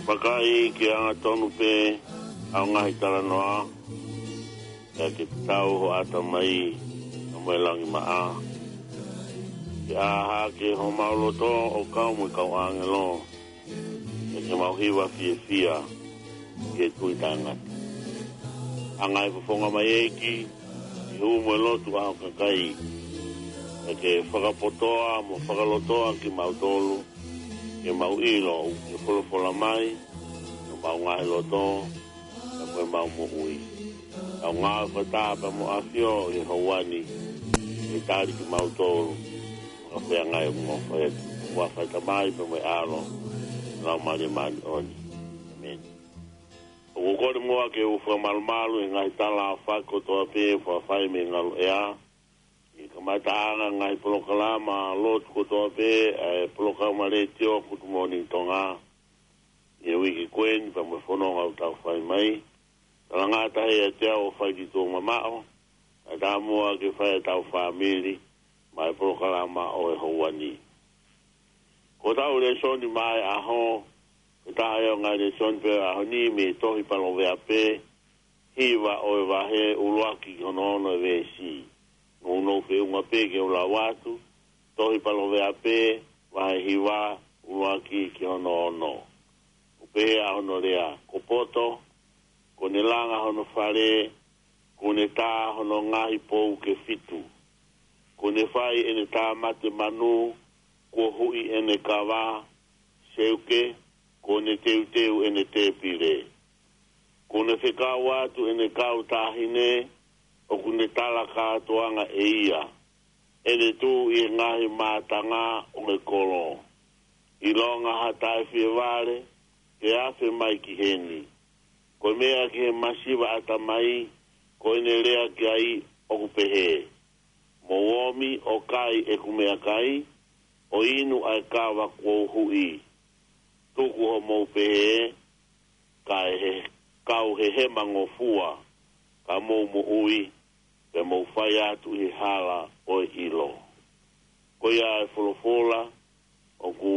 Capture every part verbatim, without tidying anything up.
Vakai, ke angatonu pē ʻa e ngaahi talanoa, pea ke tau ho ʻatamai ʻa mo e langi maʻa. Ke ʻā hake homau loto ʻo kau mo e kau ʻāngelo, pea ke mau hiva fiefia ʻi he tui taʻengata. ʻA e ngaahi fofonga mai ʻEiki, ʻi he hū mo e lotu ʻa ho kakai, pea ke fakapotoʻi mo fakalotoʻi kimautolu, ke mau ʻilo ʻoku ke folofola mai, ʻi homau ngaahi loto, pea mo ʻemau moʻui. Tau ngāue fakataha pea mo ʻAfio ʻi he houa ni, ke tali kimautolu, fakafeangai mo fai atu. ʻOfa ʻa e Tamai pea mo e ʻAlo, Laumālie Māʻoniʻoni. ʻĒmeni. ʻOku ou kole muʻa ke u fakamalumalu ʻi he ngaahi tala ʻofa kotoa pē, fakafai mei he ngaluʻea. ʻI he kamataʻanga ngaahi polokalama lotu kotoa pē, ʻa e polokalama letiō Good Morning Tonga, ʻi he uike ko eni pea mo e fononga ʻoku tau fai mai. Talangata he ʻiate au ʻo fai ki tuʻa mamaʻo, ʻa e taumuʻa ke fai ʻetau fāmili, maʻa e polokalama ʻo e houa ni. Ko ʻetau lēsoni maʻa e ʻaho, ko e taha ia ʻo e ngaahi lēsoni pē ʻo e ʻaho ni mei he tohi Palōveape, hiva ʻo e vahe ʻuluaki ki hono ono ʻo e veesi. Nounou feʻunga pē ke u lau atu, tohi Palōveape, vahe hiva, ʻuluaki ki hono ono. ʻOku pehē ʻa hono lea: Ko poto, kuo ne langa hono fale, kuo ne tā hono ngaahi pou ke fitu. Kuo ne fai ʻene tāmate manu, kuo huʻi ʻene kava, seuke, kuo ne teuteu ʻene tēpile. Kuo ne fekau atu ʻene kau taʻahine, ʻoku ne tala kātoanga ʻe ia, ʻene tuʻu ʻi he ngaahi mātanga ʻo e kolo. ʻIlonga ha taʻefievale, ke afe mai ki heni. Ko e meʻa ki he masiva ʻatamai, ko ʻene lea ki ai ʻoku pehē: Mou omi ʻo kai ʻeku meʻakai, ʻo inu ʻa e kava kuo u huʻi. Tuku hoʻomou pehē, kae he, kau hehema ngofua, ka mou moʻui, pea mou fai atu ʻi he hala ʻo e ʻilo. Ko ia e folofola ʻoku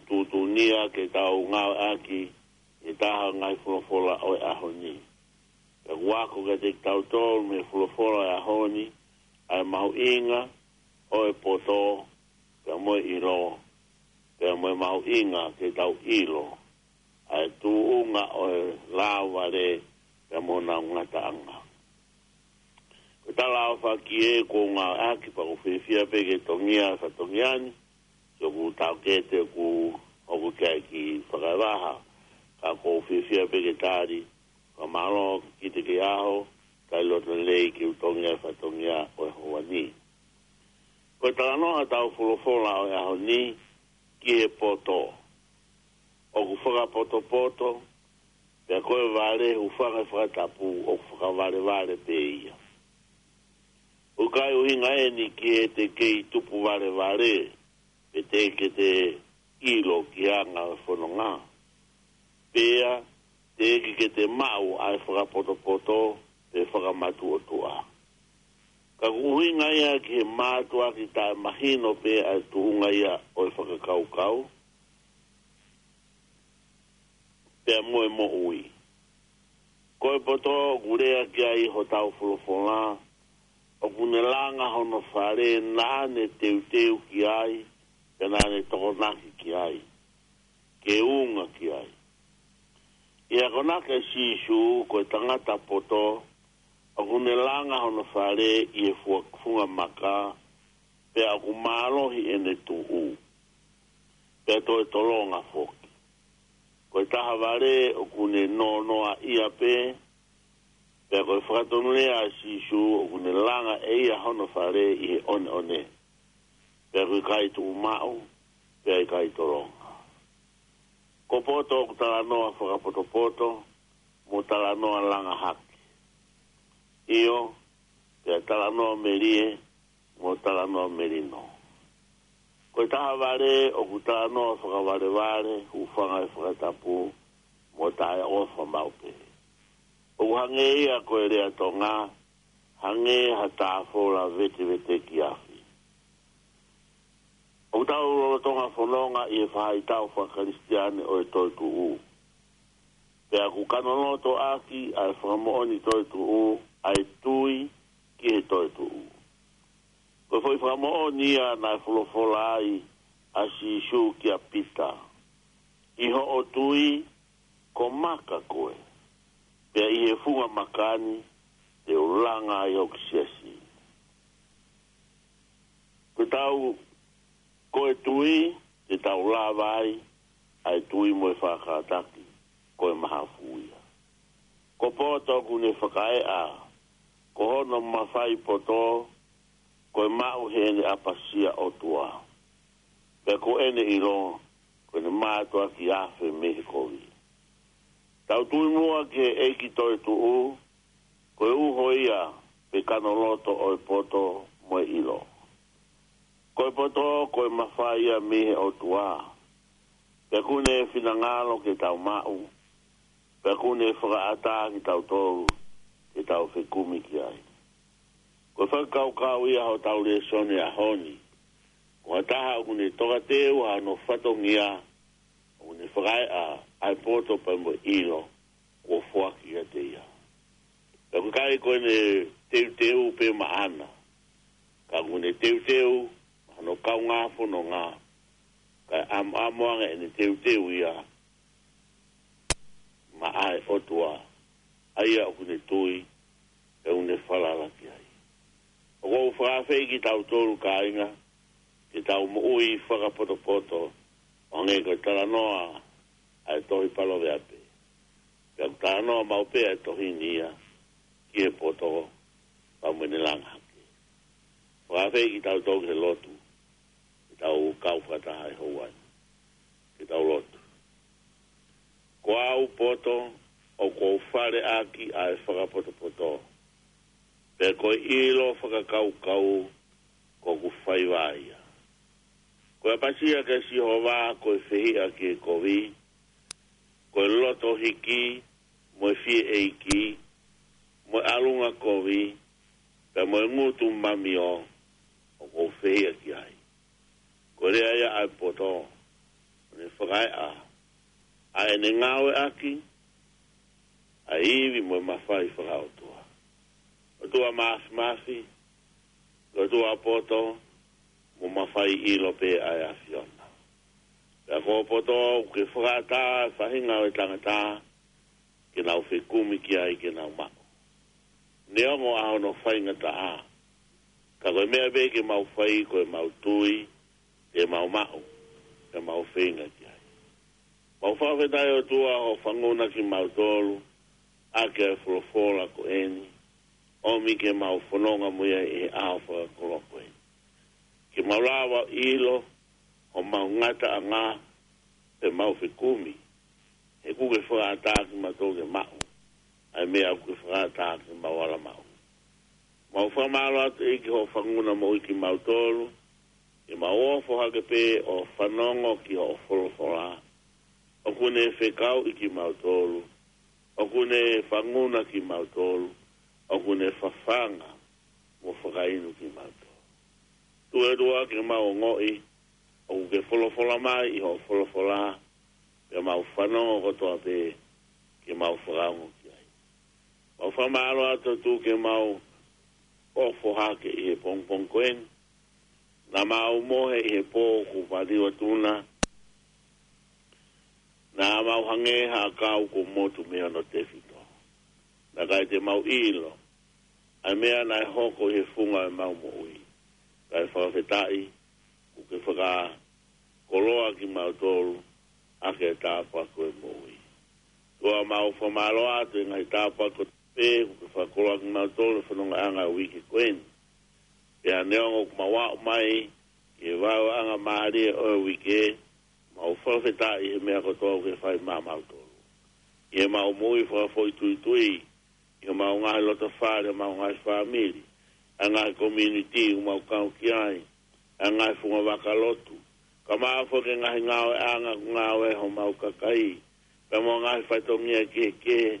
tuʻutuʻuni ia ke tau ngāueʻaki ʻi he taha ngaahi folofola ʻo e ʻaho ni. Pea ʻoku ako kiate kitautolu mei he folofola ʻo e ʻaho ni, ʻa e mahuʻinga ʻo e poto, pea mo e ʻilo, pea mo e mahuʻinga ke tau ʻilo ʻa e tuʻunga ʻo e lāuvale, pea mo honau ngataʻanga. Ko e tala ʻofa ki he kuo ngāueʻaki, pea ʻoku ou fiefia pē ke tongia e fatongia ni, ʻoku tau kete ʻoku, ʻoku ke ʻai ki fakaevaha, ka ʻoku ou fiefia pē ke tali, ka mālō ki te ke ʻaho, kai loto lelei ke u tongia e fatongia ʻo e houa ni. Ko e talanoa ʻetau folofola ʻo e ʻaho ni, ki he poto. ʻOku fakapotopoto, pea ko e vale, hūfanga he fakatapu, ʻoku fakavalevale pē ia. ʻOku ʻikai ʻuhinga eni ki heʻete kei tupu valevale, pe teʻeki ke te ʻilo ki he anga ʻo e fononga. Pea, teʻeki ke te maʻu ʻa e fakapotopoto, pe fakamatuʻotuʻa. Ka ʻoku ʻuhinga ia ki he mātuʻaki taʻemahino pē ʻa e tuʻunga ia ʻo e fakakaukau, pea mo e moʻui. Ko e poto ʻoku lea ki ai hotau folofola, ʻoku ne langa hono fale naʻa ne teuteu ki ai, pea naʻa ne tokonaki ki ai, ke unga ki ai. ʻI he akonaki ʻa Sīsū, ko e tangata poto, ʻoku ne langa hono fale ʻi he fua-, funga maka, pea ʻoku mālohi ʻene tuʻu, pea toe tolonga foki. Ko e taha vale ʻoku ne nonoa ia pē, pea ko e fakatonulea ʻa Sīsū ʻoku ne langa ʻe ia hono fale ʻi he ʻoneʻone, pea ʻoku ʻikai tuʻu maʻu, pea ʻikai tolonga. Ko poto ʻoku talanoa fakapotopoto, mo talanoa langa hake. ʻIo, pea talanoa melie, mo talanoa melino. Ko e taha vale ʻoku talanoa fakavalevale, hūfanga he fakatapu, mo taʻeʻofa maʻu pē. ʻOku hangē ia ko e lea Tonga, hangē ha tāfola veteveteki afi. ʻOku tau lolotonga fononga ʻi he faʻahitau fakakalisitiane ʻo e toetuʻu. Pea ʻoku kanoloto ʻaki ʻa e fakamoʻoni toetuʻu ʻa e tui ki he toetuʻu. Ko e foʻi fakamoʻoni ia naʻe folofola ai ʻa Sīsū kia Pita: ʻI hoʻo tui ko maka koe, pea ʻi he funga maka ni te u langa ai hoku siasi. Ko ʻetau, ko e tui te tau lava ai ʻa e tui mo e faʻa kātaki ko e mahafu ia. Ko poto ʻoku ne fakaeʻa ko hono mafai poto, ko e maʻu heʻene ʻapasia ʻOtua. Pea ko ʻene ʻilo ko ʻene mātuʻaki afe mei he kovi. Tau tui muʻa ki he ʻEiki toetuʻu, ko e uho ia pe kanoloto ʻo e poto mo e ʻilo. Ko e poto ko e mafai ia mei he ʻOtua. Pea ʻoku ne finangalo ke tau maʻu, pea ʻoku ne fakaʻatā kitautolu ke tau fekumi ki ai. Ko e fakakaukau ia hotau lēsoni ʻaho ni. Ko ha taha ʻoku ne tokateu ʻa hono fatongia, ʻoku ne fakaeʻa ʻa e poto pea mo e ʻilo kuo foaki kiate ia. Pea ʻoku ʻikai ko ʻene teuteu pē maʻana, ka ʻoku ne teuteu maʻa hono kaungā fononga, kae ʻamoʻamo ange ʻene teuteu ia maʻa e ʻOtua, ʻa ia ʻoku ne tui, pea ʻoku ne falala ki ai. ʻOku ou fakaafeʻi kitautolu kāinga, ke tau moʻui fakapotopoto, ʻo hangē ko e talanoa ʻa e tohi Paloveape. Pea ʻoku talanoa maʻu pē ʻa e tohi ni ia ki he poto, pea mo ʻene langa hake. Fakaafeʻi kitautolu ke lotu, ke tau kau fakataha he houa ni. Ke tau lotu. Ko au poto, ʻoku ou fale ʻaki ʻa e fakapotopoto. Pea ko e ʻilo fakakaukau ko hoku faiva ia. Ko e ʻapasia kia Sihova ko e fehiʻa ki he kovi, ko e loto hiki, mo e fie ʻeiki, mo e ʻalunga kovi, pea mo e ngutu mamio, ʻoku ou fehiʻa ki ai. Ko e lea ia ʻa e poto, ʻoku ne fakaeʻa ʻa ʻene ngāueʻaki ʻa e ivi mo e mafai fakaʻotua. ʻOtua Māfimafi, ʻOtua poto mo mafai ʻilo pē ʻa e ʻAfiona. Pea ko e poto ʻoku ke fakaʻatā ʻa e faʻahinga ʻo e tangata ke nau fekumi ki ai ke nau maʻu. Neongo ʻa hono faingataʻa, ka ko e meʻa pē ke mau fai ko ʻemau tui te mau maʻu, te mau feinga ki ai. Mau fakafetaʻi ʻOtua hoʻo fanguna kimautolu ʻaki ʻa e folofola ko eni, ʻomi ke mau fononga mo ia ʻi he ʻaho fakakoloa ko eni. Ke mau lava ʻilo homau ngataʻanga, pea mau fekumi, he ʻoku ke fakaʻatā kimautolu ke maʻu ʻa e meʻa ʻoku ke fakaʻatā ke mau ala maʻu. Mau fakamālō atu ʻEiki hoʻo fanguna moʻui kimautolu, ke mau ofo hake pē ʻo fanongo ki hoʻo folofola. ʻOku ne fekauʻi kimautolu, ʻoku ne fanguna kimautolu, ʻoku ne fafanga mo fakainu kimautolu. Tuʻu ʻOtua ke mau ongoʻi ʻoku ke folofola mai ʻi hoʻo folofola, pea mau fanongo kotoa pē ke mau fakaongo ki ai. Mau fakamālō atu ʻOtua ke mau ofo hake ʻi he pongipongi ko eni. Naʻa mau mohe ʻi he pō kuo valiu atu na. Naʻa mau hangē ha ʻakau kuo motu mei hono tefito. Naʻe ʻikai te mau ʻilo ʻa e meʻa naʻe hoko ʻi he funga ʻo ʻemau moʻui. Kae fakafetaʻi, ʻoku ke fakakoloa kimautolu ʻaki e tāpuaki ʻo e moʻui. ʻOtua mau fakamālō atu ʻi he ngaahi tāpuaki kotoa pē, ʻoku ke fakakoloa kimautolu he fonongaʻanga ʻo e uike ko eni. Pea neongo ʻoku mau aʻu mai ki he vaeuaʻanga mālie ʻo e uike, mau fakafetaʻi he meʻa kotoa ʻoku ke fai maʻamautolu. ʻI heʻemau moʻui fakafoʻituitui, ʻi heʻemau ngaahi loto fale, ʻemau ngaahi fāmili, ʻa e ngaahi community ʻoku mau kau ki ai, ʻa e ngaahi fungavaka lotu, kae ʻumaʻā foki e ngaahi ngāueʻanga ʻoku ngāue ai homau kakai, pea mo e ngaahi fatongia kehekehe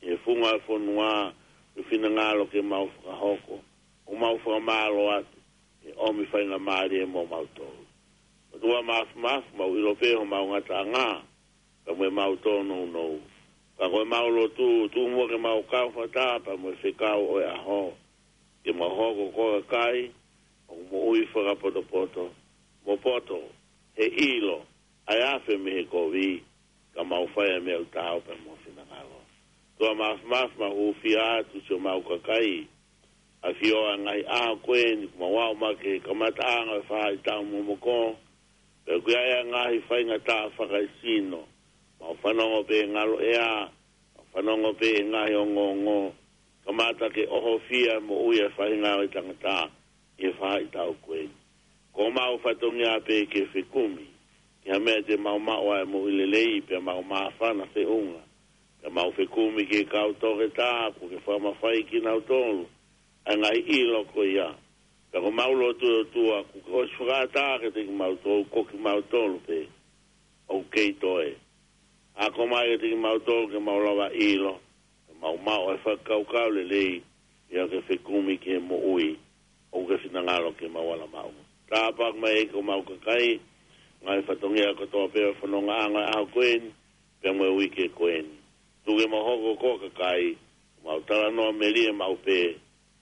ʻi he funga ʻo e fonua, ʻoku ke finangalo ke mau fakahoko. ʻOku mau fakamālō atu he ʻomi faingamālie mo mautolu. ʻOtua Māfimafi, mau ʻilo pē homau ngataʻanga, pea mo ʻemau tōnounou. Ka ko ʻemau lotu, tuku muʻa ke mau kau fakataha pea mo e fekau ʻo e ʻaho, ke mau hoko ko e kakai ʻoku moʻui fakapotopoto, mo poto he ʻilo ʻa e afe mei he kovi, ka mau fai ʻa e meʻa ʻoku taau pea mo ho finangalo. ʻOtua Māfimafi, mau hūfia atu siʻomau kakai, ʻafio ʻa e ngaahi ʻaho ko eni, kuo mau aʻu mai ki he kamataʻanga ʻo e faʻahitaʻu momoko, pea ʻoku ʻi ai ʻa e ngaahi faingataʻa fakaesino, mau fanongo pē he ngalo ʻea, mau fanongo pē he ngaahi ongoongo, kamata ke ʻohofia e moʻui ʻa e faʻahinga ʻo e tangata ʻi he faʻahitaʻu ko eni. Ko homau fatongia pē ke fekumi ki ha meʻa te mau maʻu ai e moʻui lelei, pea mau māfana feʻunga, pea mau fekumi ki he kau toketā kuo ke fakamafai kinautolu ʻa e ngaahi ʻilo ko ia. Pea ko ʻemau lotu, ʻOtua, kuo ke ʻosi fakaʻatā kiate kimautolu, ko kimautolu pē ʻoku kei toe. Akoʻi mai kiate kimautolu ke mau lava ʻilo, ke mau maʻu e fakakaukau lelei, ʻi heʻetau fekumi ki he moʻui ʻoku ke finangalo ke mau ala maʻu. Tāpuakiʻi mai ʻEiki homau kakai, ngaahi fatongia kotoa pē ʻo e fonongaʻanga ʻo e ʻaho ko eni, pea mo e uike ko eni. Tuku ke mau hoko ko e kakai ʻoku mau talanoa melie maʻu pē,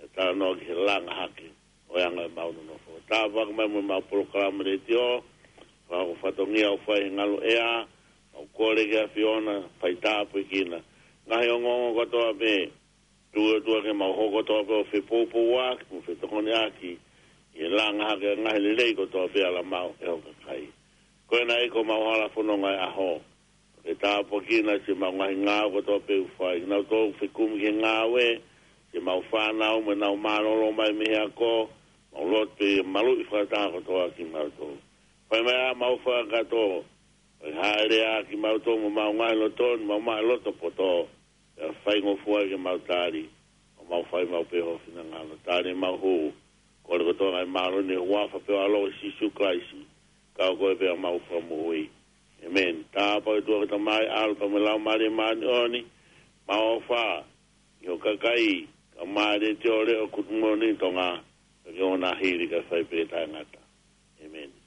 ʻe talanoa ki he langa hake ʻo e anga ʻemau nonofo. Tāpuakiʻi mai mo ʻemau polokalama letiō, fakahoko fatongia ʻoku fai he ngalo ʻea, mau kole ki he ʻAfiona, fai tāpuekina. Ngaahi ongoongo kotoa pē, tuku ʻOtua ke mau hoko kotoa pē ʻo fepoupouaki, mo fetokoniʻaki ʻi he langa hake ʻa e ngaahi lelei kotoa pē ʻe ala maʻu ʻe ho kakai. Ko ena ʻEiki homau hala fononga ʻo e ʻaho, ke tāpuekina siʻemau ngaahi ngāue kotoa pē ʻoku fai. Kinautolu ʻoku fekumi ki he ngāue, siʻemau fānau mo ʻenau mālōlō mai mei he ako, mau lotu pē ke maluʻi fakataha kotoa kimautolu. Fai mai ʻa ʻemau fakakakato, ʻo e hāʻele ʻa kimautolu mo ʻemau ngaahi loto ni, mau maʻu e loto poto, pea faingofua ke mau tali, ʻo mau fai maʻu pē ho finangalo. Tali ʻemau hū, kole kotoa e ngaahi mālohi ni ʻi he huafa pē ʻo ho ʻAlo ko Sīsū Kalaisi, ka ko koe pē homau Fakamoʻui. ʻĒmeni. Tāpuakiʻi ʻOtua ko e Tamai, ʻAlo pea mo e Laumālie Māʻoniʻoni, mau ʻofa ʻi ho kakai, kae ʻumaʻā e letiō Leʻo Kutumoʻoni Tonga, pea ke ʻoua naʻa hili kae fai pē taʻengata. ʻĒmeni.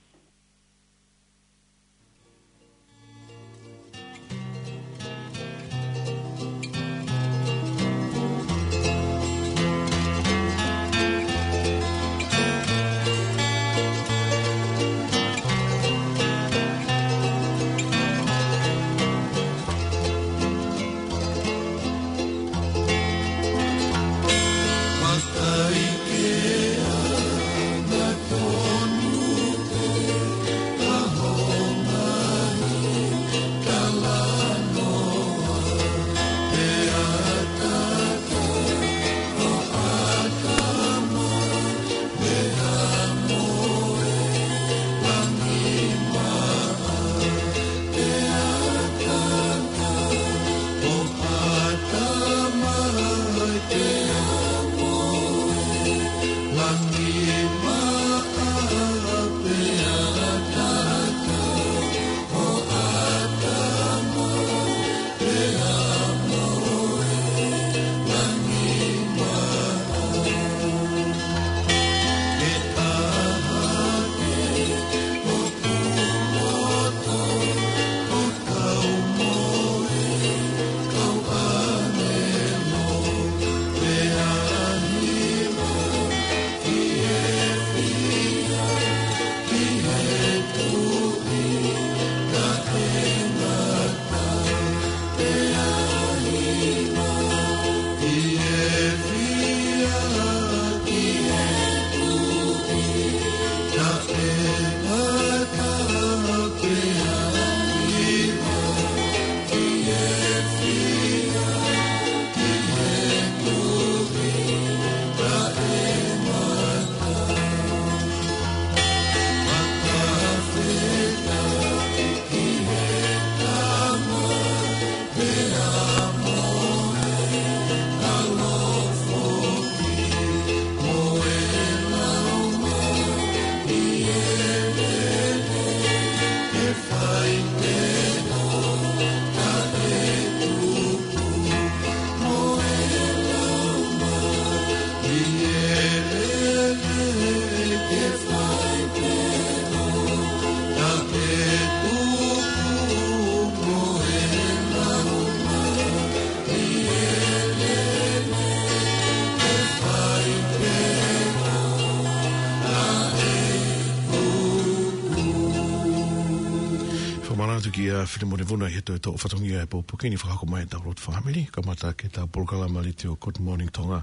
Mālō atu kia Filimone Vuna ʻi he toʻo fatongia e pōpoaki ni fakahoko mai ʻetau lotu fāmili. Kamata ʻaki ʻetau polokalama letiō Good Morning Tonga,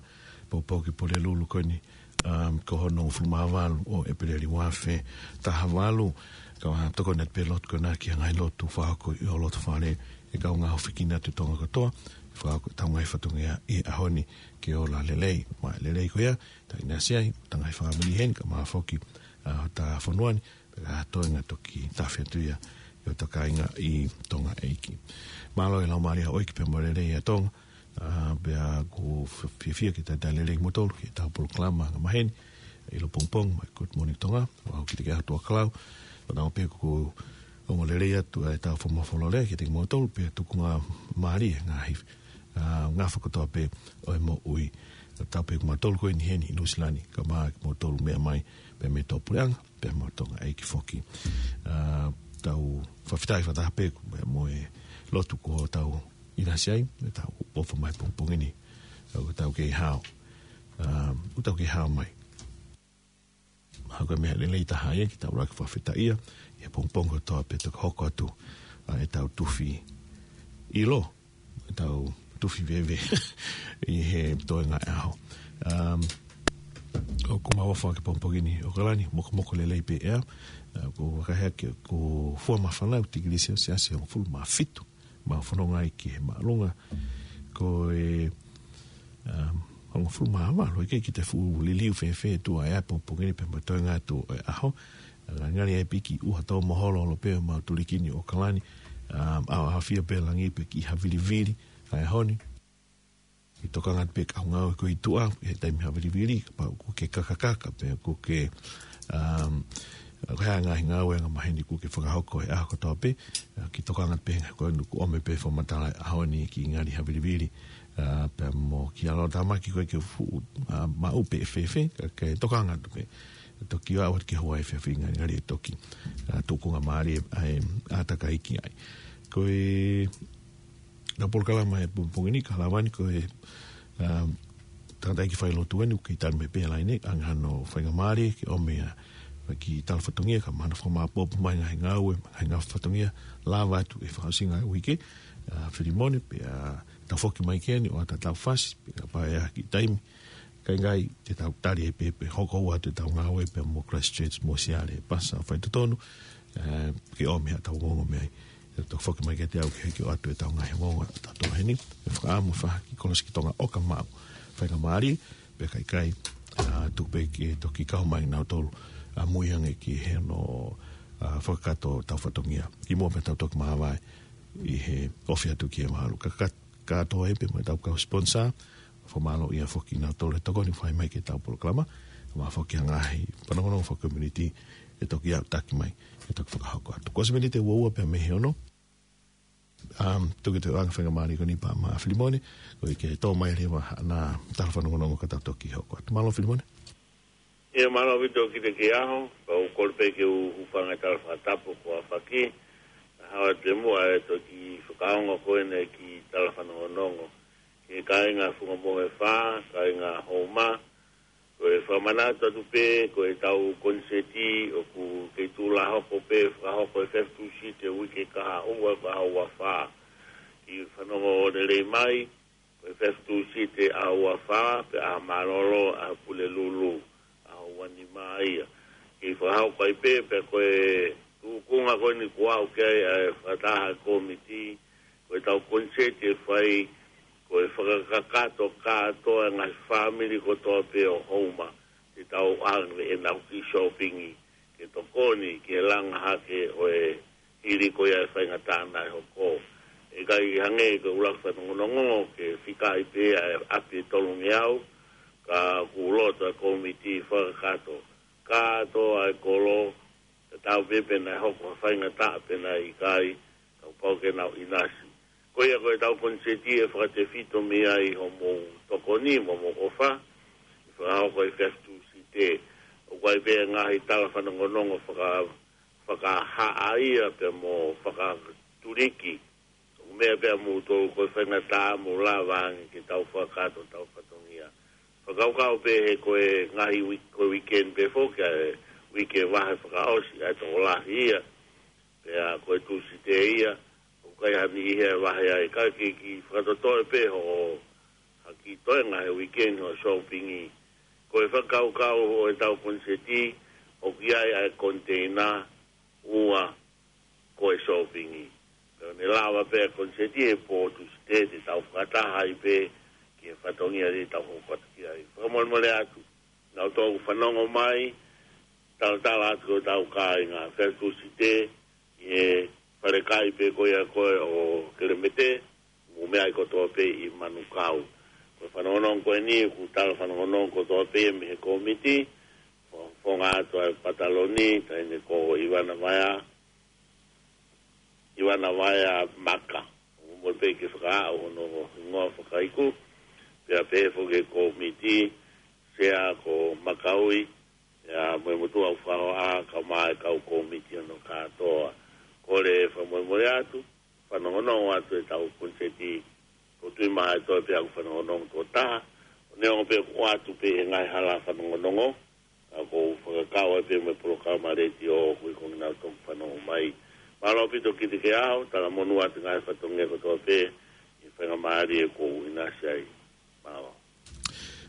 pōpoaki Pulelulu ko eni, um, ko hono hongofulu mā valu ʻo ʻEpeleli ua afe taha valu. Ka ʻoku tokoni atu pē lotu ko ena ki he ngaahi lotu fakahoko ʻi ho loto fale, ʻe kaungā hofekina atu Tonga kotoa, fakahoko ʻetau ngaahi fatongia ʻi he ʻaho ni ke ola lelei. Maʻa e lelei ko ia, tau ʻinasi ai, ʻetau ngaahi fāmili heni, kae ʻumaʻā foki, uh, hotau fonua ni, pea ko e toenga toki tafe atu ia ʻi hotau kāinga ʻi Tonga ʻeiki. Mālō e laumālie ʻoku ʻikai pē mo lelei ʻa Tonga, uh, pea ʻoku f-, fiefia ke talitali lelei kimoutolu ki heʻetau polokalama angamaheni, ʻi lopongipongi mai Good Morning Tonga, ʻo aʻu ki he ʻaho Tuʻakalau, ʻo nau pē ʻoku ongo lelei atu ʻetau fakamafola lelei kiate kimoutolu, pea tuku ngā mālie ngaahi, uh, ngafa kotoa pē ʻo e moʻui. Tau pē kimoutolu ko eni heni ʻi Nuʻusila ni, kae ʻumaʻā kimoutolu meʻa mai, pea mei tuʻapuleʻanga, pea mo Tonga ʻeiki foki. Uh, tau fakafetaʻi fakataha pē, pea mo e lotu kuo tau ʻinasi ai, ʻetau ʻofa mai pongipongi ni, ʻoku tau kei hao. Um, ʻoku tau kei hao mai. Hangē ko e meʻa lelei taha ia ke tau ʻuluaki fakafetaʻia, ʻi he pongipongi kotoa pē toki hoko atu, uh, ʻetau tufi ʻilo, ʻetau tufi veve ʻi he toenga ʻaho. Um, ʻoku mau ʻofa ki he pongipongi ni ʻOkalani, mokomoko lelei pē ʻea, uh, ʻoku vakai hake ʻoku fua māfana ʻa e tikilī selesiasi hongofulu mā fitu, mau fononga ai ki he māʻolunga. Ko e, um, hongofulu mā valu, ʻoku ʻikai ke te fuʻu liliu fēfē ʻa e ʻea pongipongi ni pea mo e toenga atu ʻo e ʻaho. Ngali ai pē ke ʻuha tō maholo ʻo pē ʻemau tuliki ni ʻOkalani, um, ʻa, ʻafio pē langi pē ki ha vilivili ʻa e ʻaho ni. Ke tokanga pē ki he ngāue ko ē ʻi tuʻa, he taimi ha vilivili, kapau ʻoku ke kakakaka, pe ʻoku ke, um, ko e hā e ngaahi ngāue angamaheni ʻoku ke fakahoko he ʻaho kotoa pē, uh, ke tokanga pē he ko ē ʻoku ʻomi pē fakamatala ʻaho ni ki ngali ha vilivili, uh, pea mo ki ʻaloʻofa tāmaki ko ē ke fuʻu, uh, maʻu pē fēfē, ka ke tokanga atu pē. Toki ʻoatu ke hoa e fēfē ngali, ngali ʻe toki, uh, tukunga mālie ʻa e ʻātakai ki ai. Ko e ʻetau polokalama he pongipongi ni, ka lava ni ko e, um, tangataʻeiki failotu eni, ʻoku kei tali mai pē ʻa e laine, ʻa hono faingamālie ke ʻomai ʻa e kiʻi tala fatongia, kae ʻumaʻā hono fakamāʻopoʻopo mai ngaahi ngāue, ngaahi ngāue fatongia, lava atu e fakaʻosinga e uike, uh, Filimone, pea tau foki mai ki heni ʻo ʻatā ʻetau fasi, pea kapau ʻe ʻi ai ha kiʻi taimi, kae ʻikai te tau tali ai pē, pea hoko atu ʻetau ngāue pea mo Christchurch mo Siale, pasa faitotonu, eh, ke ʻomi haʻatau ongoongo mei ai. Te tau foki mai kiate au ke hiki ʻoatu ʻetau ngaahi ongoongo ʻatautolu heni, ʻe fakaʻamu fakahiki kolosi ki Tonga ʻo ka maʻu faingamālie, pea ka ʻikai, ah, tuku pē ke toki kau mai nautolu, ah, mui ange ki he hono, ah, fakakakato ʻetau fatongia. Kimuʻa pea tau toki māvae ʻi he ofi atu ki he mahalo. Ka, ka, kātoa ai pē mo ʻetau kau sponsor, fakamālō ia foki nautolu he tokoni fai mai ki heʻetau polokalama, mo e foki ngaahi fanongonongo fakacommunity ʻe toki aʻutaki mai, ʻe toki fakahoko atu. Ko e miniti ʻe ua ua pē mei he ono, um, tuku atu e anga faingamālie ko eni pea maʻa Filimone, koeʻuhi ke tō mai leva haʻane tala fanongonongo ka tau toki hoko atu. Mālō Filimone. ʻIo, mālō ʻaupito ki he kiʻi ʻaho, pea u kole pē ke u hūfanga he tala fakatapu kuo aofaki, kae hao atu muʻa e toki fakaongo ko eni ki he tala fanongonongo. Ki he kāinga Funga Mohefa, kāinga Houma, ko e fakamanatu atu pē, ko ʻetau koniseti ʻoku kei tuʻu lā hoko pē, fakahoko he efiafi Tūsite uike kahaʻu, kahaʻu ua fā. Kiʻi fanongo lelei mai, ko e efiafi Tūsite ʻaho ua fā, pea ʻaho mālōlō, ʻaho Pulelulu, ʻaho ua nima ia. Kiʻi fakahoko ai pē, pea ko e tuʻunga ko eni kuo aʻu ki ai ʻa e fakataha e kōmiti, ko ʻetau koniseti ʻe fai, ko e fakakakato kātoa e ngaahi fāmili kotoa pē ʻo Houma, te tau ʻoange ʻenau kiʻi sōpingi, ke tokoni ki he langa hake ʻo e hili ko ia e faingataʻa naʻe hoko. ʻE ʻikai hangē ko e ʻuluaki fanongonongo ke fikaʻi pē ʻa e ʻapi ʻe tolungeau, ka ʻoku loto e kōmiti fakakakato kātoa e kolo, tatau pē pe naʻe hoko ha faingataʻa pe naʻe ʻikai, kuo pau ke nau ʻinasi. Ko ia ko ʻetau koniseti ʻe fakatefito mei ai hoʻomou tokoni mo hoʻomou ʻofa, ʻe fakahoko he efiafi Tūsite. ʻOku ʻi ai pē ngaahi tala fanongonongo faka-, fakahā ia pea mo fakatuliki. ʻOku meʻa pē ʻa moutolu ko e faingataʻa mou lava ange ke tau fakakakato hotau fatongia. Fakakaukau pē he ko e ngaahi uike, ko e weekend pē foki ʻa e uike vahe fakaʻosi ʻa e tokolahi ia. Pea ko e Tūsite ia, ʻoku ʻikai ha niʻihi ʻe vahe ai, ka ke kiʻi fakatotoe pē hoʻo haki toenga he weekend hoʻo sōpingi. Ko e fakakaukau ʻo ʻetau koniseti, ʻoku ʻi ai ʻa e koniteina ua ko e sōpingi. Pea ʻe lava pē ʻa e koniseti he pō Tūsite te tau fakataha ai pē ki he fatongia te tau hoko atu ki ai. Fakamolemole atu, naʻa tau fanongo mai, talatala atu ko ʻetau kāinga, Fea Tūsite, ʻi he falekai pē ko ia ko ē ʻo Kelemete, mo e meʻa ʻi kotoa pē ʻi Manukau. Ko e fanongonongo ko eni, ʻoku tala fanongonongo kotoa pē mei he kōmiti, fo-, fofonga atu ʻa e pataloni, taʻahine ko ʻIvana Vaea, ʻIvana Vaea Maka. ʻO mo pē ke fakaaʻu hono hingoa fakaiku, pea pehē foki e kōmiti, sea ko Makaui, ia mo e motuʻa ʻoku fakahoa, kae ʻumaʻā e kau kōmiti hono kātoa. Kole fakamolemole atu, fanongonongo atu ʻetau koniseti, ʻoku ou tui mahalo ʻe toe pē ʻaku fanongonongo toko taha, ʻo neongo pē ʻoku ʻoatu pē he ngaahi hala fanongonongo, ka ʻoku ou fakakau ai pē mo e polokalama letiō ʻoku ʻi ai ko ʻenau toki fanongo mai. Mālō ʻaupito Kitikeau, talamonū atu ngaahi fatongia kotoa pē, ʻi he faingamālie kuo u ʻinasi ai. Mālō.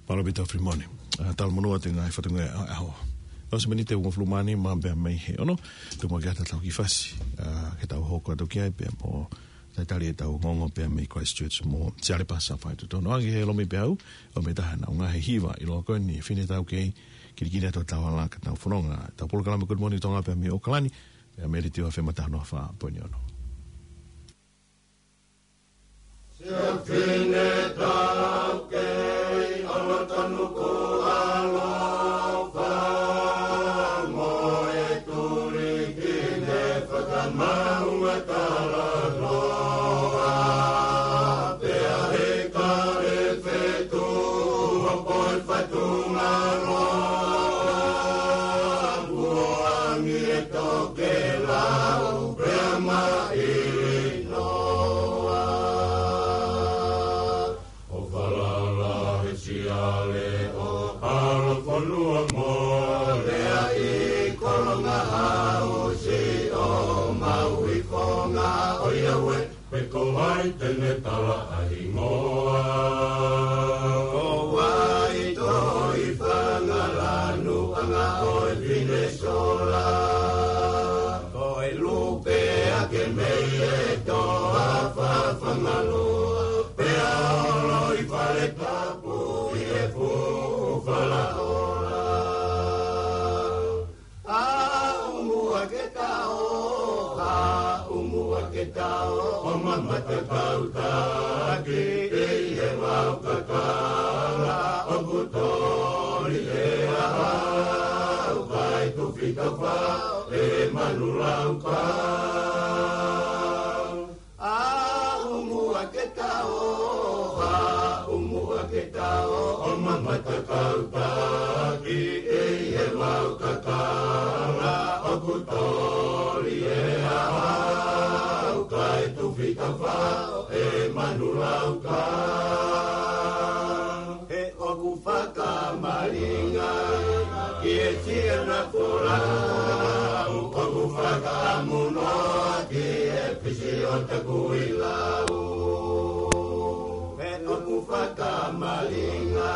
Mālō ʻaupito Filimone. ʻA, talamonū atu ngaahi fatongia ʻo e ʻaho. ʻOsi miniti ʻe uofulu mā nima pea mei he ono, tuku muʻa ke ʻatā ʻetau kiʻi fasi. ʻA, ke tau hoko atu ki ai pea mo talitali ʻetau ongoongo pea mei Christchurch mo Siale Pasa fai totonu. ʻAnge he Lomi Peau, ʻo mei taha naʻa nau ngaahi hiva ʻi loto ko eni, Fine Taukei, kilikili atu tau ala ka tau fononga, tau polokalama Good Morning Tonga pea mei ʻAokalani, pea mei Letiō F M taha noa fā poini ono. Siafine taukei, ʻAlatanuku ʻaloʻofa, mo e tuli kine fakamaunga talanoa. Pea he kale fetu, hopo e fatunga loa, kuo angi e tokelau, pea maʻili noa. ʻO falala he Siale ʻo Kalafonua mo Leaʻi, Kolongahausi ʻo Maui, Fonga ʻo Iaue, pe ko hai te ne tala ʻa e hingoa. Ko Vaitoi, Fangalanu, ʻAngaʻoe, Finesola. Ko e lupe ake mei he toafa Fangaloa, pea holo ʻi Faletapu ʻi he fuʻu falaola. ʻA ʻumu ake tao, ʻa ʻumu ake tao, ʻo mamata kau taki, ʻi he vau kakala, ʻoku toli ʻe au, ʻa e tufi tau fao, ʻe Manu Lauka. ʻA ʻumu ake tao, ʻa ʻumu ake tao, ʻo mamata kau taki, ʻi he vau kakala, ʻoku toli ʻe au, ʻa e tufi tau fao, ʻe Manu Lauka. He ʻoku fakamalinga ki he Siana Folau, ʻoku fakaʻamu noa ki he fisi ʻo Takuilau. He ʻoku fakamalinga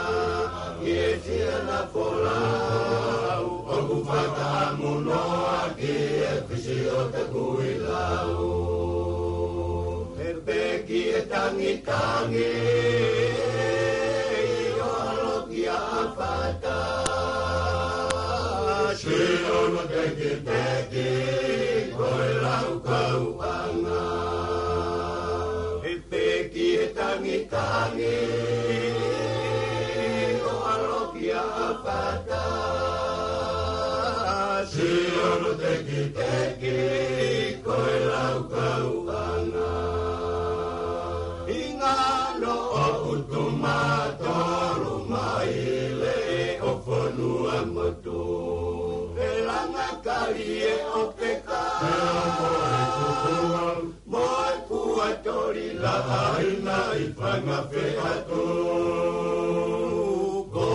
ki he Siana Folau, ʻoku fakaʻamu noa ki he fisi ʻo Takuilau. He peki e tangitangi ʻo ʻAlo ki ʻAfata, sio hono tekiteki ko e Laukauʻanga. He peki e tangitangi ʻo ʻAlo ki ʻAfata, sio hono tekiteki ko e Laukauʻanga. Hinga noa ʻo ʻutu mā tolu maile ʻo fonua motu, he langa kali e ʻOpeka, he ongo e kukuau, mo e kuatoli laʻaina ʻi Fanga Feʻatu. Ko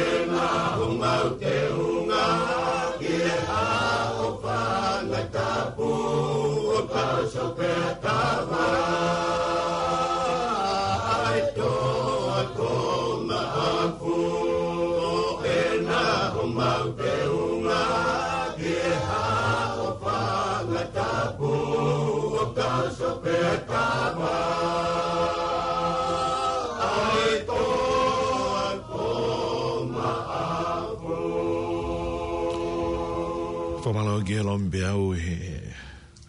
ena homau teunga ki he hā ʻo Fanga Tapu, Kau sopea tava, ai toa ko maʻaku, ʻena ʻo mau teunga, ki he haʻofanga tapu, kau sopea tava, ai toa ko maʻaku. Fakamālō ki he lomi pea au he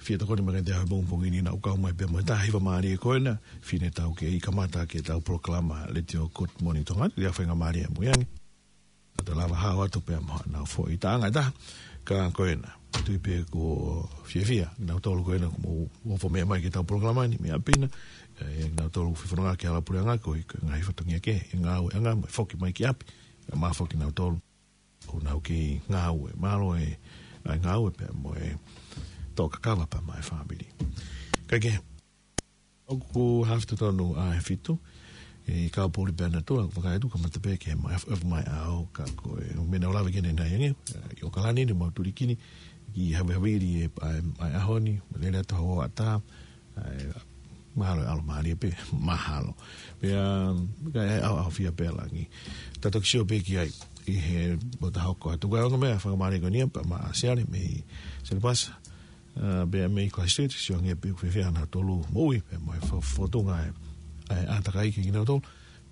fie tokoni mai kiate au he pongipongi ni naʻa ku kau mai pea mo e taha hiva mālie ko ena, fine taukei kamata ki heʻetau polokalama Letiō Good Morning Tonga, ʻi he faingamālie mo e angi. Naʻa tau lava hao atu pea mo haʻanau foʻi taʻanga ʻe taha, ka ko ena. Tui pē kuo fiefia, nautolu ko ena kuo mou ofo mai ki heʻetau polokalama ni, meʻa pē ena, ʻe, nautolu fefononga ki he hala puleʻanga ko e, ko e ngaahi fatongia kehe, ʻe ngāueʻanga, mo e foki mai ki ʻapi, ʻe mā foki nautolu. ʻOku nau kei ngāue, mālō e, ʻa e ngāue pea mo e tō kakava pea mo e fāmili. Kae kehe, ʻoku haafe totonu ʻa e fitu, ʻe kau pōpuli pea nautolu, ʻoku vakai atu kamata pē ki he mai, ʻoku mai ʻao, ka ko e, meʻa naʻa ku lave ki ai ʻanenai ange, ʻi ʻAokalani ni mau tulikini, ki havehavili e, ʻa e, ʻa e ʻaho ni, lele atu hoʻatā, ʻa e, mahalo ʻe ʻalomālie pē, mahalo. Pea, ka e ʻaoʻaofia pē ʻa langi. Tau toki sio pē ki ai, ʻi he ʻoku ta hoko atu. Ko e ongo meʻa fakamālie ko eni ia, pea maʻa Siale, mei Siale Pasa, ʻa, pea mei Christchurch, sio ange pē ʻoku fiefia nautolu moʻui, pea mo e fo-, fōtunga e, ʻa e ʻātakai kinautolu,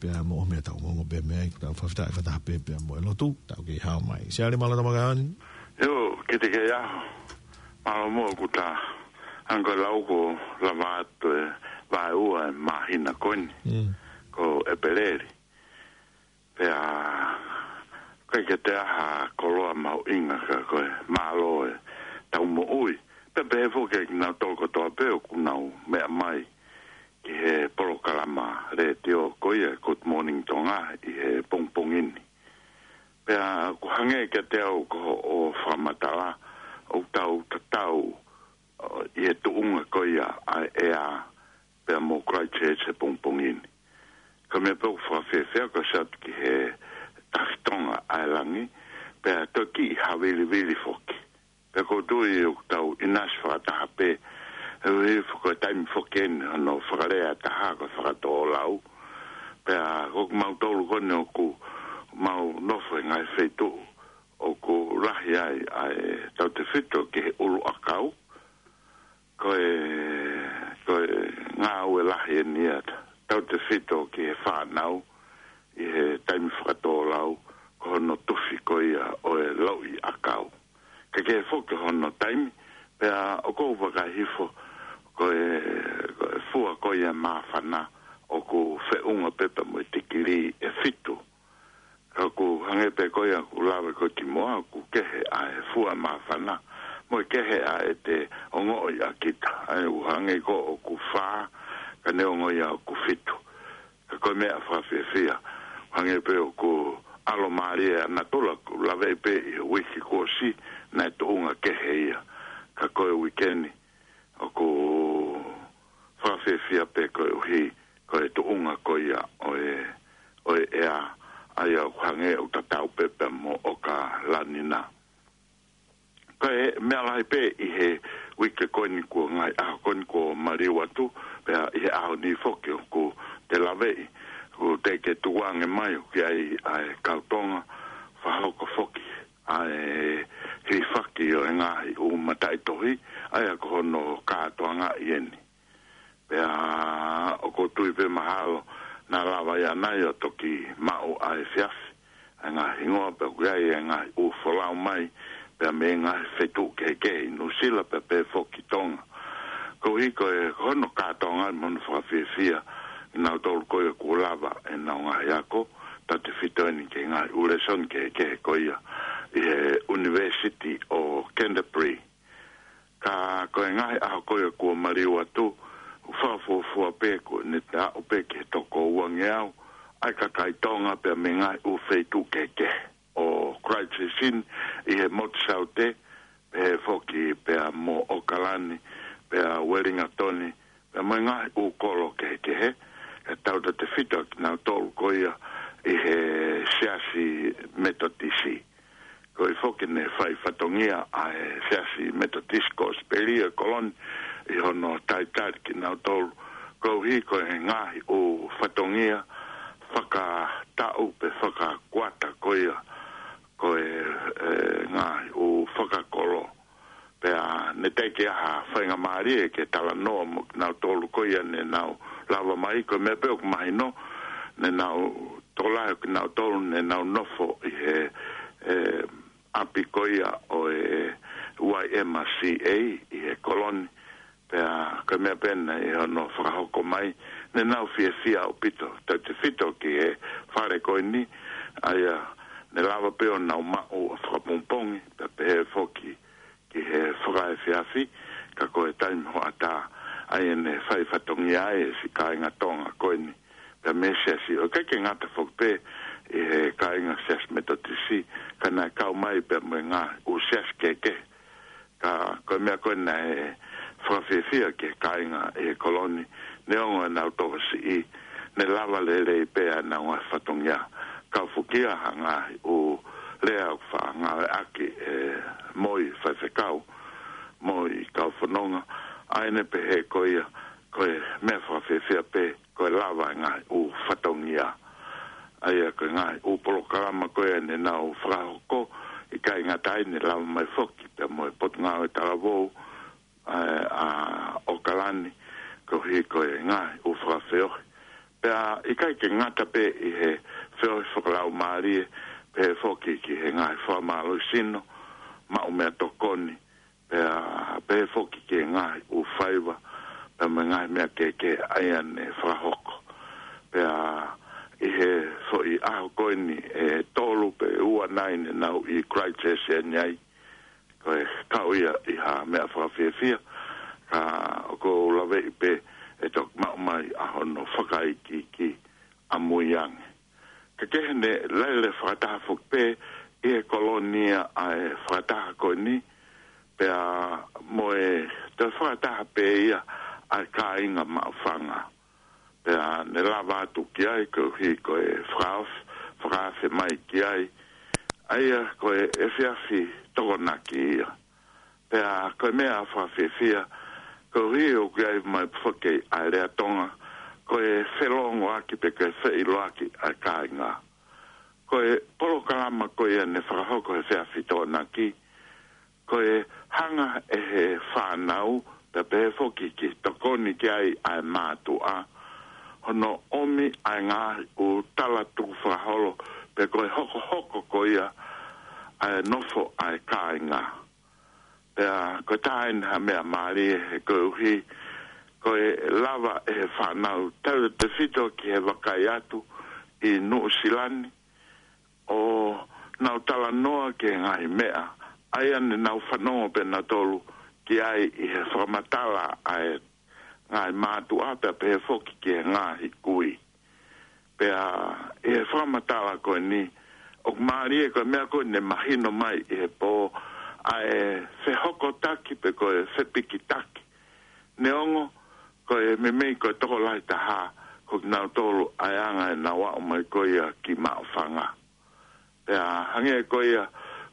pea mo e meʻa tau ongoongo pē mei ai, tau fakafetaʻi fakataha pē, pea mo e lotu, tau kei hao mai. Siale, mālō tama kaoni. ʻIo, kiate koe ʻaho. Mālō muʻa kuo ta hanga ʻo lau ko e lava atu e vaeua e māhina ko eni. Mm. Ko ʻEpeleli. Pea, ʻikai ke toe ʻi ai ha koloa mahuʻinga ka ko e mālō e tau moʻui. Pea pehē foki kinautolu kotoa pē ʻoku nau meʻa mai ki he polokalama letiō ko ia Good Morning Tonga ʻi he pongipongi ni. Pea ʻoku hangē kiate au ko hoʻo fakamatala ʻoku tau tatau, ʻo, ʻi he tuʻunga ko ia ʻa e ʻea pea mo Christchurch he pongipongi ni. Ko e meʻa pē ʻoku fakafiefia ko e sio atu ki he tafitonga ʻa e langi, pea toki havilivili foki. Pea ʻoku ou tui ʻoku tau ʻinasi fakataha pē, he ʻuhi ko e taimi foki eni hono fakalea taha ko e fakatōlau. Pea ko kimautolu ko eni ʻoku mau nofo he ngaahi feituʻu ʻoku lahi ai ʻa e tautefito ki he ʻuluʻakau. Ko e, ko e ngāue lahi eni ia tautefito ki he fānau ʻi he taimi fakatōlau, ko hono tufi ko ia ʻo e lauʻi ʻakau. Kae kehe foki hono taimi, pea ʻoku ou vakai hifo, ko e, ko e fua ko ia māfana ʻoku feʻunga pē pea mo e tikilī ʻe fitu. Ka ʻoku hangē pē ko ia ʻoku lave ko ē kimuʻa ʻoku kehe ʻa e fua māfana, mo e kehe ʻa ʻete ongoʻi ʻa kita. ʻA ia ʻoku hangē ko ē ʻoku fā, ka neongo ia ʻoku fitu. Ka ko e meʻa fakafiefia, hangē pē ʻoku ʻalomālie ʻa natula ʻoku laveʻi pē ʻi he uike kuo ʻosi, naʻe tuʻunga kehe ia. Ka ko e uike ni, ʻoku fakafiefia pē koeʻuhi, ko e tuʻunga ko ia ʻo e, ʻo e ʻea, ʻa ia ʻoku hangē ʻoku tatau pē pea mo ʻAokalani na. Ko e meʻa lahi pē ʻi he uike ko eni kuo ngaahi ʻaho ko eni kuo maliu atu, pea ʻi he ʻaho ni foki ʻoku te laveʻi, ʻoku teʻeki tukuange mai ʻoku ʻi ai ʻa e kau Tonga, fakahoko foki ʻa e hifaki ʻo e ngaahi ʻū mataʻitohi, ʻa ia ko hono kātoangaʻi eni. Pea ʻoku ou tui pē mahalo naʻa lava ia ʻanai ʻo toki maʻu ʻa e efiafi ʻa e ngaahi hingoa pea ʻoku ʻi ai e ngaahi ʻū folau mai, pea mei he ngaahi feituʻu kehekehe ʻi Nuʻusila pea pehē foki Tonga. Koeʻuhi ko e, ko hono kātoangaʻi mo hono fakafiefia, nautolu ko ia kuo lava ʻenau ngaahi ako, tautefito eni ki he ngaahi ʻū lēsoni kehekehe ko ia ʻi he University ʻo Canterbury. Ka ko e ngaahi ʻaho ko ia kuo maliu atu, ʻoku fakafuofua pē ko ʻene aʻu pē ki he toko uangeau ʻa e kakai Tonga pea mei he ngaahi ʻū feituʻu kehekehe ʻo Christchurch ʻi he motu Saute, pehē foki pea mo ʻAokalani, pea Uelingatoni, pea mo e ngaahi ʻū kolo kehekehe, ʻe tautautefito kinautolu ko ia ʻi he Siasi Metotisi. Koeʻuhi foki naʻe fai fatongia ʻa e Siasi Metotisi Kosipeli ʻo e Koloni ʻi hono talitali kinautolu, koeʻuhi ko e ngaahi ʻū fatongia fakataʻu pe fakakuata ko ia, ko e, e ngaahi ʻū fakakolo. Pea ne teʻeki ai ha faingamālie ke talanoa mo kinautolu ko ia ne nau lava mai, ko e meʻa pē ʻoku mahino, ne nau tokolahi ʻo kinautolu ne nau nofo ʻi he, e, ʻapi ko ia ʻo e Y M C A ʻi he Koloni. Pea ko e meʻa pē naʻe ʻi hono fakahoko mai, ne nau fiefia ʻaupito, tautefito ki he fale ko eni, ʻa ia ne lava pē ʻo nau maʻu ʻa e fakapongipongi, pea pehē foki ki he fakaefiafi, ka ko e taimi hoʻatā, ʻa ia ne fai fatongia ai e siʻi kāinga Tonga ko eni, pea mei he siasi, ʻo ʻikai ke ngata foki pē ʻi he kāinga Siasi Metotisi, ka naʻe kau mai pea mo e ngaahi ʻū siasi kehekehe. Ka ko e meʻa ko ē naʻe fakafiefia ki he kāinga ʻi he Koloni, neongo ʻenau tokosiʻi, ne lava lelei pē ʻenau ngaahi fatongia. Kau foki ia ha ngaahi ʻū lea ʻoku faʻa ngāueʻaki ʻe Moi Faifekau, Moi Kaufononga, ʻa ia ne pehē ko ia, ko e meʻa fakafiefia pē, ko e lava e ngaahi ʻū fatongia. ʻA ia ko e ngaahi ʻū polokalama ko ia ne nau fakahoko, ʻikai ngata ai ne lava mai foki pea mo e Potungāue Talavou, ʻa, ʻa ʻAokalani, koeʻuhi ko e ngaahi ʻū fakafeohi. Pea ʻikai ke ngata pē ʻi he feohi fakalaumālie, pehē foki ki he ngaahi fakamālohisino, maʻu meʻatokoni, pea pehē foki ki he ngaahi ʻū faiva, pea mo e ngaahi meʻa kehekehe ʻa ia ne fakahoko. Pea ʻi he foʻi ʻaho ko eni ʻe tolu pe ua nai ne nau ʻi Christchurch ʻeni ai, ko e kau ia ʻi ha meʻa fakafiefia, ka ʻoku ou laveʻi pē ʻe toki maʻu mai ʻa hono fakaikiiki ʻamui ange. Ka kehe ne lele fakataha foki pē ʻi he Koloni ʻa e fakataha ko eni, pea mo e toe fakataha pē ia ʻa e kāinga Maʻufanga. Pea ne lava atu ki ai, koeʻuhi ko e fakaof-, fakaafe mai ki ai, ʻa ia ko e efiafi Tokonaki ia. Pea ko e meʻa fakafiefia, koeʻuhi ʻoku ʻi ai mai foki ʻa e lea Tonga, ko e felōngoaki pe ko e feʻiloaki ʻa e kāinga. Ko e polokalama ko ia ne fakahoko he efiafi Tokonaki, ko e hanga ʻe he fānau, pea pehē foki ki he tokoni ki ai ʻa e mātuʻa, hono ʻomi ʻa e ngaahi ʻū tala tukufakaholo, pe ko e hokohoko ko ia ʻa e nofo ʻa e kāinga. Pea ko e taha eni ha meʻa mālie he koeʻuhi, ko e lava ʻe he fānau tautefito ki he vakai atu ʻi Nuʻusila ni, ʻo nau talanoa ki he ngaahi meʻa, ʻa ia ne nau fanongo pē nautolu ki ai ʻi he fakamatala ʻa e ngaahi mātuʻa pea pehē foki ki he ngaahi kui. Pea ʻi he fakamatala ko eni, ʻoku mālie ko e meʻa ko eni ne mahino mai ʻi he pō, ʻa e fehokotaki pe ko e fepikitaki. Neongo, ko e meimei ko e tokolahi taha, ko kinautolu ʻa e anga ʻenau aʻu mai ko ia ki Maʻufanga. Pea hangē ko ia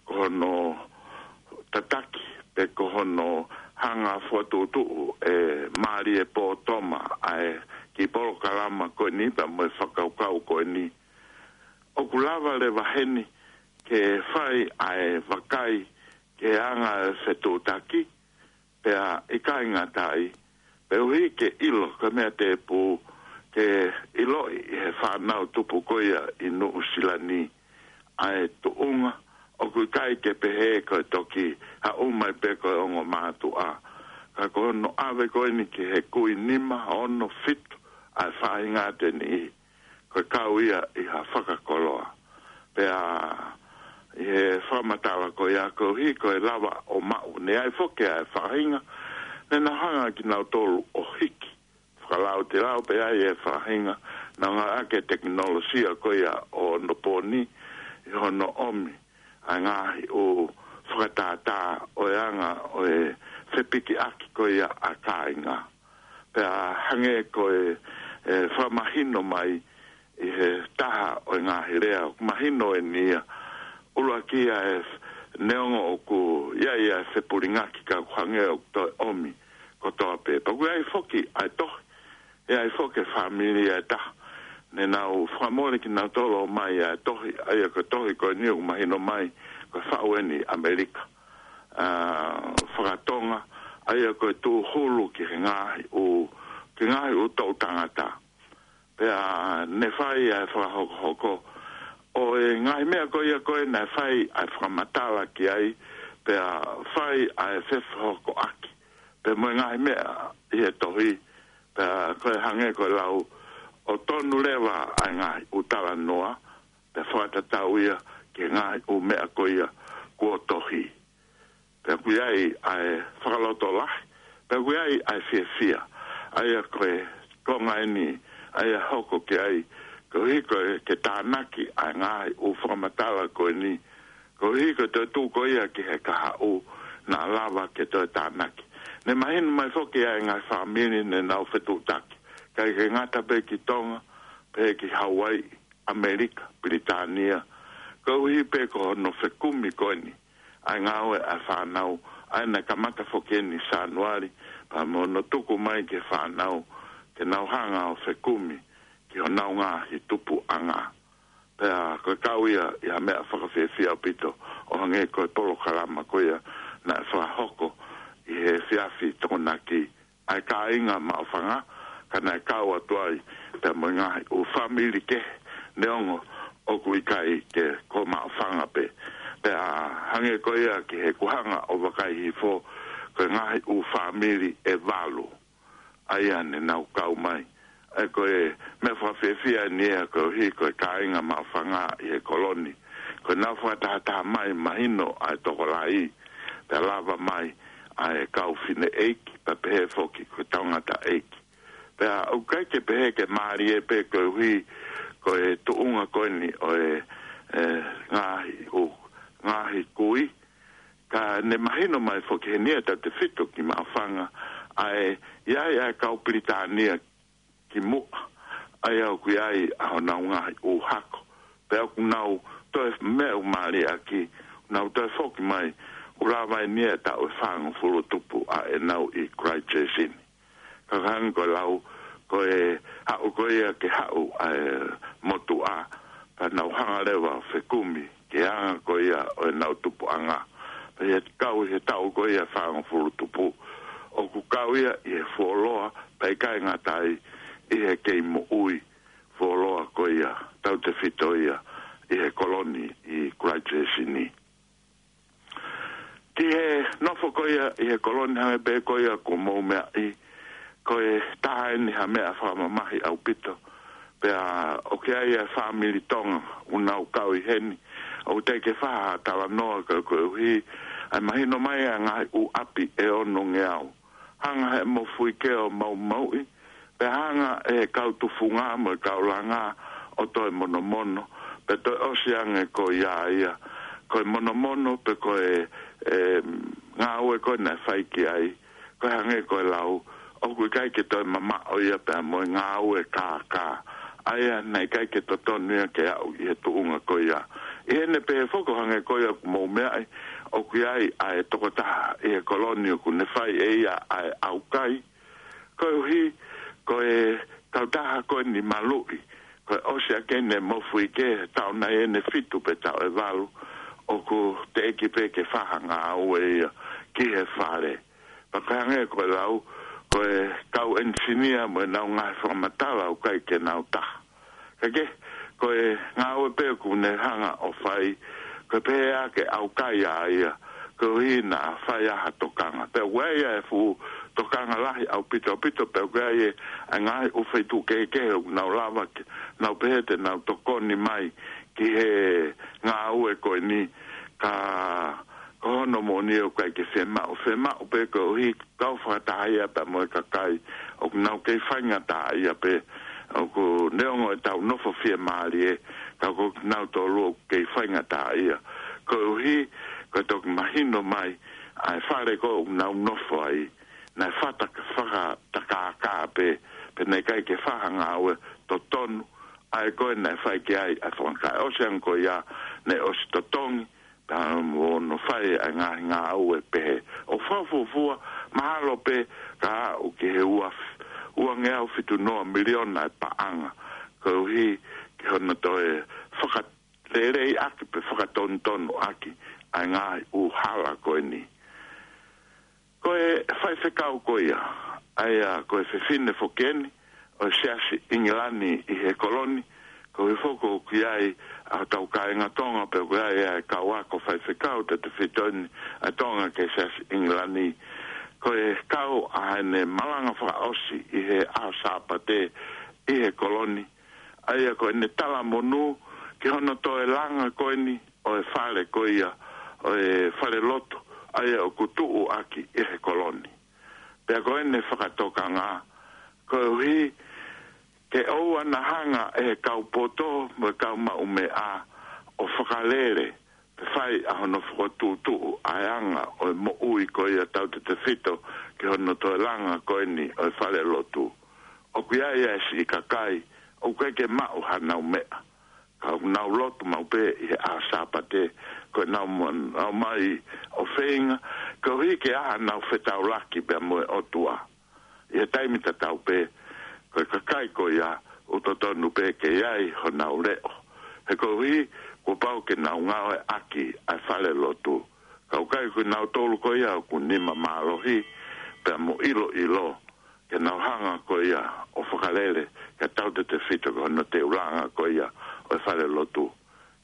ko hono tataki, pe ko hono hanga fokotuʻutuʻu ʻe Mālie Pōtoma ʻa e kiʻi polokalama ko eni pea mo e fakakaukau ko eni. ʻOku lava leva heni ke fai ʻa e vakai ki he anga e fetuʻutaki, pea ʻikai ngata ai, koeʻuhi ke ʻilo, ko e meʻa tēpū ke ʻiloʻi ʻe he fānau tupu ko ia ʻi Nuʻusila ni ʻa e tuʻunga, ʻoku ʻikai ke pehē ko e toki haʻu mai pē ko e ongo mātuʻa. Ka ko hono ʻave ko eni ki he kui nima, ono, fitu, ʻa e faʻahinga ʻe niʻihi, ko e kau ia ʻi ha fakakoloa. Pea ʻi he fakamatala ko ia koeʻuhi ko e lava ʻo maʻu, ne ʻi ai foki ʻa e faʻahinga ne nau hanga kinautolu ʻo hiki. Fakalautelau pē ai e faʻahinga, nau ngāueʻaki e tekinolosia ko ia ʻo onopōni ʻi hono ʻomi ʻa e ngaahi ʻū fakatātā ʻo e anga ʻo e fepikiʻaki ko ia ʻa e kāinga. Pea hangē ko e, e fakamahino mai ʻi he taha ʻo e ngaahi lea, ʻoku mahino eni ia, ʻuluaki ia e f-, neongo ʻoku ʻi ai ʻa e fepulingaki ka ʻoku hangē ʻoku toe ʻomi kotoa pē. Pea ʻoku ʻi ai foki ʻa e tohi, ʻi ai foki e fāmili ʻe taha ne nau fakamole kinautolu ʻo ʻomai ʻa e tohi, ʻa ia ko e tohi ko eni ʻoku mahino mai ko e faʻu eni ʻi ʻAmelika, ʻa, fakatonga, ʻa ia ko e tūhulu ki he ngaahi ʻū, ki he ngaahi ʻū toʻu tangata. Pea ne fai ʻa e fakahokohoko ʻo e ngaahi meʻa ko ia ko ē naʻe fai ʻa e fakamatala ki ai, pea fai ʻa e fefaʻuhokoʻaki pea mo e ngaahi meʻa ʻi he tohi, pea ko e hangē ko e lau ʻo tonu leva ʻa e ngaahi ʻū talanoa, pea fakatatau ia ki he ngaahi ʻū meʻa ko ia kuo tohi. Pea ʻoku ʻi ai ʻa e fakalotolahi, pea ʻoku ʻi ai ʻa e fiefia, ʻa ia ko e konga eni, ʻa ia hoko ki ai, koeʻuhi ko e ke tānaki ʻa e ngaahi ʻū fakamatala ko eni, koeʻuhi ko e toetuʻu ko ia ki he kahaʻu naʻa lava ke toe tānaki. Ne mahino mai foki ʻa e ngaahi fāmili ne nau fetuʻutaki, ʻikai ke ngata pē ki Tonga, pehē ki Hauaiʻi, ʻAmelika, Pilitānia, koeʻuhi pē ko hono fekumi ko eni ʻa e ngāue ʻa e fānau, ʻa ia naʻe kamata foki eni Sānuali, pea mo hono tuku mai ki he fānau ke nau hanga ʻo fekumi ki honau ngaahi tupuʻanga. Pea ko e kau ia ʻi ha meʻa fakafiefia ʻaupito, ʻo hangē ko e polokalama ko ia naʻe fakahoko ʻi he efiafi Tokonaki ʻa e kāinga maʻufanga, ka naʻe kau atu ai pea mo e ngaahi ʻū fāmili kehe, neongo ʻoku ʻikai ke ko maʻufanga pē. Pea hangē ko ia ki he kuhanga ʻo vakai hifo, ko e ngaahi ʻū fāmili ʻe valu ʻa ia ne nau kau mai. ʻE ko e meʻa fakafiefia eni ia koeʻuhi ko e kāinga maʻufanga ʻi he koloni, ko ʻenau fakatahataha mai mahino ʻa e tokolahi, pea lava mai ʻa e kau fineʻeiki, pea pehē foki ko e tangataʻeiki. Pea ʻoku ʻikai ke pehē ke mālie pē koeʻuhi ko e tuʻunga ko eni ʻo e, e, ngaahi ʻū, ngaahi kui, ka ne mahino mai foki heni ʻe tautefito ki maʻufanga, ʻa e, ʻi ai ʻa e kau Pilitānia ki muʻa, ʻa ia ʻoku ʻi ai ʻa honau ngaahi ʻū hako. Pea ʻoku nau toe meʻa ʻoku mālie ʻaki, nau toe foki mai, ʻoku lava eni ʻe taʻu ʻe fāngofulu tupu ʻa ʻenau ʻi Christchurch ni. Ka hangē ko e lau, ko e haʻu ko ia ke haʻu ʻa e motuʻa, ka nau hanga leva ʻo fekumi ki he anga ko ia ʻo ʻenau tupuʻanga. Pea ʻi he kau ʻi he taʻu ko ia fāngofulu tupu, ʻoku kau ia ʻi he fuoloa, pea ʻikai ngata ai, ʻi he kei moʻui fuoloa ko ia, tautefito ia ʻi he koloni ʻi Christchurch ni. Ki he nofo ko ia ʻi he koloni, hangē pē ko ia kuo mou meaʻi, ko e taha eni ha meʻa fakamamahi ʻaupito. Pea ʻoku ʻi ai ʻa e fāmili Tonga ʻoku nau kau ʻi heni, ʻoku teʻeki ke fai ha talanoa ka koeʻuhi ʻa e mahino mai ʻa e ngaahi ʻū ʻapi ʻe onongeau. Hanga he mofuike ʻo maumauʻi, pea hanga ʻe he kau tufunga mo e kau langa ʻo toe monomono, pea toe ʻosi ange ko ia ia. Ko e monomono pe ko e, e, ngāue ko ē naʻe fai ki ai, ko e hangē ko e lau, ʻoku ʻikai ke toe mamaʻo ia pea mo e ngāue kākā. ʻA ia naʻe ʻikai ke totonu ia ke aʻu ʻi he tuʻunga ko ia. ʻI heʻene pehē foki ʻo hangē ko ia kuo mou meaʻi, ʻoku ʻi ai ʻa e tokotaha ʻi he koloni ʻoku ne fai ʻe ia ʻa e ʻaukai. Koeʻuhi, ko e kautaha ko eni maluʻi, ko e ʻosi ʻaki ʻene mofuike, taʻu nai ʻene fitu pe taʻu ʻe valu, ʻoku teʻeki pē ke fai ha ngāue ia ki he fale. Pea ko e hangē ko e lau, ko e kau ʻenisinia mo ʻenau ngaahi fakamatala ʻoku ʻikai ke nau taha. Ka ke, ko e ngāue pē ʻoku ne hanga ʻo fai, ko e pehē ʻa e ʻaukai ʻa ia, koeʻuhi naʻa fai ʻa ha tokanga. Pea ʻoku ʻi ai ʻa e fuʻu tokanga lahi ʻaupito ʻaupito, pea ʻoku ʻi ai ʻa e ngaahi ʻū feituʻu kehekehe ʻoku nau lava ke, nau pehē te nau tokoni mai ki he ngāue ko eni, ka ko hono moʻoni ʻoku ʻikai ke fiemaʻu, fiemaʻu pē koeʻuhi kau fakataha ia pea mo e kakai ʻoku nau kei faingataʻaʻia pē, ʻoku neongo ʻetau nofo fiemālie, ka ko kinautolu ʻoku kei faingataʻaʻia. Koeʻuhi, ko e toki mahino mai, ʻa e fale ko ē ʻoku nau nofo ai, naʻe fata-, fakatakākā pē, pea naʻe ʻikai ke fai ha ngāue totonu, ʻa ia ko ē naʻe fai ki ai ʻa e fanga kakai. ʻOsi ange ko ia, naʻe ʻosi totongi, pea mo hono fai ʻa e ngaahi ngāue pehē. ʻO fakafuofua, Mahalo pē ka aʻu ki he ua, uangeau fitu noa miliona e paʻanga, koeʻuhi ke hono toe fakaleleiʻaki pe fakatonutonuʻaki ʻa e ngaahi ʻū hala ko eni. Ko e faifekau ko ia, ʻa ia ko e fefine foki eni ʻo e Siasi ʻIngilani ʻi he Koloni, koeʻuhi foki ʻoku ʻi ai ʻa hotau kāinga Tonga, pea ʻoku ʻi ai ʻa e kau ako faifekau tautefito eni ʻa Tonga ki he Siasi ʻIngilani. Ko e kau ʻa ʻene malanga fakaʻosi ʻi he ʻaho Sāpate ʻi he Koloni, ʻa ia ko ʻene talamonū ki hono toe langa ko eni ʻo e fale ko ia, ʻo e falelotu, ʻa ia ʻoku tuʻuaki ʻi he Koloni. Pea ko ʻene fakatokanga, koeʻuhi ke ʻoua naʻa hanga ʻe he kau poto mo e kau maʻumeʻa ʻo fakalele pe fai ʻa hono fokotuʻutuʻu ʻa e anga ʻo e moʻui ko ia tautefito ki hono toe langa ko eni ʻo e falelotu. ʻOku ʻi ai ʻa e siʻi kakai ʻoku ʻikai ke maʻu hanau meʻa, ka ʻoku nau lotu maʻu pē ʻi he ʻaho Sāpate, ko ʻenau mo-, nau mai ʻo feinga, koeʻuhi ke ʻi ai hanau fetaulaki pea mo e ʻOtua. ʻI he taimi tatau pē, ko e kakai ko ia, ʻoku totonu pē ke ʻi ai honau leʻo. He koeʻuhi, kuo pau ke nau ngāueʻaki ʻa e falelotu. Ka ʻoku ʻikai ko kinautolu ko ia ʻoku nima mālohi, pea mo ʻiloʻilo, ke nau hanga ko ia ʻo fakalele, ke tautefito ki hono toe langa ko ia ʻo e falelotu.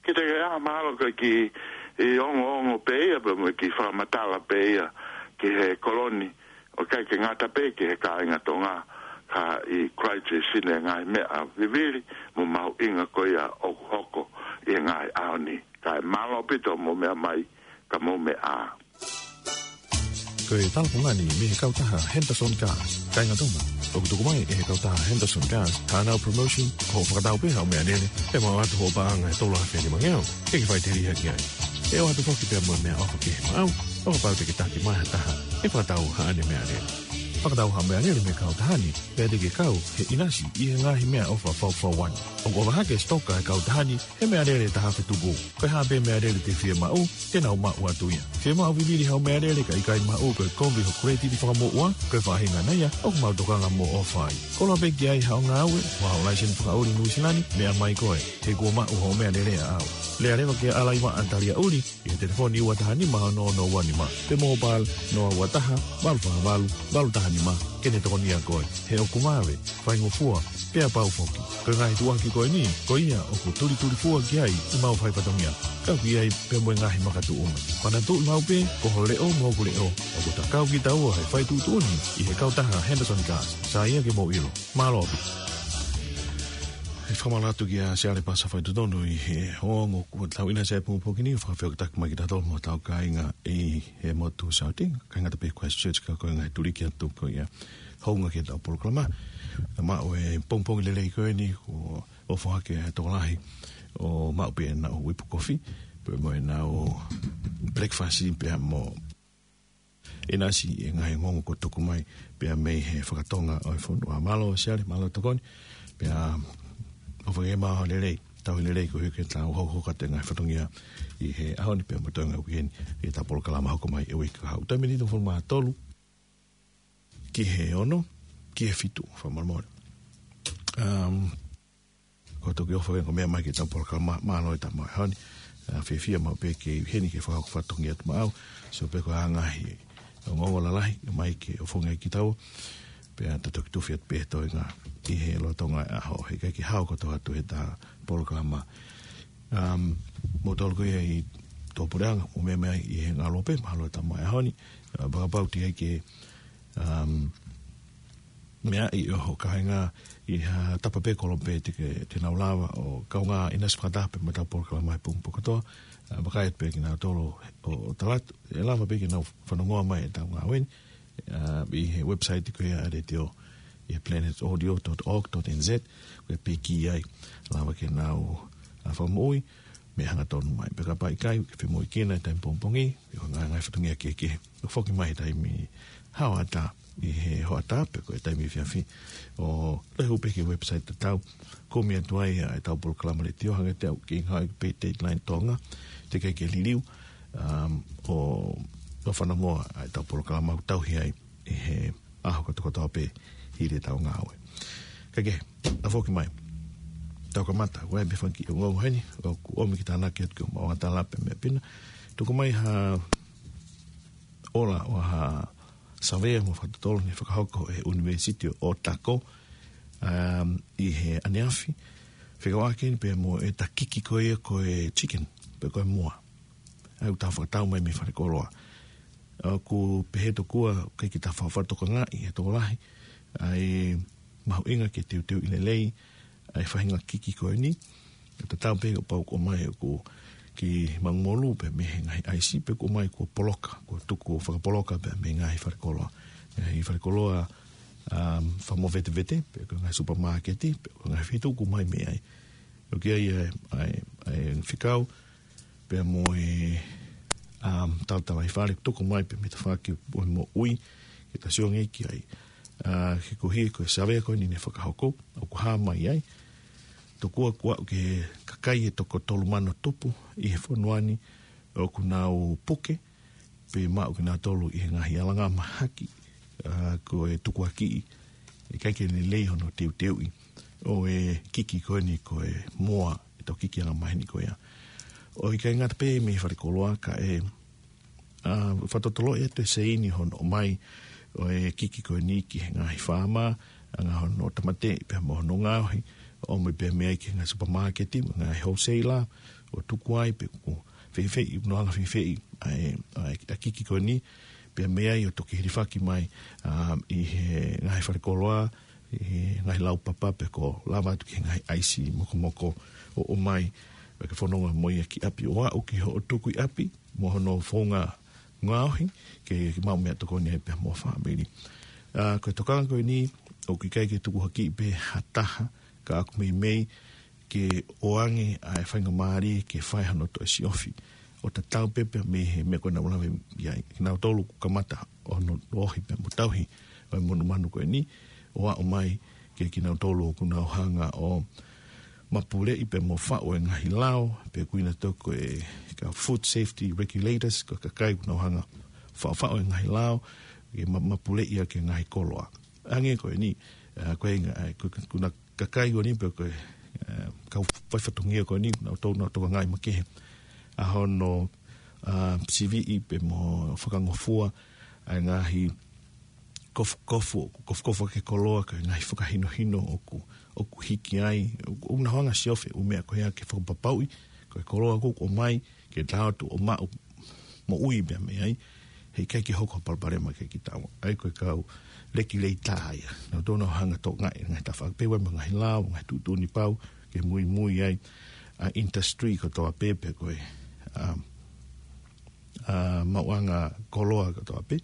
Kiate au mahalo ko e kiʻi ongoongo pē ia, pea mo e kiʻi fakamatala pē ia ki he Koloni, ʻoku ʻikai ke ngata pē ki he kāinga Tonga, ka ʻi Christchurch ʻi he ngaahi meʻa vivili mo mahuʻinga ko ia ʻoku hoko ʻi he ngaahi ʻaho ni. Kae mālō ʻaupito hoʻomou meʻa mai, ka mou meʻa ā. Ko e talakonga ni mei he kautaha Henderson Cars. Kāinga Tonga, ʻoku tuku mai ʻe he kautaha Henderson Cars haʻanau promotion, ko hoʻo fakatau pē haʻo meʻalele, ʻe maʻu atu hoʻo paʻanga ʻe tolu afe nima ngeau, ke ke faʻiteliha ki ai. ʻE ʻoatu foki pea mo e meʻaʻofa kehe maʻau, ʻo kapau te ke taki mai ha taha ʻe fakatau haʻane meʻalele. Fakatau haʻo meʻalele mei he kautaha ni, pea te ke kau he ʻinasi ʻi he ngaahi meʻaʻofa faufaua ni. ʻOku ʻofa hake e sitoka ʻa e kautaha ni he meʻalele ʻe taha afe tupu. Ko e hā pē meʻalele te ke fiemaʻu, te nau maʻu atu ia. Fiemaʻu vivili haʻo meʻalele ka ʻikai maʻu, ko e kovi hoʻo kuletiti fakamoʻua, ko e faʻahinga ia ʻoku mau tokanga mo ʻofa ai. Koloa pē ki ai haʻo ngāue, mo haʻo laiseni fakaʻuli Nuʻusila ni, meʻa mai koe, he kuo maʻu hoʻo meʻalele ʻaʻau. Lea leva kia ʻAlaivaʻa Taliaʻuli, ʻi he telefoni ua taha nima ono ono ua nima, pe mobile noa ua taha, valu fā valu, valu taha nima, ke ne tokonia koe. He ʻoku vave, faingofua, pea pau foki. Ko e ngaahi tuʻuaki ko eni, ko ia ʻoku tulitulifua ki ai ʻemau fai fatongia. Ka ʻoku ʻi ai pea mo e ngaahi makatuʻunga. Manatuʻi maʻu pē, ko ho leʻo mo hoku leʻo, ʻoku ta kau kitaua he fai tuʻutuʻuni ʻi he kautaha Henderson Cars. Sai ia ke mou ʻilo. Mālō ʻaupito. ʻE fakamālō atu kia Siale Pasa Faitotonu ʻi he ongoongo kuo tau ʻinasi ai pongipongi ni, fakafeʻiloaki mai kia tautolu mo hotau kāinga ʻi he motu Saute, kāinga ʻa Christchurch, ka ko e ngaahi tuliki atu ko ia hounga ki heʻetau polokalama. Naʻa maʻu e pongipongi lelei ko eni, kuo ʻofa hake e tokolahi ʻo maʻu pē ʻenau ipu kofi, pea mo ʻenau breakfast pea mo ʻinasi ʻi he ngaahi ongoongo kuo tuku mai pea mei he fakatonga ʻo e fonua. Mālō Siale, mālō tokoni, pea ʻofa ke maʻu ha lelei, tauhi lelei koeʻuhi ke tau hokohoko atu e ngaahi fatongia ʻi he ʻaho ni pea mo e toenga uike ni, ʻi heʻetau polokalama hoko mai he uike kahaʻu. Taimi ni hongofulu mā tolu ki he ono, ki he fitu, fakamolemole. Um, Ko e toki ʻofa ke ko e meʻa mai ki heʻetau polokalama, mālō e tama ʻaho ni. ʻA, fiefia maʻu pē ke ʻi heni ke fakahoko fatongia atu maʻau. Sio pē ko e ngaahi ongoongo lalahi mai ke ʻofongi ai kitaua. Pea ta toki tufi atu pē he toenga ʻi he lolotonga e ʻaho, he ʻikai ke hao kotoa atu heʻeta polokalama. Um, mo tolu ko ia ʻi Tuʻapuleʻanga, mo meʻa mai ʻi he ngalo pē, mālō e tama ʻaho ni. ʻA, fakapapauʻi ai ke, um, meʻa ʻi ʻo ho kāinga ʻi ha tapa pē kolo pē te ke, te nau lava ʻo kaungā ʻinasi fakataha pē mo ʻetau polokalama he pongipongi kotoa. ʻA, vakai atu pē kinautolu ʻo, ʻo tala atu, ʻe lava pē ke nau fanongoa mai ʻetau ngāue ni, ʻa, ʻi he website ko ia ʻa e letiō, ʻi he planet audio dot org dot N Z, ko e piki ai, lava ke nau, ʻa, fakamoʻui, mo hangatonu mai. Pea kapau ʻikai, ke femoʻuekina e taimi pongipongi, ʻi he ngaahi, ngaahi fatongia kehekehe. ʻO foki mai he taimi haʻu atu ʻi he hoʻatā pe ko e taimi efiafi. ʻO lehu pē ki he website tatau, kumi atu ai ʻa ʻetau polokalama letiō, hangē te u kiʻi ngāue pē Dateline Tonga, teʻeki ai ke liliu, um, ʻo, ʻo fanongoa ʻa ʻetau polokalama ʻoku tauhi ai ʻi he ʻaho kotoa kotoa pē hili ʻetau ngāue. Kae kehe, ʻa foki mai. Tau kamata, ʻoku ʻi ai pē fanga kiʻi ongoongo heni, ʻoku ʻomi ke tānaki atu ki hoʻomou angahala pē meʻa pē na. Tuku mai ha ola ʻo ha savea mo fakatotolo naʻe fakahoko ʻe he ʻUnivēsiti ʻo Otago, um, ʻi he ʻaneafi. Fekauʻaki eni pea mo e takiki ko ia ko e chicken, pe ko e moa. ʻA ia ʻoku tau fakatau mai mei falekoloa. ʻOku pehē tokua, ʻikai ke tau faʻa fakatokangaʻi ʻe he tokolahi ʻa e mahuʻinga ke teuteuʻi lelei ʻa e faʻahinga kiki ko eni. Tatau pē kapau ʻoku ʻomai ʻoku kiʻi maʻu molu pē mei he ngaahi ʻaisi, pe ʻoku ʻomai kuo poloka, kuo tuku ʻo fakapoloka pē mei he ngaahi falekoloa. Ngaahi falekoloa, um, fakamovetevete, pe ko e ngaahi supamāketi, pe ko e ngaahi feituʻu ʻoku ʻomai mei ai. ʻOku ʻi ai ʻa e, ʻa e, ʻa e fekau, pea mo e, um, talatalaifale, tuku mai pē mei he tafaʻaki ʻo e moʻui, ke tau sio ange ki ai. Uh, he koeʻuhi ko e savea ko eni naʻe fakahoko, ʻoku hā mai ai. Tokua kuo aʻu ki he kakai ʻe toko tolu mano tupu ʻi he fonua ni ʻoku nau puke, pe maʻu kinautolu ʻi he ngaahi alanga mahaki, uh, ko e tukuakiʻi, ʻikai ke lelei hono teuteuʻi ʻo e kiki ko eni ko e moa, ʻetau kiki angamaheni ko ia. ʻOku ʻikai ngata pē mei falekoloa kae, uh, fakatotoloʻi atu e seini hono ʻomai ʻo e kiki ko eni ki he ngaahi faama, ʻa e ngaahi hono tāmateʻi pea mo hono ngaohi, ʻomai pē mei ai ki he ngaahi supamāketi, ngaahi wholesaler, ʻo tuku ai pe ʻoku feifei, ʻoku nau hanga feifei ʻa e, ʻa e, ʻa e kiki ko eni, pea mei ai ʻo toki hilifaki mai, um, ʻi he ngaahi falekoloa, ʻi he ngaahi laupapa pe ko e lava atu ki he ngaahi ʻaisi mokomoko ʻo ʻomai, pea ke fononga mo ia ki ʻapi ʻo aʻu ki hoʻo tuku ʻi ʻapi, mo hono founga ngaohi, ke, ke maʻu meʻatokoni ai pea mo e fāmili. Uh, ko e tokanga ko eni, ʻoku ʻikai ke tukuakiʻi pē ha taha, ka ʻoku meimei ke ʻoange ʻa e faingamālie ke fai hano toe siofi. ʻO tatau pē pea mei he meʻa ko ē naʻa ku lave ki ai. Kinautolu ʻoku kamata ʻo nau ohi pea mo tauhi ʻa e monumanu ko eni, ʻo aʻu mai ki he kinautolu ʻoku nau hanga ʻo mapuleʻi pea mo faʻu e ngaahi lao, pe ʻoku ui nautolu ko e kau food safety regulators, ko e kakai ʻoku nau hanga faʻufaʻu e ngaahi lao, ke ma-, mapuleʻi ʻaki e ngaahi koloa. Hangē ko eni, uh, ko e nga-, uh, ko, ko, ko e kakai ko eni pe ko e, uh, kau faifatongia ko eni, nautolu nau tokangaʻi makehe ʻa hono, uh, siviʻi pea mo fakangofua ʻa e ngaahi kofukofu, kofukofu ʻaki e koloa, ko e ngaahi fakahinohino ʻoku, ʻoku hiki ai, ʻoku, ʻoku nau hanga siofi e ʻū meʻa ko ia ke fakapapauʻi, ko e koloa ʻoku ʻomai, ke tau ō atu ʻo maʻu moʻui pea mei ai, heʻikai ke hoko ha palopalema kiate kitaua. ʻA ia ko e kau regulators ia. Nautolu nau hanga tokangaʻi e ngaahi tafaʻaki pē ʻoku ʻi ai mo e ngaahi lao, ngaahi tuʻutuʻuni pau, ke muimui ai ʻa e industry kotoa pē pe ko e, um, uh, maʻuʻanga koloa kotoa pē,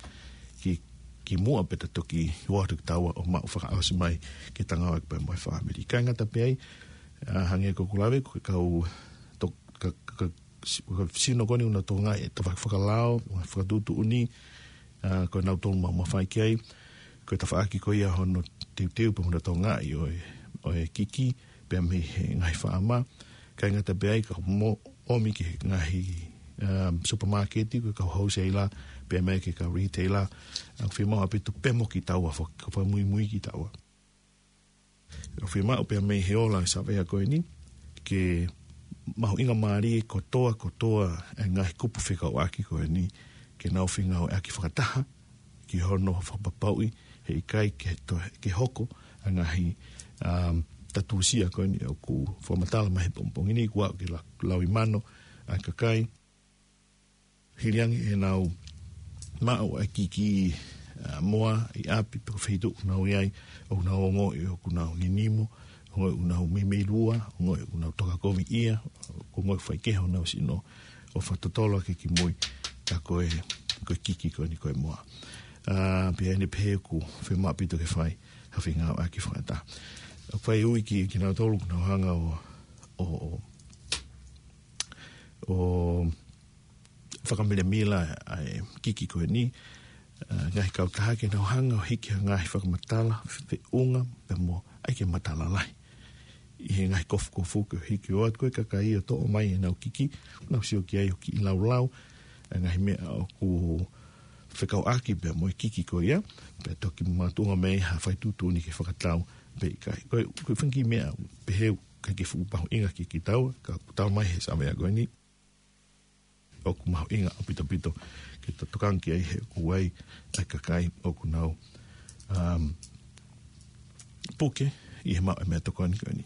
ki, kimuʻa pea toki ō atu kitaua ʻo maʻu fakaʻosi mai ke tau ngāueʻaki pea mo e fāmili. ʻIkai ngata pē ai, uh, hangē ko ʻeku lave, ko e kau to-, ka, ka, si-, ka sino ko eni ʻoku nau tokangaʻi e tafaʻaki fakalao, fakatuʻutuʻuni, uh, ko e nautolu maʻu mafai ki ai, ko e tafaʻaki ko ia hono teuteu pea mo hono tokangaʻi ʻo e, ʻo e kiki, pea mei he ngaahi faama, ʻikai ngata pē ai ka mo ʻomi ki he ngaahi, um, supermarket, ko e kau wholesaler, pea mei ai ki he kau retailer, ʻoku fiemaʻu ʻaupito pea mo kitaua, faka-, fakamuimui kitaua. ʻOku fiemaʻu pea mei he ola e savea ko eni, ke mahuʻingamālie kotoa, kotoa e ngaahi kupu fekauʻaki ko eni, ke nau fengāueʻaki fakataha, ki hono fakapapauʻi, heʻikai ke to-, ke hoko ʻa e ngaahi, um, tatusia ko eni ʻoku fakamatala mai he pongipongi ni, kuo aʻu ki he la-, lauimano ʻa e kakai. Hili ange ʻenau maʻu ʻa e kiki, uh, moa ʻi ʻapi pe ko e feituʻu ʻoku nau ʻi ai, ʻoku nau ongoʻi ʻoku nau nginimo, ongoʻi ʻoku nau meimei lua, ongoʻi ʻoku nau tokakoviʻia, ʻoku ongoʻi faikehe honau sino, ʻo fakatotolo ʻaki kimui, ka ko e, ko e kiki ko eni ko e moa. Uh, pea ʻi heʻene pehē ʻoku fiemaʻu ʻaupito ke fai ha fengāueʻaki fakataha. ʻOku fai ui ki, kinautolu ʻoku nau hanga ʻo, ʻo, ʻo, ʻo fakamilamila ʻa e kiki ko eni, uh, ngaahi kautaha ke nau hanga ʻo hiki ha ngaahi fakamatala, fe-, feʻunga, pea mo, ʻai ke matala lahi. ʻI he ngaahi kofukofu ke hiki ʻo ʻoatu ko e kakai ʻo toʻo mai ʻenau kiki, nau sio ki ai ʻoku kiʻi laulau, ʻa e ngaahi meʻa ʻoku fekauʻaki pea mo e kiki ko ia, pea toki makatuʻunga mei ai ha fai tuʻutuʻuni ke fakatau pe ʻikai. Ko e, ko e fanga kiʻi meʻa pehē ʻoku ʻikai ke fuʻu mahuʻinga kiate kitaua, ka ʻoku talamai he savea ko eni, ʻoku mahuʻinga ʻaupito ʻaupito ke ta tokanga ki ai he ʻoku ʻi ai ʻa e kakai ʻoku nau, um, puke ʻi he maʻu e meʻatokoni ko eni.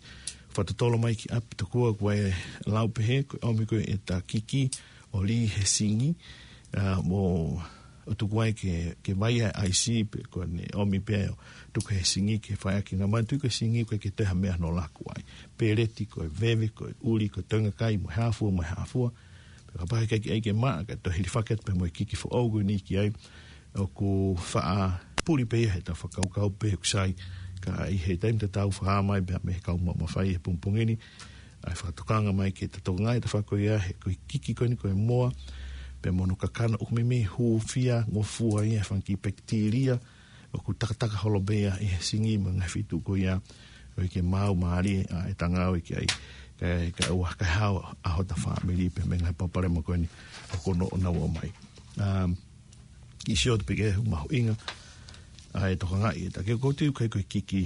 Fakatotolo mai ki ʻapi tokua ʻoku ʻi ai e lau pehē, ko e ʻomi ko ē ʻeta kiki ʻo lī he singi, ʻa, mo ʻo tuku ai ke, ke vai ʻa e ʻaisi pe ko ʻene ʻomi pē ʻo tuku he singi ke fai ʻaki, ngata mā tui ko e singi ʻoku ʻikai ke toe ha meʻa hono laku ai. Peleti, ko e veve, ko e ʻuli, ko e toenga kai, mo e hā fua, mo e hā fua. Pea kapau he ʻikai ke ʻai ke maʻa, kae toe hilifaki atu pē mo e kiki foʻou ko eni ki ai, ʻoku faʻa puli pē ia heʻetau fakakaukau pe ʻoku sai, ka ʻi he taimi tatau fakahā mai pē mei he kau maʻu mafai he pongipongi ni ʻa e fakatokanga mai ke ta tokangaʻi ʻeta fako ia he ko e kiki ko eni ko e moa, pea mo hono kakano ʻoku meimei hūfia ngofua ia he fanga kiʻi pekitēlia ʻoku takataka holo pē ia ʻi he singi mo e ngaahi feituʻu ko ia, ʻo ʻikai ke maau mālie ʻa ʻeta ngāue ki ai, kae, kae ʻoua, kae hao ʻa hota fāmili pea mei he ngaahi palopalema ko eni ʻoku nau ō mai. Um, kiʻi sio atu pē ki he mahuʻinga ʻa e tokangaʻi ʻeta kiki, ʻoku ou tui ʻoku ʻikai ko e kiki,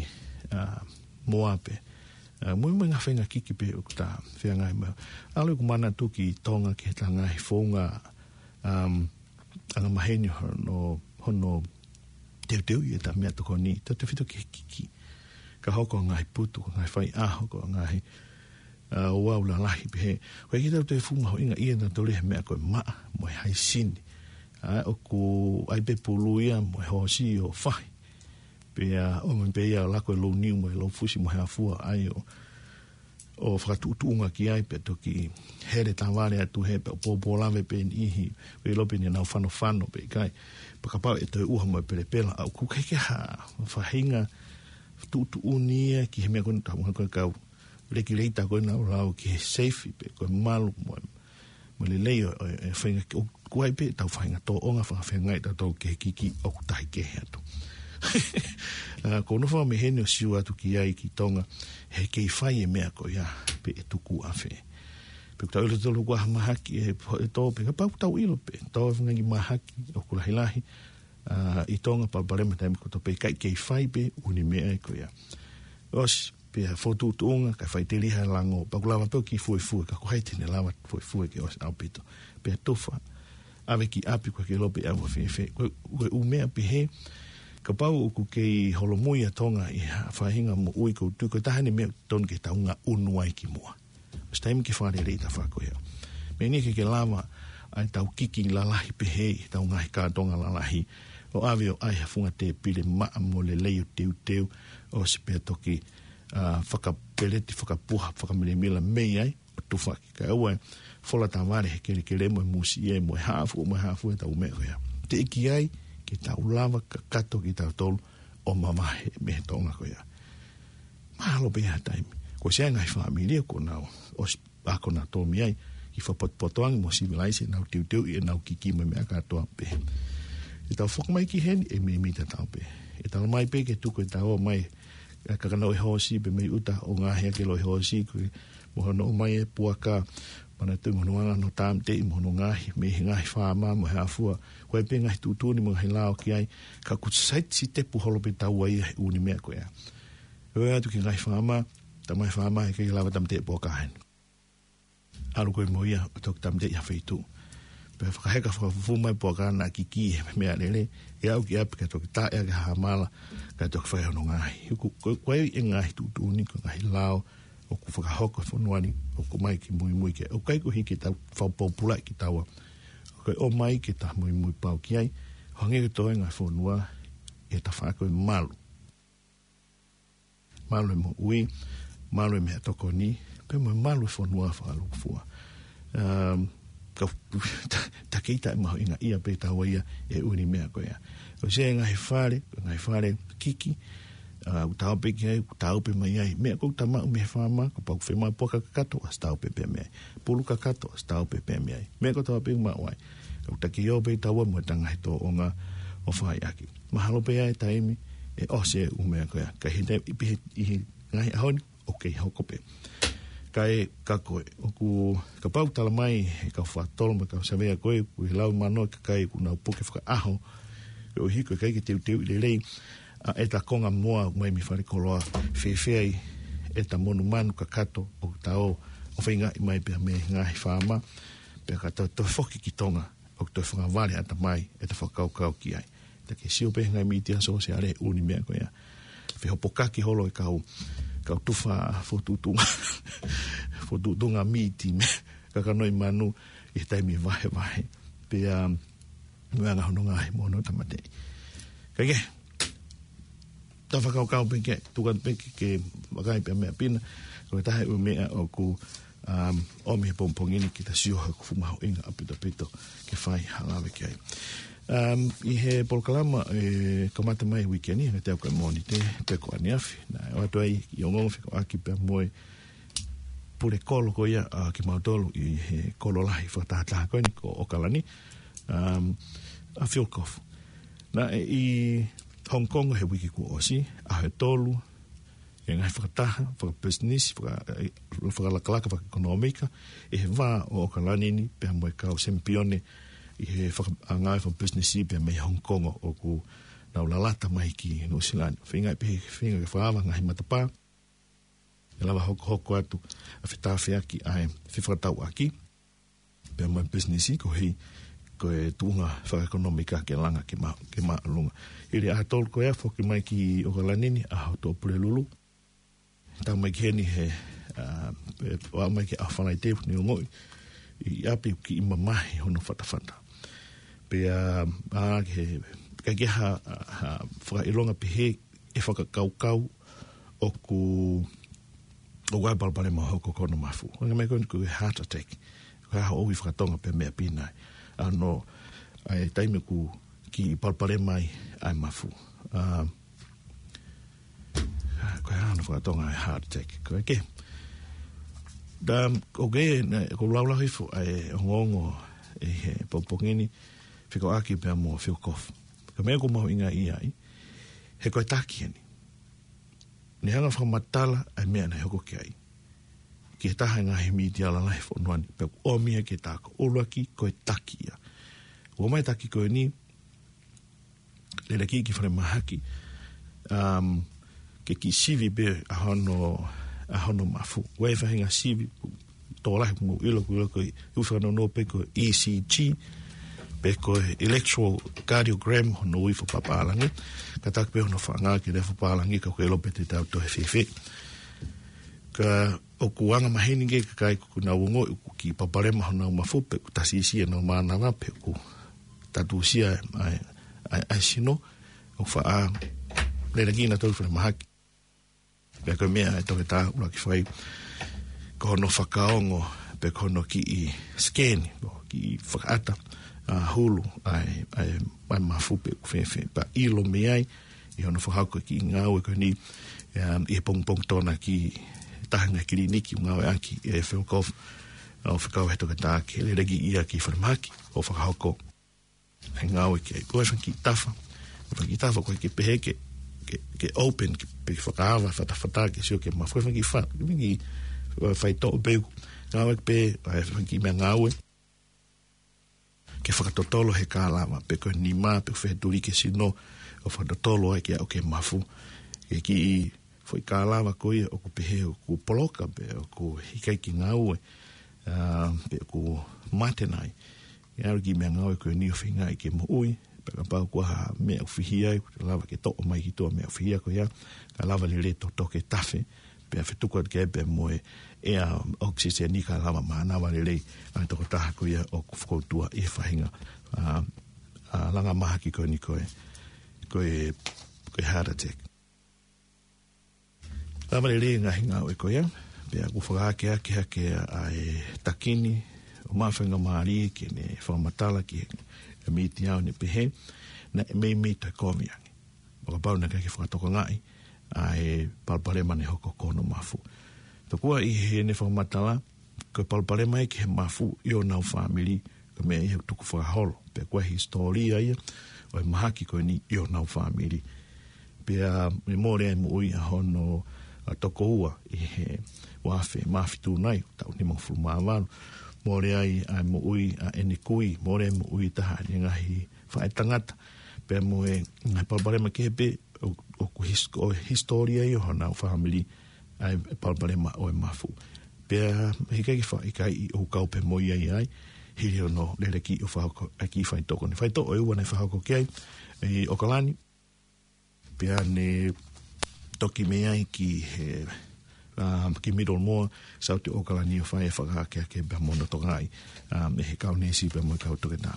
uh, moa pē. Uh, mo e, mo e ngaahi faʻahinga kiki pē ʻoku ta feangai mo ia. ʻAlu ʻeku manatu ki Tonga ki heʻeta ngaahi founga, um, angamaheni hono, hono teuteuʻi ʻeta meʻatokoni, tautautefito ki he kiki. Ka hoko ʻa e ngaahi putu, ko e ngaahi faiʻaho, ko e ngaahi, ʻa, ouau lalahi pehē. ʻOku ʻikai ke tau toe fuʻu mahuʻingaʻia nautolu he meʻa ko e maʻa mo e haisini. ʻA, ʻoku ʻai pē pulu ia mo e hoosi ʻo fahi. Pea ʻomi pē ia ʻo lako e lou niu mo e lou fusi mo e hā fua ai ʻo, ʻo fakatuʻutuʻunga ki ai pea toki hele tavale atu hē pea ʻoku pōpōlave pē niʻihi. ʻOku ʻilo pe ʻoku nau fanofano pe ʻikai. Pea kapau ʻe toe ʻuha mo e pelepela, ʻa, ʻoku ʻikai ke ha faʻahinga tuʻutuʻuni ia ki he meʻa ko eni, tau ngā ko e kau lekileita ko ē ʻoku nau lau ki he seifi pe ko e malu mo e, mo e lelei ʻo, ʻo, ʻo e faʻahinga ki-, ʻoku ʻi ai pē ʻetau faʻahinga tōʻonga fakafeangai ʻatautolu ki he kiki ʻoku tahi kehe atu. ʻA, ʻoku ou nofo mai heni ʻo sio atu ki ai ki Tonga, he kei fai e meʻa ko ia pe ʻe tuku ʻafē. Pe ʻoku tau ʻilo ʻatautolu ʻoku ʻi ai ha mahaki ʻe, ʻe tō pe kapau ʻoku tau ʻilo pē, tō e fanga kiʻi mahaki ʻoku lahilahi, ʻa, ʻi Tonga, palopalema taimi kotoa pē, kae kei fai pē ʻū meʻa ko ia. ʻOsi, pea fokotuʻutuʻunga, kae faʻiteliha e lango, pea ʻoku lava pē ʻo kiʻi fuefue, ka ko hai te ne lava fuefue ke ʻosi ʻaupito. Pea tufa, ʻave ki ʻapi, ʻoku ʻikai ke ʻilo pe ʻe ʻalu fēfē. Ko e, ko e ʻū meʻa pehē, kapau ʻoku kei holomui ʻa Tonga ʻi ha faʻahinga moʻui, ʻoku ou tui ko e taha eni e meʻa totonu ke tau ngaʻunu ai ki muʻa. ʻOsi taimi ke fakalelei ʻeta fako ia. Meʻa ni ke ke lava ʻa ʻetau kiki lalahi pehē ʻi heʻetau ngaahi kātoanga lalahi, ʻo ʻave ʻo ʻai ha funga tēpile maʻa mo lelei ʻo teuteu, ʻosi pea toki, ʻa, fakapeleti, fakapuha, fakamilamila mei ai, ʻo tufaki. Kae ʻoua e fola tavale he kelekele mo e musie mo e hā fua, mo e hā fua ʻetau meʻa ko ia. Teʻeki ai ke tau lava kakato kitautolu ʻo mavahe mei he tōʻonga ko ia. Mahalo pē ha taimi ko e Sea ngaahi fāmili ʻoku nau ʻosi ako nautolu mei ai, kiʻi fakapotopoto ange mo sivilaise ʻenau teuteuʻi ʻenau kiki mo e meʻa kātoa pē. ʻEtau foki mai ki heni ʻe meimei tatau pē. ʻE talamai pē ke tuku ʻetau ō mai, ʻa e kakano ʻo e hoosi pē mei ʻuta ʻo ngaohi ʻaki e loi hoosi, ko e mo hono ō mai e puaka, manatuʻi mo hono anga hono tāmateʻi mo hono ngaohi mei he ngaahi faama mo e hā fua. Ko e pē ngaahi tuʻutuʻuni mo e ngaahi lao ki ai, ka ʻoku saitisitepu holo pē taua ia he ʻū meʻa ko ia. ʻOi atu ki he ngaahi faama, talamai faama ʻe ʻikai lava tāmateʻi puaka heni. ʻAlu koe mo ia ʻo toki tāmateʻi ha feituʻu. Pea fakaheka fakafufū mai puaka naʻa kiki he meʻalele, ʻe aʻu ki ʻapi kae toki taʻe ʻaki ha mala, kae toki fai hono ngaohi. Ko, ko, ko e ngaahi tuʻutuʻuni, ko e ngaahi lao ʻoku fakahoko he fonua ni, ʻoku ʻomai ke muimui ki ai. ʻOku ʻikai koeʻuhi ke tau fakapōpulaʻi kitaua. ʻOku ʻomai ke ta muimui pau ki ai, hangē ko e toenga e fonua, ʻe ta fai ko e malu. Malu e moʻui, malu e meʻatokoni, pea mo e malu e fonua fakalūkufua. Um, ka, ta, ta kei taʻemahuʻingaʻia pē taua ia he ʻū meʻa ko ia. ʻOsi e ngaahi fale, ngaahi fale kiki, ʻa, ʻoku ta ō pē ki ai, ʻoku ta ō pē mai ai. Meʻa ʻoku ta maʻu mei he faama, kapau ʻoku fiemaʻu puaka kakato, ʻosi ta ō pē pea mei ai. Pulu kakato, ʻosi ta ō pē pea mei ai. Meʻa kotoa pē ʻoku maʻu ai. ʻOku ta kei ō pē taua mo ʻeta ngaahi tōʻonga ʻo fai ʻaki. Mahalo pē ʻe ʻi ai e taimi ʻe ʻosi e ʻū meʻa ko ia. Ka ʻi he taimi, ʻi he, ʻi he ngaahi ʻaho ni, ʻoku kei hoko pē. Kae ka ko ē, ʻoku kapau tala mai ʻe he kau Faʻatolo mo e kau Savea ko ē, ʻoku ʻi he laui mano e kakai ʻoku nau puke fakaʻaho, koeʻuhi ko e ʻikai ke teuteuʻi lelei ʻa ʻeta konga moa mai mei falekoloa, fēfē ai ʻeta monumanu kakato ʻoku ta ō ʻo feingaʻi mai pea mei he ngaahi faama, pea ka ta toe foki ki Tonga, ʻoku toe fakavale ʻatamai ʻeta fakakaukau ki ai. Ta ke sio pē he ngaahi mītia sōsiale ʻū meʻa ko ia. Fehopokaki holo e kau, kau tufa fokotuʻutuʻunga, fokotuʻutuʻunga mīti mo e kakano ʻi manu ʻi he taimi vahevahe. Pea, um, meʻa ngā hono ngaahi mono tāmateʻi. Kae kehe, ta fakakaukau pē ke, tuku atu pē ke, ke vakai pē meʻa pina, ko e taha e ʻū meʻa ʻoku, um, ʻomi he pongipongi ni ke ta sio he ʻoku fuʻu mahuʻinga ʻaupito ʻaupito ke fai ha lave ki ai. Um, ʻi he polokalama, ʻe kamata mai uike ni, hangē te au ka Mōnite, pe ko ʻaneafi, naʻe ʻoatu ai ʻi ongoongo fekauʻaki pea mo e pule kolo ko ia, ʻa kimautolu ʻi he kolo lahi fakatahataha ko eni ko ʻOkalani, um, ʻa Phil Goff. Naʻe ʻi Hong Kong he uike kuo ʻosi, ʻaho ʻe tolu, ʻi he ngaahi fakataha, fakapisinisi, faka-, fakalakalaka, fakaʻekonōmika, ʻi he vā ʻo ʻOkalani ni, pea mo e kau sempione, ʻi he faka-, ʻa ngāue fakapisinisi, pea mei Hong Kong ʻoku nau lalata mai ki Nuʻusila ni. Feinga pē, feinga ke fakaava ngaahi matapā, ʻe lava hokohoko atu ʻa e fetāfeaki ʻa e fefakatauʻaki pea mo e pisinisi koeʻuhi ko e tuʻunga fakaʻekonōmika ke langa ke ma-, ke māʻolunga. Hili ʻaho ʻe tolu ko ia foki mai ki ʻOkalani ni, ʻaho Tuʻapulelulu. Tau mai ki heni he, ʻa, ʻe, ʻo aʻu mai ki he ʻaho Falaite, ne ongoʻi ʻi ʻapi ʻoku kiʻi mamahi hono fatafata. Pea, ʻa, ke, ʻikai ke ha, ha fakaʻilonga pehē ʻe fakakaukau ʻoku, ʻoku ʻi ai e palopalema ʻo e hoko ko hono mafu. Hangē ko e, ko e heart attack. Ko e hā hoʻo ui fakatonga pe meʻa pina ai. ʻA hono, ʻa e taimi ʻoku kiʻi palopalema ai ʻa e mafu. ʻA, ko e hā hono fakatonga ʻa e heart attack. Ko e kehe. Ta, ʻoku, naʻa ku laulau hifo ʻa e ongoongo ʻi he pongipongi ni, fekauʻaki pea mo Phil Goff. Ko e meʻa ʻoku mahuʻinga ʻi ai, he ko e taki eni. Ne hanga fakamatala ʻa e meʻa naʻe hoko ki ai ki he taha e ngaahi mītia lalahi he fonua ni, pea ʻoku ʻomi ia ki he taha ko ē. ʻUluaki ko e taki ia. ʻOmai e taki ko eni, lele ki, ki falemahaki, um, ke kiʻi sivi pē ʻa hono, ʻa hono mafu. ʻOku ʻi ai e faʻahinga sivi, tokolahi ʻoku mou ʻilo, ʻoku ʻilo ko e ui fakanounou pē ko e E C G, pe ko e electrocardiogram hono ui fakapapālangi. Kātaki pē hono faʻa ngāue ki he lea fakapālangi ka ʻoku ʻilo pē te tau toe fēfē. Ka ʻoku anga maheni ke kakai ʻoku nau ongoʻi ʻoku kiʻi palopalema honau mafu pe ʻoku tasiʻisiʻi ʻenau mānava pe ʻoku tatusia ʻa e, ʻa e, ʻa e sino, ʻoku faʻa lele ki nautolu ki falemahaki. Pea ko e meʻa ʻa e toketā ʻuluaki fai, ko hono fakaongo, pe ko hono kiʻi scan, ko e kiʻi fakaʻata, ʻa, hulu ʻa e, ʻa e, ʻa e mafu pe ʻoku fēfē. Pea ʻilo mei ai, ʻi hono fakahoko e kiʻi ngāue ko eni, um, ʻi he pongipongi Tonga ki he taha e ngaahi kiliniki ʻoku ngāueʻaki ʻe Phil Goff, ʻo fekau he toketā ke lele ki ia ki falemahaki, ʻo fakahoko ʻa e ngāue ki ai. Ko e fanga kiʻi tafa, fanga kiʻi tafa ko e ke pehē ke, ke, ke open, ke, pe fakaava fatafata ke sio ki he mafu, fanga kiʻi fa-, fanga kiʻi, ʻa, faitoʻo pē ʻoku ngāueʻaki pē, ʻa, fanga kiʻi meʻangāue ke fakatotolo he kālava, pe ko e nima, pe ko e fetuli ki he sino, ʻo fakatotolo ai ke aʻu ki he mafu. Ko e kiʻi foʻi kālava ko ia ʻoku pehē ʻoku poloka pe ʻoku ʻikai ke ngāue, ʻa, pe ʻoku mate nai. ʻE ʻalu e kiʻi meʻangāue ko eni ʻo feingaʻi ke moʻui, pea kapau ʻoku ʻi ai ha meʻa ʻoku fihia ai, ʻoku lava ke toʻo mai ki tuʻa e meʻa ʻoku fihia ko ia, kae lava lelei ʻo toke tafe, pea fetuku atu ki ai pea mo e ʻea, ʻoku siseni kae lava mānava lelei ʻa e tokotaha ko ia ʻoku fokoutua ʻi he faʻahinga, ʻa, ʻa, langa mahaki ko eni ko e, ko e, ko e heart attack. Lava lelei e ngaahi ngāue ko ia, pea ʻoku fakahākeakeake ʻa e taki ni, ʻo maʻu e faingamālie ke ne fakamatala ki he mītia ʻo ne pehē, naʻe meimei toe kovi ange. ʻO kapau naʻe ʻikai ke fakatokangaʻi ʻa e palopalema naʻe hoko ko hono mafu. Tokua ʻi heʻene fakamatala, ko e palopalema ia ki he mafu ʻi honau fāmili, ko e meʻa ia ʻoku tuku fakaholo. Pea ko e hisitōlia ia ʻo e mahaki ko eni ʻi honau fāmili. Pea ne mole ai e moʻui ʻa hono ʻa toko ua ʻi he ua afe mā fitu nai, taʻu nimangofulu mā valu. Mole ai ʻa e moʻui ʻa ʻene kui, mole moʻui taha ʻene ngaahi faʻētangata. Pea mo e ngaahi palopalema kehe pē, ʻo, ʻoku his-, ʻo e hisitōlia ia ʻo honau fāmili, ʻa e palopalema ʻo e mafu. Pea heʻikai ke fa-, ʻikai ʻoku kau pē mo ia ai, hili hono lele ki ʻo fakahoko ʻa e kiʻi faitoʻo ko eni. Faitoʻo ʻe ua naʻe fakahoko ki ai, ʻi ʻOkalani, pea ne toki mei ai ki he, um, ki Middlemore, South ʻOkalani ʻo fai e fakaakeake pea mo hono tokangaʻi, um, ʻe he kau neesi pea mo e kau toketā.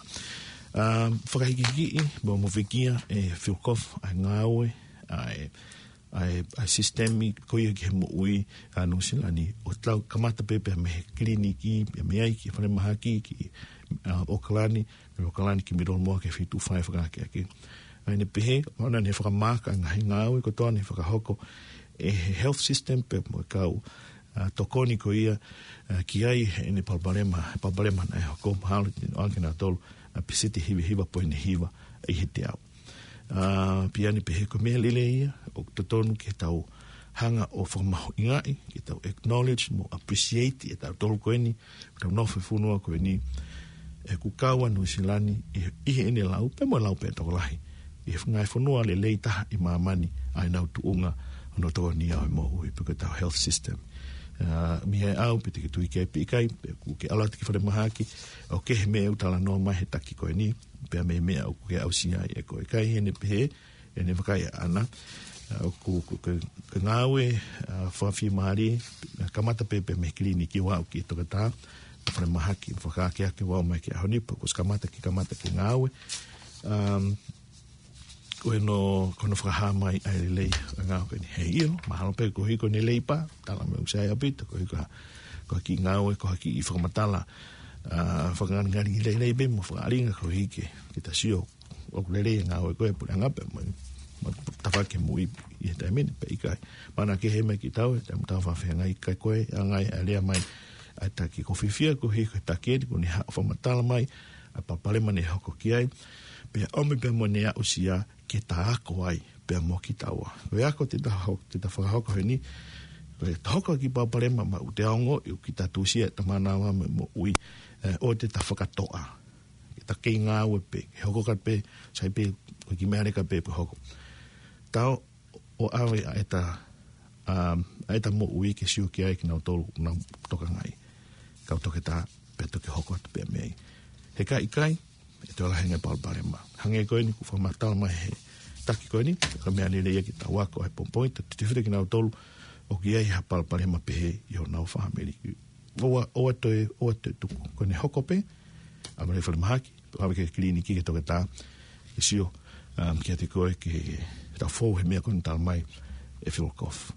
Um, fakahikihikiʻi, mo, mo fikia, ʻe Phil Goff, ʻa e ngāue, ʻa e, ʻa e, ʻa e sisitemi ko ia ki he moʻui ʻa Nuʻusila ni, ʻo tau kamata pē pea mei he kiliniki, pea mei ai ki falemahaki, ki, uh, ʻOkalani, ʻOkalani ki Middlemore ke fitu fai fakaakeake. ʻA ia ne pehē, ʻo ne fakamaaka ngaahi ngāue kotoa ne fakahoko ʻe he health system pea mo e kau, ʻa, tokoni ko ia, ʻa, ki ai heʻene palopalema, palopalema naʻe hoko mahalo, ʻo ake na tolu, ʻa, peseti hiva hiva poini hiva ʻi he teau. ʻA, pea ne pehē ko e meʻa lelei ia, ʻoku totonu ke tau hanga ʻo fakamahuʻingaʻi, ke tau acknowledge mo appreciate ʻe tautolu ko eni, tau nofo he fonua ko eni, ʻoku kau ʻa Nuʻusila ni ʻi, ʻi heʻene lau, pea mo e lau pē tokolahi ʻi he ngaahi fonua lelei taha ʻi māmani, ʻa ʻenau tuʻunga hono tokoni ʻa e moʻui pe ko ʻetau health system. ʻA, mei he ʻau, pe te ke tui ki ai pe ʻikai, pe ʻoku ke ʻalu atu ki falemahaki, ʻoku kehe e meʻa ʻoku talanoa mai he taki ko eni, pea mei he meʻa ʻoku ke aʻusia ai ʻe koe. Ka ʻi heʻene pehē, ʻene vakai ʻaʻana, ʻa, ʻoku, ʻoku, ʻoku, ʻoku ngāue, ʻa, fakafiemālie, kamata pē pea mei he kiliniki ʻo aʻu ki he toketā, ʻa falemahaki, fakaakeake ʻo aʻu mai ki he ʻaho ni, pea kuo ʻosi kamata ke kamata ke ngāue. Um, ko hono, ko hono fakahā mai ʻa e lelei ʻo e ngāue ko eni. Heiʻilo, mahalo pē koeʻuhi ko ʻene lelei pē, tala mai ʻoku sai ʻaupito, koeʻuhi ko ha, ko ha kiʻi ngāue, ko ha kiʻi fakamatala, ʻa, fakangalingali lelei pē mo fakaʻalinga koeʻuhi ke, ke ta sio ʻoku lelei e ngāue ko ē ʻa e puleʻanga pea mo, mo tafaʻaki moʻui ʻi he taimi ni pe ʻikai. Mana ke he mai ki tau, e taimi tau fafeangai kai ko e, ʻangai ʻa e lea mai ʻa e taki, ʻoku ou fiefia koeʻuhi ko e taki eni, kuo ne haʻu ʻo fakamatala mai ʻa e palopalema ne hoko ki ai, pea ʻomi pea mo ʻene aʻusia ke ta ako ai pea mo kitaua. Ko e ako te ta ho-, te ta fakahoko heni, ko e ta hoko ki he palopalema, maʻu te ongoʻi ʻoku kita tusia ʻeta mānava mo e moʻui, ē, ʻoua te ta fakatoʻa. Ke ta kei ngāue pē, ke hoko ka pē, sai pē, ko e kiʻi meʻa leka pē pe hoko. Tau ʻo ʻave ʻa ʻeta, um, ʻa ʻeta moʻui ke sio ki ai kinautolu ʻoku nau tokangaʻi. Kau toketā, pea toki hoko atu pē mei ai. He ka ʻikai, ʻe toe lahi ange e palopalema. Hangē ko eni kuo fakamatala mai he taki ko eni, ko e meʻa lelei ia ke tau ako ai he pongipongi, ta tefita kinautolu ʻoku ʻi ai ha palopalema pehē ʻi honau fāmili. ʻOua, ʻoua toe, ʻoua toe tuku. Ko ʻene hoko pē, ʻave ki falemahaki, ʻave ki he kiliniki ki he toketā, ke sio, um, kiate koe ke tau fou he meʻa ko eni tala mai ʻe Phil Goff.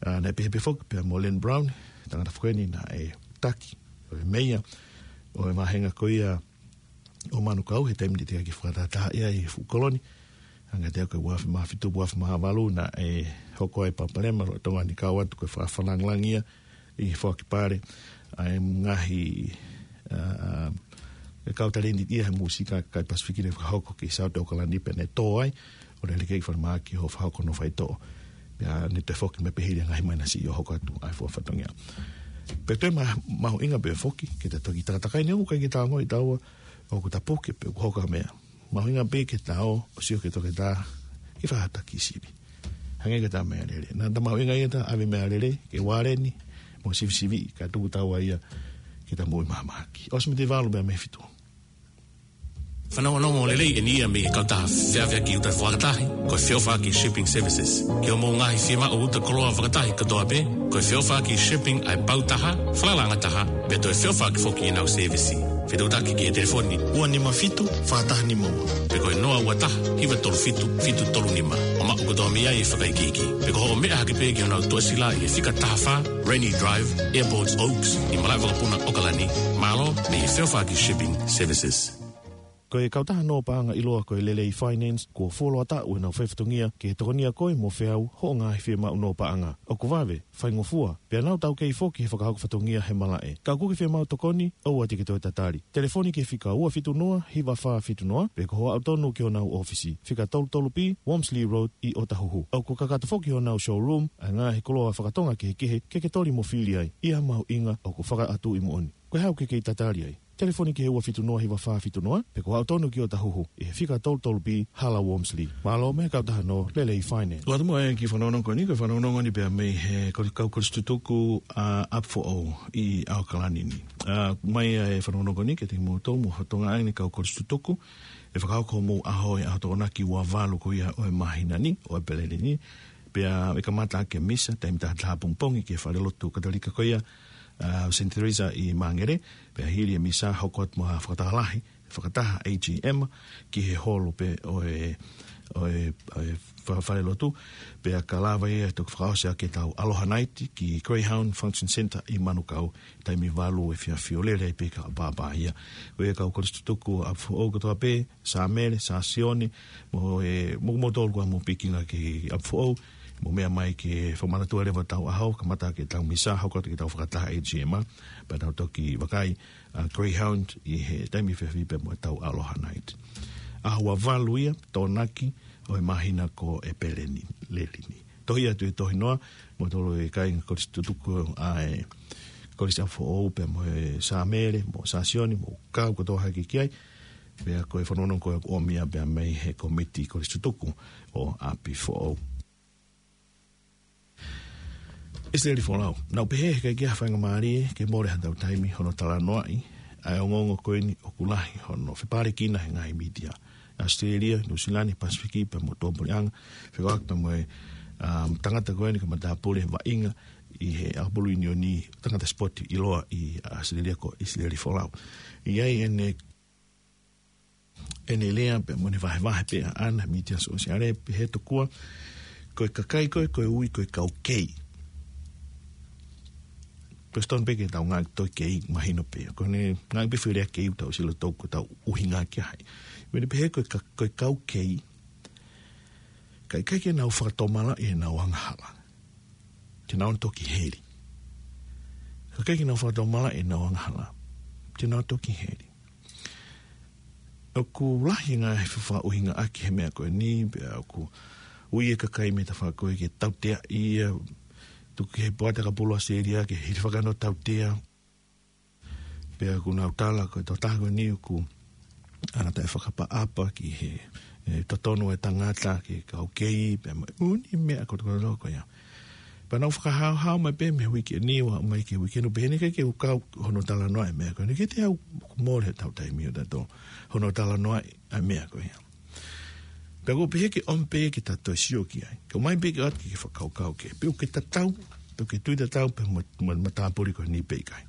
ʻA, naʻe pehē pē foki pea mo Len Brown, tangata foki eni naʻe taki ʻo e meia ʻo e vāhenga ko ia ʻo Manukau he taimi naʻe teʻeki ke fakatātā ia ʻi he fuʻu koloni. Hangē ko e ua afe mā fitu, ua afe mā valu naʻe hoko ai e palopalema lolotonga ni, kau atu ko e fakafanangilangi ia ʻi he foaki pale ʻa e ngaahi, ʻa, ʻa, e kau talēniti ia he mūsika kai Pasifiki ne fakahoko ki South ʻOkalani pea ne tō ai, ʻo ne lele ki falemahaki ʻo fakahoko hono faitoʻo. Pea ne toe foki mai pē hili ʻa e ngaahi maʻinasi ʻo hoko atu ʻa e fuʻu fatongia. Pea toe ma-, mahuʻinga pē foki, ke ta toki takatakai ni ʻoku ʻikai ke ta ongoʻi taua ʻoku ta puke pe ʻoku hoko ha meʻa. Mahuʻinga pē ke ta ō, ʻo sio ki he toketā, ke fai ha taki sivi. Hangē ko ʻeta meʻalele. Naʻa ta mahuʻinga ia ta ʻave meʻalele, ke ualeni, mo sivisiviʻi, kae tuku taua ia ke ta moʻui mahamahaki. ʻOsi mei he valu meʻa mei he fitu. Fanongonongo lelei eni ia mei he kautaha feʻaveʻaki uta fakatahi, ko e Feʻofaʻaki Shipping Services. Ki hoʻomou ngaahi fiemaʻu uta koloa fakatahi kotoa pē, ko e Feʻofaʻaki Shipping ʻa e pau taha, falalaʻanga taha, pea toe feʻofaʻaki foki ʻenau sēvisi. Fetuʻutaki ki he telefoni ua nima fitu, fā taha nima ua. Pe ko e noa ua taha, hiva tolu fitu, fitu tolu nima. ʻO maʻu kotoa mei ai e fakaikiiki. Pe ko hoʻo meʻa hake pē ki honau tuʻasila ʻi he fika taha fā, Rainy Drive, Airports Oaks, ʻi Malaʻevakapuna, ʻOkalani. Mālō, mei he Feʻofaʻaki Shipping Services. Ko e kautaha nō paʻanga ʻiloa ko e Lelei Finance, kuo fuoloa taʻu ʻenau fai fatongia ke tokonia koe mo feau hoʻo ngaahi fiemaʻu nō paʻanga. ʻOku vave, faingofua, pea nau taukei foki he fakahoko fatongia he malaʻe. Ka ʻoku ke fiemaʻu tokoni, ʻoua te ke toe tatali. Telefoni ki he fika ua fitu noa, hiva fā fitu noa, pe ko hoʻo aʻu tonu ki honau ʻōfisi, fika tolu tolu B, Wormsley Road, ʻi ʻŌtahuhu. ʻOku kakato foki honau showroom ʻa e ngaahi koloa fakatonga kehekehe ke ke toli mo fili ai, ʻi ha mahuʻinga ʻoku fakaʻatuʻi moʻoni. Ko e hā ʻoku ke kei tatali ai? Telefoni ki he ua fitu noa hiva fā fitu noa, pe ko hoʻo aʻu tonu ki ʻŌtahuhu, ʻi he fika tolu tolu B, Hala Wormsley. Mālō mei he kautaha nō Lelei Finance. Loa atu mo e kiʻi fanongonongo ko eni, ko e fanongonongo ni pea mei he kau, kau kolisi tutuku ʻa ʻApifoʻou ʻi ʻAokalani ni. ʻA, mai ʻa e fanongonongo ko eni kiate kimoutolu mo e fatongia ʻeni kau kolisi tutuku, ʻe fakahoko homou ʻaho ʻi he ʻaho Tokonaki ua valu ko ia ʻo e māhina ni, ʻo ʻEpeleli ni. Pea ʻe kamata ʻaki e misa, taimi taha taha pongipongi ki he falelotu Katolika ko ia, ʻa, Saint Teresa ʻi Māngere, pea hili e misa hoko atu mo ha fakataha lahi, fakataha A G M, ki he holo pē ʻo e, ʻo e, ʻo e fa-, falelotu, pea ka lava ia ʻo toki fakaʻosi ʻaki ʻetau Aloha Night ki Greyhound Function Centre ʻi Manukau, taimi valu efiafi ʻo lele ai pē ka pāpā ia. Ko ia kau kolisi tutuku ʻApifoʻou kotoa pē, Sāmele, Sāsione, mo e, mo, mo tolu kua mo pikinga ki ʻApifoʻou, mo meʻa mai ke fakamanatua leva ʻetau ʻaho, kamata ʻaki ʻetau misa, hoko atu ki heʻetau fakataha A G M, pea tau toki vakai ʻa Greyhound ʻi he taimi efiafi pea mo ʻetau Aloha Night. ʻAho ua valu ia, Tokonaki, ʻo e māhina ko ʻEpeleli ni. Tohi atu e tohi noa, mo tolo e kāinga kolisi tutuku ʻa e kolisi ʻApifoʻou pea mo e Sāmele, mo Sāsione, mo kau kotoa hake ki ai, pea ko e fanongonongo ko ia ʻoku ʻomi ia pea mei he komiti kolisi tutuku ʻo ʻApifoʻou. ʻIsileli Folau. Naʻá ku pehē heʻikai ke ʻi ai ha faingamālie ke mole haʻatau taimi hono talanoaʻi ʻa e ongoongo ko eni ʻoku lahi hono fepālekina he ngaahi mītia. ʻAositelēlia, Nuʻusila ni, Pasifiki, pea mo Tuʻapuleʻanga, fekauʻaki pea mo e, um, tangata ko eni ko e matāpule vaʻinga ʻi he ʻakapulu ʻiunioni tangata sipoti ʻiloa ʻi ʻAositelēlia ko ʻIsileli Folau. ʻI ai ʻene ʻene lea pea mo ʻene vahevahe pē ʻaʻana he mītia sōsiale, pehē tokua ko e kakai ko ē, ko e ui ko e kau kei. Ko e sitonu pē ke tau ngāueʻaki e foʻi kei, mahino pē. Ko ʻene ngāueʻaki pē foʻi lea kei ʻoku tau sio ʻoku tau ʻuhinga ki ai. Pea ʻene pehē ko e ka-, ko e kau kei, ka ʻikai ke nau fakatomala ʻenau angahala, te nau toki heli. Ka ʻikai ke nau fakatomala ʻenau angahala, te nau toki heli. ʻOku lahi e ngaahi fefakaʻuhingaʻaki he meʻa ko eni, pea ʻoku ui e kakai mei he tafaʻaki ko ē ke tauteaʻi ia, tuku ki he poate ʻakapulu ʻAositelēlia ke hilifaki hono tautea. Pea ʻoku nau tala ko e tokotaha ko eni ʻoku ʻalu ʻo taʻefakaʻapaʻapa ki he, e, totonu e tangata ki he kau kei, pea mo e ʻū meʻa kotokoto ko ia. Pea nau fakahaohaoa mai pē mei he uike ni ʻo aʻu mai ki he uike ni, pehē ni ʻikai ke u kau hono talanoaʻi e meʻa ko eni, ʻikai te u, ʻoku mole haʻatau taimi ʻo tautolu hono talanoaʻi e meʻa ko ia. Pea ʻoku ou pehē ke ʻomi pē ke ta toe sio ki ai. Ka ʻomai pē ke ʻoatu ke fakakaukau ki ai. Pe ʻoku ke tatau, pe ʻoku ke tui tatau pē mo, mo, mo e matāpule ko eni pe ʻikai.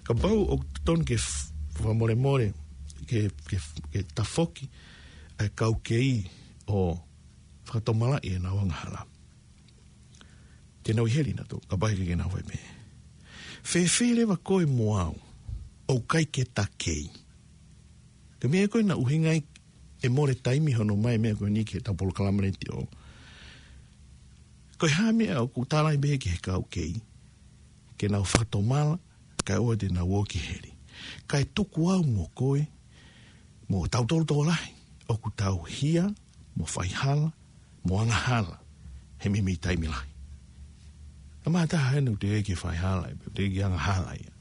Kapau ʻoku totonu ke f-, fakamolemole, ke, ke, ke tafoki ʻa e kau kei ʻo fakatomalaʻi ʻenau angahala, te nau ʻi heli nautolu, kapau ʻikai ke nau fai pehē. Fēfē leva koe mo au, ʻoku ʻikai ke ta kei? Ko e meʻa ko ē naʻe ʻuhinga ai e mole taimi hono ʻomai e meʻa ko eni ki heʻetau polokalama letiō. Ko e hā e meʻa ʻoku tala ai pē ki he kau kei ke nau fakatomala, kae ʻoua te nau ō ki heli? Kae tuku au mo koe, mo tautolu tokolahi, ʻoku tau hia mo faihala mo angahala he meimei taimi lahi. ʻA e meʻa taha ʻeni ʻoku teʻeki ke faihala, ʻoku teʻeki ke angahala ia.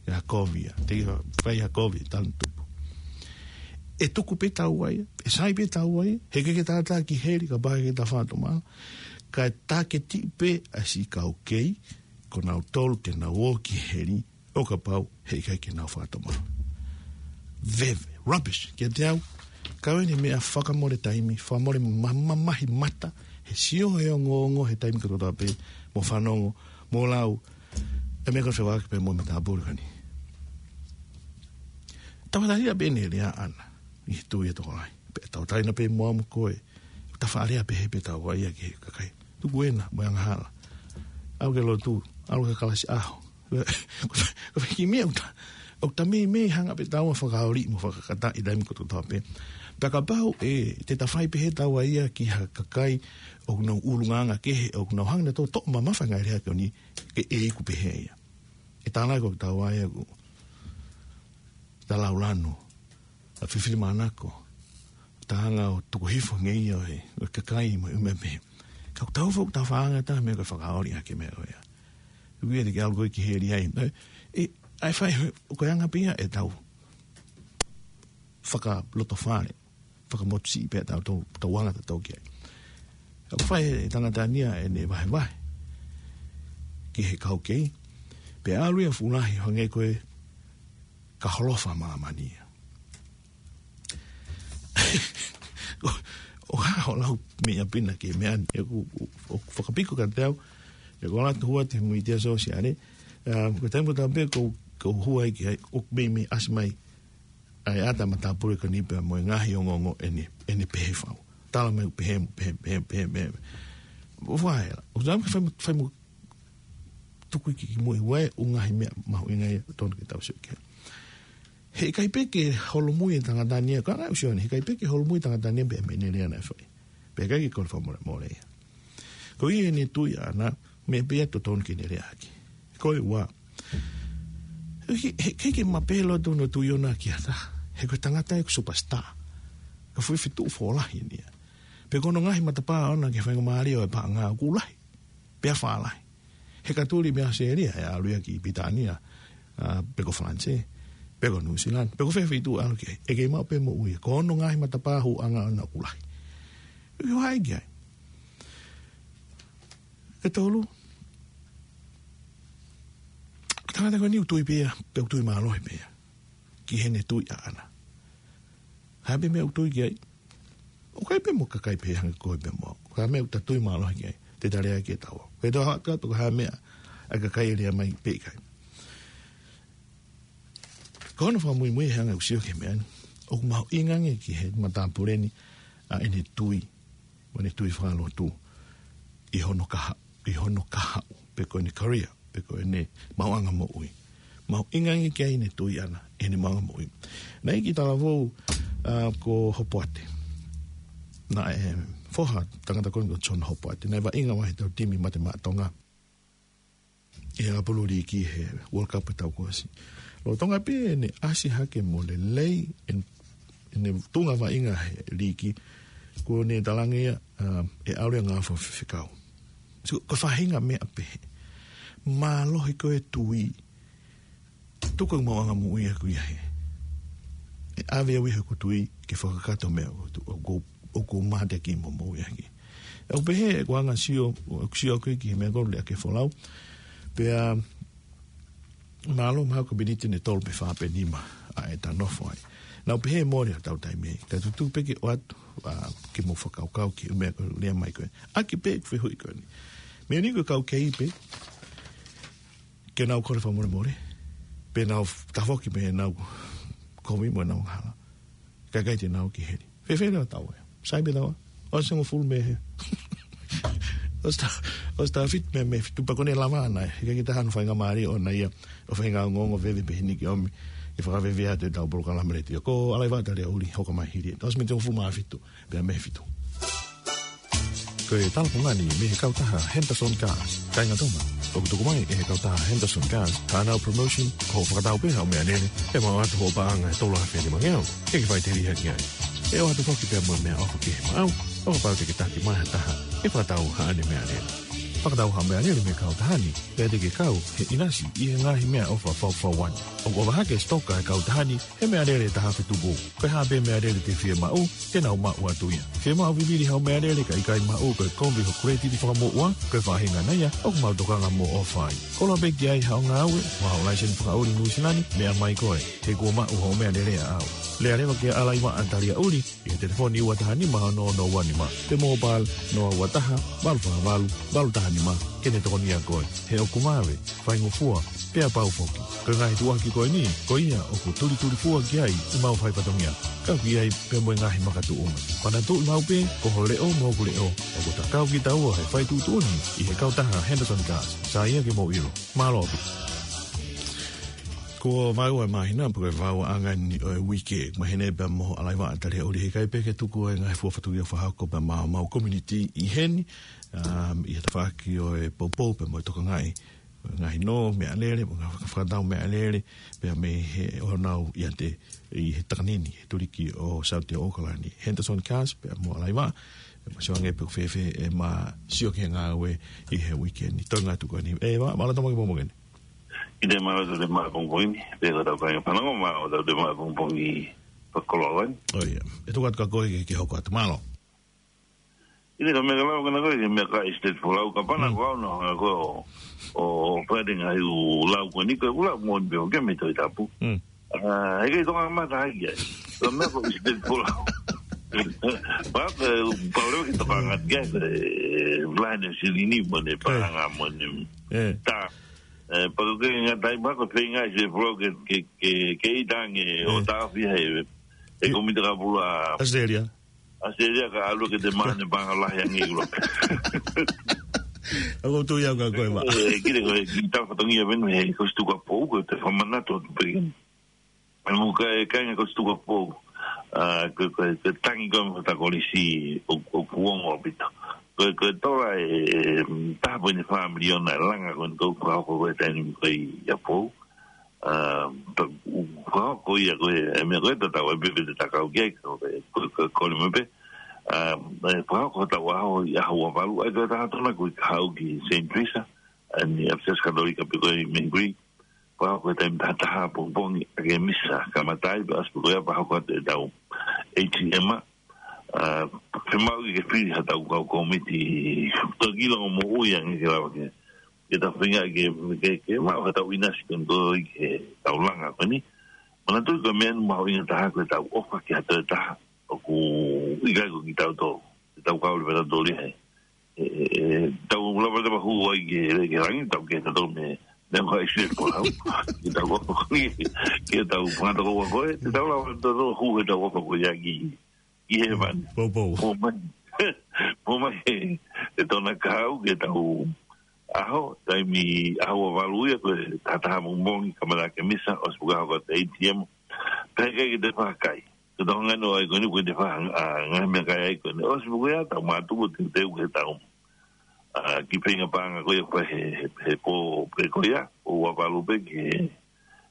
Ia kovi ia, teʻeki fai ha kovi, tanu tupu. ʻE tuku pē taua ia, ʻe sai pē taua ia, heʻikai ke ta ō ki heli kapau heʻikai ke ta fakatomala. Kae taketiʻi pē ʻa e siʻi kau kei, ko nautolu te nau ō ki heli, ʻo kapau heʻikai ke nau fakatomala. Veve, rubbish, kiate au, ko eni meʻa fakamole taimi, fakamole ma-, ma-, mamahi mata, he sio he ongoongo he taimi kotoa pē, mo fanongo, mo lau, e meʻa ko ē fekauʻaki pē mo e matāpule ko eni. Tauʻatāina pē ʻene lea ʻaʻana, ʻi he tui ʻa e tokolahi. Pea tauʻatāina pē mo au mo koe, ta faʻa lea pehē pē taua ia ki he kakai. Tuku ena, mo e angahala. ʻAlu ki he lotu, ʻalu ki he kalasi ʻaho. Ko e kiʻi meʻa ʻoku ta ʻoku ta meimei hanga pē taua ʻo fakaoli mo fakakata ʻi he taimi kotoa pē. Pea kapau ʻe, te ta fai pehē taua ia ki ha kakai ʻoku nau ʻulungaanga kehe, ʻoku nau hanga ʻo toʻo mamafa e ngaahi lea ko eni, ke ʻe iku pehē ia. ʻE tānaki ʻoku taua ia ʻoku ta laulanu, ta fifili manako, ta hanga ʻo tuku hifo ngeia ʻo e, ʻo e kakai mo e ʻū meʻa pehē. Ka ʻoku tau fo-, ta faʻa hanga ʻo tā meʻa ko e fakaoli ʻaki e meʻa ko ia. ʻOku ʻikai te ke ʻalu koe ki heli ai. ʻE, ʻe, ʻai fai, ʻoku anga pē ia ʻetau fakalotofale, fakamotusiʻi pē ʻetau, tau, tau anga tatau ki ai. ʻOku fai ʻe he tangata ni ʻa ʻene vahevahe ki he kau kei, pea ʻalu ia ʻo fuʻu lahi hangē ko e ka holofa māmani ia. ʻO, ʻo hā hoʻo lau meʻa pina ki he meʻa ni, ʻoku, ʻoku, ʻoku fakapiko kiate au, ʻoku ou ʻalu atu ʻo hū atu he muitia sōsiale, ʻa, ko e taimi kotoa pē ʻoku, ʻoku ou hū ai ki ai, ʻoku meimei ʻasi mai ʻa e ʻata matāpule ko eni pea mo e ngaahi ongoongo ʻene, ʻene pehē fau. Tala mai pehē, pehē, pehē, pehē, pehē. ʻO fai la. ʻOku tau fai mo, fai mo tuku ki, ki mui ʻa e ʻū ngaahi meʻa mahuʻinga ia ʻoku totonu ke tau sio ki ai. Heʻikai pē ke holomui e tangata ni ia, ko e anga ʻeku sio ni, heʻikai pē ke holomui e tangata ni ia pea mei heʻene lea naʻe fai. Pea ʻikai ke kole fakamolemole ia. Ko ia ʻene tui ʻaʻana, meʻa pē ia ʻoku totonu ke ne lea ʻaki. Ko e ua. He, he, heʻikai ke mape loto hono tui ʻoʻona ki ha taha. He ko e tangata ia ʻoku superstar. Ko e fuʻu feituʻu fōlahi eni ia. Pea ko hono ngaahi matapā ʻoʻona ki he faingamālie ʻo e paʻanga ʻoku lahi. Pea fālahi. He ka tuli mei ʻAositelēlia, ʻe ʻalu ia ki Pilitānia, ʻa, pe ko Falanisē, pe ko Nuʻusila, pe ko fē feituʻu ʻalu ki ai. ʻE kei maʻu pē moʻui. Ko hono ngaahi matapā huʻanga ʻoʻona ʻoku lahi. ʻOku ʻi ai ki ai. Ko e tolu. Tangata ko eni ʻoku tui pē ia, pea ʻoku tui mālohi pē ia. Ki heʻene tui ʻaʻana. Hā pē meʻa ʻoku tui ki ai. ʻOku ʻi ai pē mo e kakai pehē hangē ko koe pea mo au. Ko e meʻa ʻoku ta tui mālohi ki ai. Te ta lea ki ai taua. Ko e tau haʻu atu ko e hā meʻa ʻa e kakai ʻe lea mai pe ʻikai. Ko hono fakamuimui he anga ʻeku sio ki he meʻa ni. ʻOku mahuʻinga ange ki he matāpule ni ʻa ʻene tui. Mo ʻene tui fakalotu. ʻI hono kaha, ʻi hono kahaʻu. Pe ko ʻene career. Pe ko ʻene maʻuʻanga moʻui. Mahuʻinga ange ki ai ʻene tui ʻaʻana. ʻEne maʻuʻanga moʻui. Naʻe ʻi ai e talavou, ʻa, ko Hopoate. Naʻe foha tangata ko eni ko John Hopoate. Naʻe vaʻinga ʻi he tau timi Mate Maʻa Tonga. ʻI he ʻapulu liiki he World Cup ʻi he taʻu kuo ʻosi. Lolotonga pē ʻene ʻasi hake mo lelei ʻen-, ʻene tuʻunga vaʻinga he liiki, kuo ne talaange ia, ʻa, ʻe ʻalu ia ʻo ngāue fakafaifekau. So, ko e faʻahinga meʻa pehē. Mālohi ko e tui. Tuku e maʻuʻanga moʻui ʻaʻaku ia he. ʻE ʻave au ia he ʻoku ou tui ke fakakakato e meʻa ʻoku ou tu-, ʻoku ou ʻoku ou mateaki mo moʻui ʻaki. ʻOku pehē ʻeku anga sio, ʻeku sio ʻaʻaku ki he meʻa ko eni ʻa e folau. Pea mālō mahalo ko e miniti ʻe tolu pe fā pe nima ʻa ʻeta nofo ai. Naʻá ku pehē mole ʻa e tau taimi. Ka tuku pē ke ʻoatu, ʻa, ke mou fakakaukau ki he meʻa ko e lea mai ko ē. ʻAki pē ʻeku fehuʻi ko eni. Meʻa ni ko e kau kei pē. Ke nau kole fakamolemole. Pe nau f-, tafoki mei heʻenau kovi mo ʻenau angahala. Kae ʻikai te nau ki heli. Fēfē leva taua ia? Sai pē taua. ʻOsi hongofulu mei hē. ʻOsi ta-, ʻosi taʻu fitu mei, mei he fitu pea ko ʻene lava ʻana. He ʻikai ke taha hono faingamālie ʻoʻona ia ʻo feinga ongoongo veve pē heni ke ʻomi ke fakaveve atu ʻetau polokalama letiō. Ko Alaiva Taliaʻuli, hoko mai hili. ʻOsi miniti hongofulu mā fitu, pea mei he fitu. Ko e talapungani mei he kautaha Henderson Cars. Kāinga Tonga, ʻoku tuku mai ʻe he kautaha Henderson Cars haʻanau promotion, ko hoʻo fakatau pē haʻo meʻalele, ʻe maʻu atu hoʻo paʻanga ʻe tolu afe nima ngeau, ʻe ke faʻiteliha ki ai. ʻE ʻoatu foki pea mo e meʻaʻofa kehe maʻau, ʻo kapau te ke taki mai ha taha ʻe fakatau haʻane meʻalele. Fakatau haʻo meʻalele mei he kautaha ni, pea te ke kau he ʻinasi ʻi he ngaahi meʻaʻofa fakafaifekau ni. ʻOku ʻofa hake e sitoka ʻa e kautaha ni he meʻalele ʻe taha afe tupu. Ko e hā pē meʻalele te ke fiemaʻu, te nau maʻu atu ia. Fiemaʻu vivili haʻo meʻalele kae ʻikai maʻu, ko e kovi hoʻo kuletiti fakamoʻua, ko e faʻahinga ʻana ia ʻoku mau tokanga mo ʻofa ai. Koloa pē ki ai haʻo ngāue, mo haʻo laiseni fakaʻuli Nuʻusila ni, meʻa mai koe, he kuo maʻu hoʻo meʻalele ʻaʻau. Lea leva kia Alaiva Taliaʻuli, ʻi he telefoni ua taha nima ono ono ua nima, pe mobile noa ua taha, valu fā valu, valu taha nima, ke ne tokonia koe. He ʻoku vave, faingofua, pea pau foki. Ko e ngaahi tuʻuaki ko eni, ko ia ʻoku tulitulifua ki ai ʻemau fai fatongia. Kau ki ai pea mo e ngaahi makatuʻunga. Manatuʻi maʻu pē, ko ho leʻo mo hoku leʻo, ʻoku ta kau kitaua he fai tuʻutuʻuni ʻi he kautaha Henderson Cars. Sai ia ke mou ʻilo. Mālō ʻaupito. Ko e vaeua e māhina, pe ko e vaeuaʻanga eni ʻo e uike. Mahino pē mo ʻAlaivaʻa Taliaʻuli, heʻikai pē ke tuku e ngaahi fuofua tuʻunga fakahoko pē maʻa homau community ʻi heni, um, ʻi he tafaʻaki ʻo e poupou pea mo e tokangaʻi ngaahi nō, meʻalele, mo e ngaahi fakatau meʻalele, pea mei he ʻohonau ʻiate ʻi he takanini, he tuliki ʻo Saute ʻAokalani. Henderson Cars, pea mo ʻAlaivaʻa, ʻe ma sio ange pe ʻoku fēfē ʻema sio ki he ngāue ʻi he uike ni. Toenga atu ko eni. ʻE, ma, mālō e tau maʻu ki he pongipongi ni. ʻIo, mālō e tau maʻu pongipongi ni. Pea ko e tau kāinga fanongo, mālō e tau maʻu pongipongi fakakoloa ni. ʻOi, ʻe tuku atu kia koe ke, ke hoko atu. Mālō. ʻIo, ka meʻa ka lava ko ena ko e, meʻa ka ʻi State Folau, ka pana Mm. ko au na, ko ʻo, ʻo Friday ngaahi ʻū lau ko eni, ko e ʻū lau moʻoni pē ʻoku ke mei Tohi Tapu. Mm. Ah, heʻikai toka mata ai ke. Ko e meʻa ko ʻi State Folau. Pea ko e, pau leva ke toka ngata ke, e, line silini mo ʻene paʻanga mo ʻene Eh. tā. Eh, pea ko e ngata ai pea ko e feinga ʻi State Folau ke, ke, ke, ke ʻita ange ʻo Eh. tāfia he, he Eh. komiti kapula. Australia. ʻAsitelia ka ʻalu ke te mane panga lahi ange ʻi ʻUlope. ʻOku ou tui au kia koe ma. Eh, kile ko e, ki he tau fatongia venu he Kosipeli Tupou, ko e te fakamanatu atu pē. ʻE mo e kāinga Kosipeli Tupou. Ah, ko, ko, ko e tangi ko e mo ta kolisi ʻo, ʻoku ongo ʻaupito. Ko, ko e tola e, e, taha poini fā miliona e langa ko eni ʻoku fakahoko ko e taimi ko ē ʻi ʻApifoʻou. Ah, ta, u, fakahoko ia ko e, e meʻa ko e tatau ai pē pe te ta kau ki ai, ko e, ko e, ko e, ko e meʻa pē. Ah, e fakahoko hotau ʻaho ʻi he ʻaho ua valu, ʻa ia ko e taha tona ko e ka haʻu ki Saint Teresa, ʻa eni ʻapisiasi Katolika pē ko ē ʻi Mangere. Fakahoko he taimi taha taha pongipongi ʻa e misa, kamata ai pea ʻosi pē ko ia fakahoko atu ʻetau A T M. Ah, fiemaʻu ke fili haʻatau kau komiti, toki longo moʻui ange ke lava ke ke ta feinga ke, ke, ke maʻu haʻatau ʻinasi ko eni ko ē ki heʻetau langa ko eni. Manatuʻi ko e meʻa mahuʻinga taha ko ʻetau ʻofa ki ha toe taha. ʻOku ʻikai ko kitautolu. Ke tau kau leva tautolu ia he. E, e, e, tau lava leva hū ai ke, ke langi, tau ke tautolu mei, mei ʻa e ʻi State Folau. Ke tau ʻofa ko eni, ke tau fanga tokoua ko ē. Ke tau lava tautolu hū heʻetau ʻofa ko ia ki ʻi hēvani. Poupou. Mou mai. Mou mai he, he tona kau ke tau ʻaho, taimi ʻaho ua valu ia ko e taha taha pongipongi kamata ʻa e misa, ʻosi pē ko ia hoko atu e A T M. Pea ʻikai ke te fakakai. Ko e tau ngano ai ko eni ko e te faka, ah, ngaahi meʻakai ai ko eni. ʻOsi pē ko ia tau mātuku teuteu ke tau ah, ki he feinga paʻanga ko ia ʻoku fai he, he, he pō pē ko ia, ʻo ua valu pē ki he,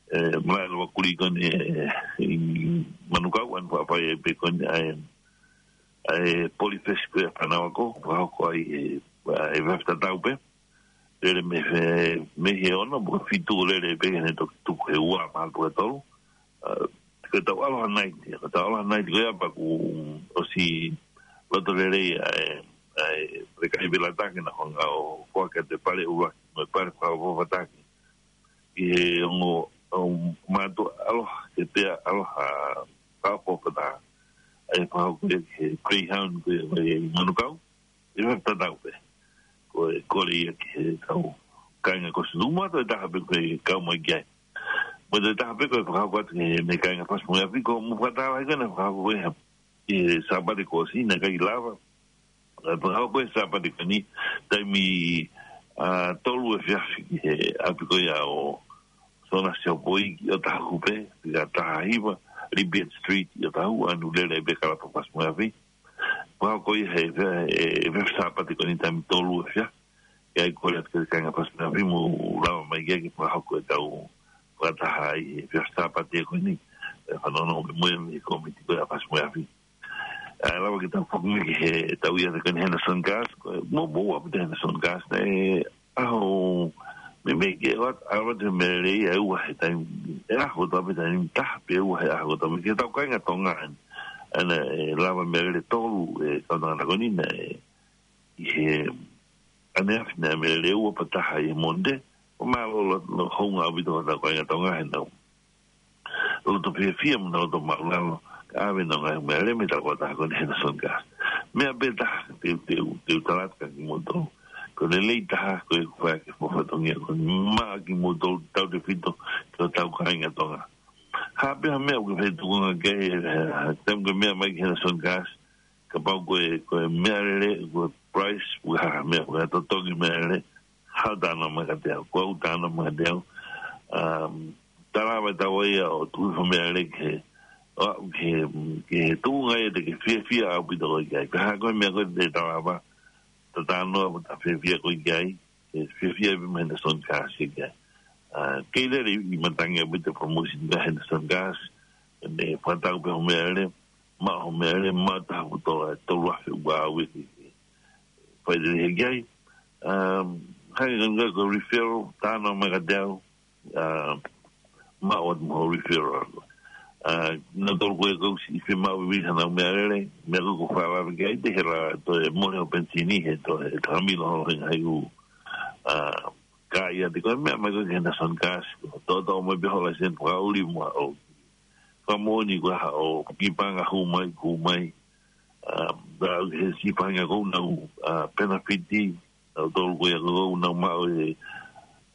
e, malaʻe lava kuli ko eni, e, ʻi Manukau, ʻa eni ʻoku fai ai pē ko eni, ʻa e, ʻa e Polyfest ko ia ʻa Fanau Ako, fakahoko ai e, ʻa e efiafi tatau pē, lele mei he, mei he ono, mo e fitu lele pē, ʻi heʻene toki tuku he ua, mahalo pē ko e tolu, ah, ko ʻetau Aloha Night, ko ʻetau Aloha Night ko ia pea kuo ʻosi loto lelei ʻa e, ʻa e, ʻa e kakai Velataki naʻa nau hanga ʻo foaki atu e pale ʻuluaki, mo e pale fakaʻofoʻofa taki. ʻI he ongo, um, mātuʻa ʻaloha, ke pea ʻaloha fakaʻofoʻofa taha. ʻA e fakahoko ia ki he Greyhound ko ia ʻi Manukau. ʻI he tatau pē. Ko e kole ia ki heʻetau kāinga Kosipeli Tupou, toe taha pē ko e kau mai ki ai. Mo toe taha pē ko e fakahoko atu ki he meʻa kāinga Pasipoti Moheafi, ko e mo fakatau ai ko ena fakahoko ko ē he, ʻi he Sāpate kuo ʻosi naʻe ʻikai lava. ʻA e fakahoko e Sāpate ko eni, taimi, ah, tolu efiafi ki he ʻapi ko ia ʻo Sona Siopoi ʻi ʻOtahuhu pē, ʻi he taha hiva, Libyan Street ʻi ʻOtahuhu, ʻa eni ʻoku lele pē kalapu Pasipoti Moheafi. Fakahoko ia he, he, he, he Sāpate ko eni taimi tolu efiafi. ʻI ai kole atu ki he kāinga Pasipoti Moheafi mou lava mai ke, ke fakahoko ʻetau fakataha ʻi he efiafi Sāpate ko eni. E fanongo mo e, mo e komiti ko ia ʻa Pasipoti Moheafi. ʻA e lava ke tau foki mai ki heʻetau ʻiate ko eni Henderson Cars, ko e, mo, mo ua pita Henderson Cars, naʻe ʻaho, meimei ke ʻoatu, ʻalu atu e meʻalele ʻi he ua he taimi, e ʻaho kotoa pē taimi, taha pē ua he ʻaho kotoa pē, ki heʻetau kāinga Tonga eni. ʻA ia naʻe lava meʻalele tolu e kau tangata ko eni naʻe, ʻi he ʻaneafi naʻe meʻalele ua pea taha ʻi he Mōnite, ʻo mālōlō, lō, hounga ʻaupito hotau kāinga Tonga he nau loto fiefia mo nau loto māʻulalo, ka ʻave ʻenau ngaahi meʻalele mei he tangata ko eni Henderson Cars. Meʻa pē taha, te u, te u, te u tala atu kia kimoutolu. Ko e lelei taha, ko e fai ʻaki e fatongia ko eni maʻa kimoutolu tautefito ki hotau kāinga Tonga. Ha pē ha meʻa ʻoku ke fai tuʻunga ki ai, e, e, taimi ʻoku ke meʻa mai ki Henderson Cars, kapau ko e, ko e meʻalele, ko e price, ko e hā ha meʻa, ko e totongi meʻalele, haʻu ʻo talanoa mai kiate au, ko au ʻoku talanoa mai kiate au. Um, Talava tau ia ʻo tuʻu hifo meʻalele ke, ʻo aʻu ke, ke tuʻunga ia te ke fiefia ʻaupito koe ki ai. Pea ko e meʻa ko ē te talava, ta talanoa mo ta fiefia koe ki ai, ke fiefia pē mo Henderson Gas ki ai. ʻA, kei lele ʻi matangi ʻaupito promotion ʻa Henderson Gas, ne fakatau pē hoʻo meʻalele, maʻu hoʻo meʻalele, maʻu taha putola, tolu afe ua ue ki ai. Fai lele he ki ai. Um, hangē ko e referral, talanoa mai kiate au, ʻa, maʻu atu mo hoʻo referral. ʻA, naʻa tolu ko ē ʻoku ou siʻi fiemaʻu vivili hanau meʻalele, meʻa ko ē ʻoku ou fakalave ki ai, te hela, toe mole hoʻo penisini, he toe, he toe milo hoʻo hinga hai u, ʻa, ka ia te ko e meʻa mai ko ē ki Henderson Gas, toʻotoʻo mai pē hoʻo laiseni fakaʻuli mo haʻo fakamoʻoni ko e hā hoʻo kiʻi paʻanga hū mai, hū mai, ʻa, ʻa, he siʻi faʻahinga ko ē ʻoku nau, ʻa, penefiti, ʻa, tolu ko ia ko ē ʻoku nau maʻu e,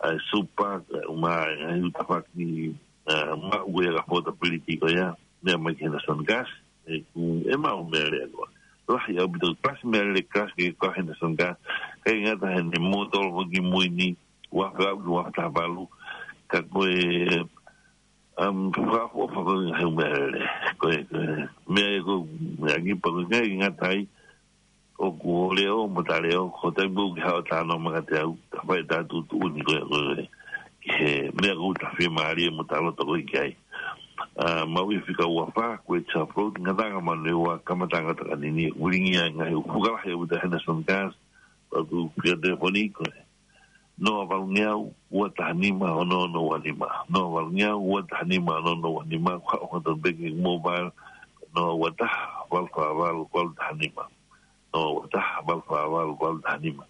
ʻa, e super, ʻa, uma, ʻa, e ngaahi tafaʻaki, ʻa, maʻu ko ia ka affordability ko ia, meʻa mai ki Henderson Gas, ʻe, ʻoku, ʻe maʻu meʻalele ko ē. Lahi ʻaupito, kalasi meʻalele, kalasi ke ka Henderson Gas, ʻikai ngata he ne mōtolo ko ē ki mui ni, ua afe ua ki ua afe taha valu, ka ko e, um, fakaʻofoʻofa ko ē he meʻalele. Ko e, ko e, meʻa ē ko e, meʻa ki pa ko e ʻikai ngata ai, ʻoku ʻo leʻo mo ta leʻo, ko e taimi ʻoku ke haʻu ʻo talanoa mai kiate au, ta fai ʻeta tuʻutuʻuni ko ē, ko e, he meʻa ʻoku ta fiemālie mo ta loto ko ē ki ai. ʻA, maʻu ʻi he fika ua fā, ko e Chevrolet, ngataʻanga manu ua, kamataʻanga takanini, ulingia ngaahi ʻū fuka lahi ʻo ʻeta Henderson Gas, ʻoku fia telefoni ko e noa valu ngeau, ua taha nima, ono ono ua nima. Noa valu ngeau, ua taha nima, ono ono ua nima, ko haʻo hanga atu pē ki he mobile, noa ua taha, valu fā valu, valu taha nima. Noa ua taha, valu fā valu, valu taha nima.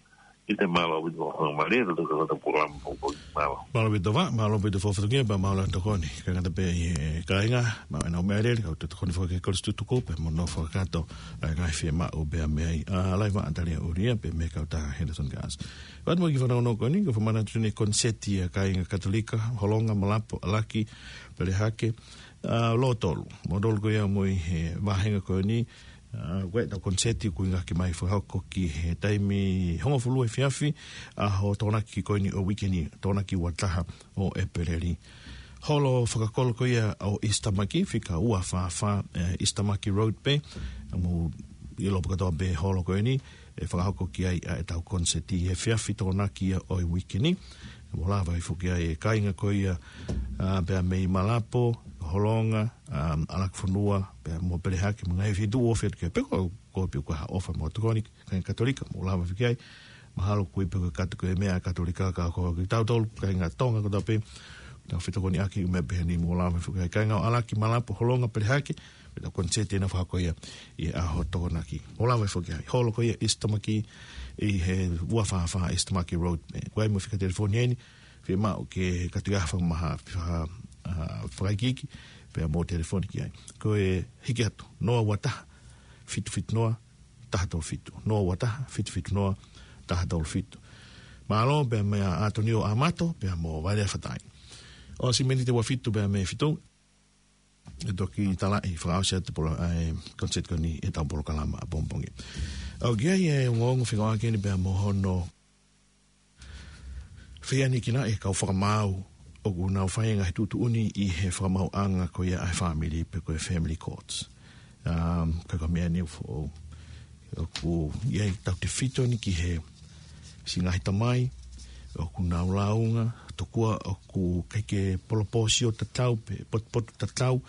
Kiate, mālō ʻaupito, mālō ʻaupito, mālō ʻaupito, mālō. Mālō ʻaupito, mālō ʻaupito, fakafofonga, pea mālō e tokoni. Kāinga, ʻa e kāinga, maʻu ʻenau meʻalele, kau tokoni foki ki he kolisi tutuku, pea mo nau fakakakato, ʻa e ngaahi fiemaʻu pea mei ai. ʻA, Laiva Atalia Uria, pea mei he kautaha Henderson Gas. Pea mo e kiʻi fanongo ko eni, ko e fakamanatu ʻeni e koniseti ʻa e kāinga Katolika, Holonga, Malapo, ʻAlaki, Pelehake, ʻa, Lotolu. Mo Lotolu ko ia mo e he vāhenga ko eni, ʻa, ko ʻetau koniseti ʻoku ngāueʻaki mai fakahoko ki he taimi hongofulu efiafi, ʻaho Tokonaki ko eni ʻo e uike ni, Tokonaki ua taha ʻo ʻEpeleli. Holo fakakolo ko ia ʻo East Tamaki, fika ua fā fā, ʻe, East Tamaki Road pē, mo e lopu kātoa pē holo ko eni, ʻe fakahoko ki ai ʻa ʻetau koniseti he efiafi Tokonaki ia ʻo e uike ni. Mo lava ʻo foki ai e kāinga ko ia, ʻa, pea mei Malapo, Holonga, ʻa, ʻAlaki Fonua, pea mo Pelehake, mo e ngaahi feituʻu ʻoku ʻofa ki ai, pe ko, ko e pē ko ha ʻofa mo tokoni, kāinga Katolika, mo lava ʻo foki ai, mahalo ko e pē ko e Kato-, ko e meʻa Katolika ka ko kitautolu, kāinga Tonga kotoa pē, tau fetokoniʻaki ʻi he meʻa pehē ni mo lava ʻo foki ai. Kāinga ʻo ʻAlaki, Malapo, Holonga, Pelehake, pea tau koniseti ʻena fakahoko ia ʻi he ʻaho Tokonaki. Mo lava ʻo foki ai. Holo ko ia East Tamaki ʻi he ua fā fā East Tamaki Road. ʻE, ko e ʻai mo e fika telefoni ʻeni, fiemaʻu ke kātaki ha fakamaha, ha, ha, fakaikiiki, pea mo telefoni ki ai. Ko e hiki atu, noa ua taha, fitu fitu noa, taha tolu fitu. Noa ua taha, fitu fitu noa, taha tolu fitu. Mālō, pea mei a Atonio Amato, pea mo Vailea Fatai. ʻOsi miniti ua fitu pea mei he fitu, ʻe toki talaʻi fakaʻosi atu polo-, ʻa e koniseti ko eni ʻetau polokalama ʻapongipongi. ʻOku ʻi ai e ongoongo fekauʻaki ʻeni pea mo hono fehiʻanekinaʻi e kau fakamaau ʻoku nau fai e ngaahi tuʻutuʻuni ʻi he fakamaauʻanga ko ia ʻa e fāmili pe ko e family courts. Um, ka ko e meʻa ʻeni ʻoku foʻou. ʻOku ʻi ai e tautefito ʻeni ki he siʻi ngaahi tamai, ʻoku nau lāunga, tokua ʻoku ʻikai ke polopōsio tatau pe potupotu tatau,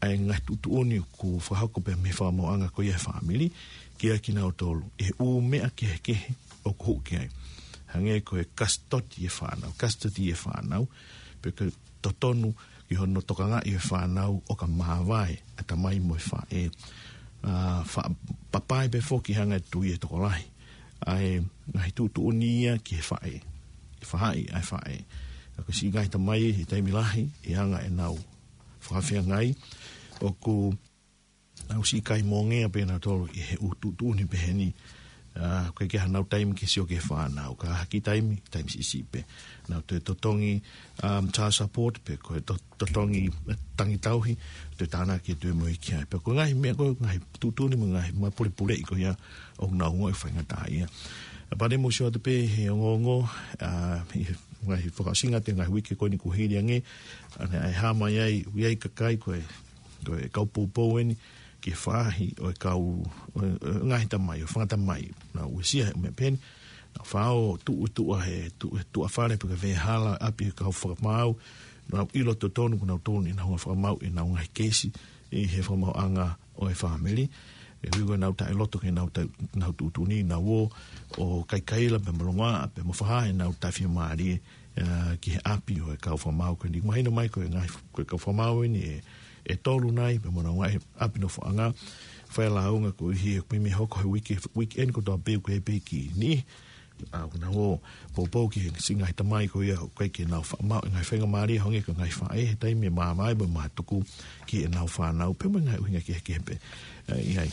ʻa e ngaahi tuʻutuʻuni ʻoku fakahoko pē mei he fakamaauʻanga ko ia ʻa e fāmili, kiate kinautolu, ʻi he ʻū meʻa kehekehe ʻoku hoko ki ai. Hangē ko e kasitoki e fānau, kasitoki e fānau, pe ko e totonu ki hono tokangaʻi e fānau ʻo ka māvae ʻa e tamai mo e faʻē. ʻA, fa-, papai pē foki hanga ʻe he tui e tokolahi ʻa e ngaahi tuʻutuʻuni ia ki he faʻē, ki he faʻahi ʻa e faʻē. ʻA, ko e siʻi ngaahi tamai he taimi lahi, ʻi he anga ʻenau fakafeangai, ʻoku nau siʻi kaimongea pē nautolu ʻi he ʻū tuʻutuʻuni pehē ni. ʻA, ʻoku ʻikai ke ʻi ai hanau taimi ke sio ki he fānau. Ka ʻi he kiʻi taimi, taimi siʻisiʻi pē. Nau toe totongi, um, child support pe ko e to-, totongi, eh, tangi tauhi, toe tānaki e toe moʻui ki ai. Pea ko e ngaahi meʻa ko e ngaahi tuʻutuʻuni mo e ngaahi mapulepuleʻi ko ia ʻoku nau ongoʻi ʻoku faingataʻaʻia. Pea pale mo sio atu pē he ongoongo, ʻa, ʻi he ngaahi fakaʻosinga ʻo e ngaahi uike ko eni kuo hili ange, ʻa, naʻe hā mai ai, ʻoku ʻi ai e kakai ko e, ko e kau poupou eni, ki he faʻahi ʻo e kau, ʻo e, ʻo e ngaahi tamai, ʻo e fanga tamai, naʻa nau uesia he meʻa pehē ni, naʻa nau faʻa ō tuʻu, tuʻu ʻa he, tuʻu, tuʻu ʻa fale pe ko e veʻehala ʻapi ʻo e kau fakamaau, naʻa nau ʻilo totonu, ko nautolu eni naʻa nau fakamaau ʻenau ngaahi keisi, ʻi he fakamaauʻanga ʻo e fāmili. ʻE ui ko ʻenau taʻeloto ke nau ta-, nau tuʻutuʻuni, nau ō, ʻo kaikaila pea mo longoaʻa, pea mo fakahā ʻenau taʻefiemālie, ʻa, ki he ʻapi ʻo e kau fakamaau ko eni. Mahino mai ko e ngaahi, ko e kau fakamaau eni ʻe, ʻe tolu nai, pea mo e ngaahi ʻapi nofoʻanga, fai lāunga ko ē he, ko e meʻa hoko he uike, uike eni kotoa pē ʻoku ʻi ai pē ki ni, ʻa, ʻoku nau ō poupou ki he siʻi ngaahi tamai ko ia ʻoku ʻikai ke nau fakamaau e ngaahi faingamālie hangē ko e ngaahi faʻē he taimi ʻe maama ai mo mātuku ki heʻenau fānau pea mo e ngaahi ʻuhinga kehekehe pē, ʻa, ʻi ai.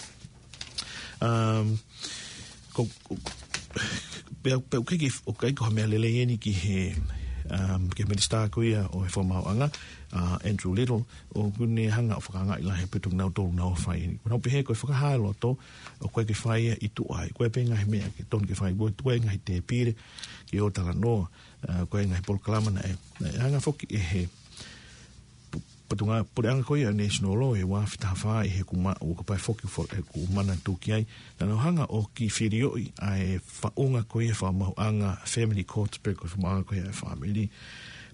Um, ko, ko, pea, pea ʻoku ʻikai ke, ʻoku ʻikai ko ha meʻa lelei eni ki he, um, ki he minisitā ko ia ʻo e fakamaauʻanga, ʻa, Andrew Little, ʻoku ne hanga ʻo fakaangaʻi lahi pē ʻa kinautolu naʻa nau fai eni. Ko ʻenau pehē ko e fakahā loto, ʻoku ʻikai ke fai ia ʻi tuʻa ai. Ko e pē ngaahi meʻa ke tonu ke fai, ko e tuʻu ai ngaahi tēpile, ke ō talanoa, ʻa, ko e ngaahi polokalama naʻe, naʻe hanga foki ʻe he pu-, potungāue puleʻanga ko ia National Law ʻi he ua afe taha fā ʻi he ʻoku ma-, ʻoku ʻikai foki fo-, ʻe ʻoku manatu ki ai. Naʻa nau hanga ʻo kiʻi filioʻi ʻa e faʻunga ko ia fakamaauʻanga family court pe ko e fakamaauʻanga ko ia e fāmili.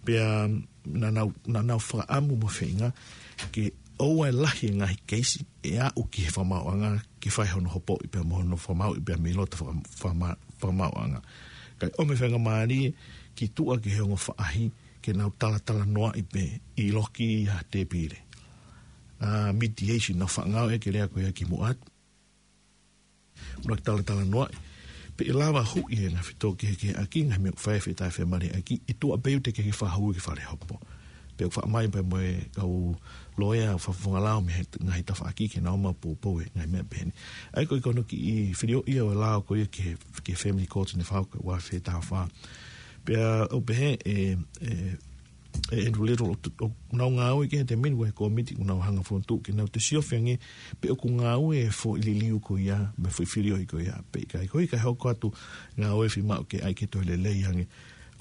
Pea naʻa nau, naʻa nau fakaʻamu mo feinga ke ʻoua ʻe lahi e ngaahi keisi ʻe aʻu ki he fakamaauʻanga ke fai hono hopoʻi pea mo hono fakamaauʻi pea mei loto faka-, fakama-, fakamaauʻanga. Kae ʻomi e faingamālie ki tuʻa ki he ongo faʻahi ke nau talatalanoaʻi pē ʻi loki ha tēpile. ʻA, mediation, nau faʻa ngāueʻaki e lea ko ia ki muʻa atu. Mo nau talatalanoaʻi. Pea ʻe lava huʻi e ngaahi fetōkehekeheʻaki, ngaahi meʻa ʻoku fai e fetaʻefemālieʻaki, ʻi tuʻa pē ʻoku teʻeki ke fakahū ki fale hopo. Pea ʻoku faʻa ʻomai pē mo e kau loea, fakafofonga lao mei he ngaahi tafaʻaki ke nau ō mai ʻo poupou he ngaahi meʻa pehē ni. ʻA ia ko e, ko hono kiʻi filioʻi ʻo e lao ko ia ki he, ki he family court naʻe fai ko e ua afe taha fā. Pea ʻoku pehē ʻe, ʻe, ʻe Andrew Little ʻo, ʻo nau ngāue ki he taimi ni ko e kōmiti ʻoku nau hanga ʻo fokotuʻu ke nau toe siofi ange pe ʻoku ngāue e foʻi liliu ko ia, mo e foʻi filioʻi ko ia pe ʻikai. Ko ia ʻikai hoko atu ngāue fiemaʻu ke ʻai ke toe lelei ange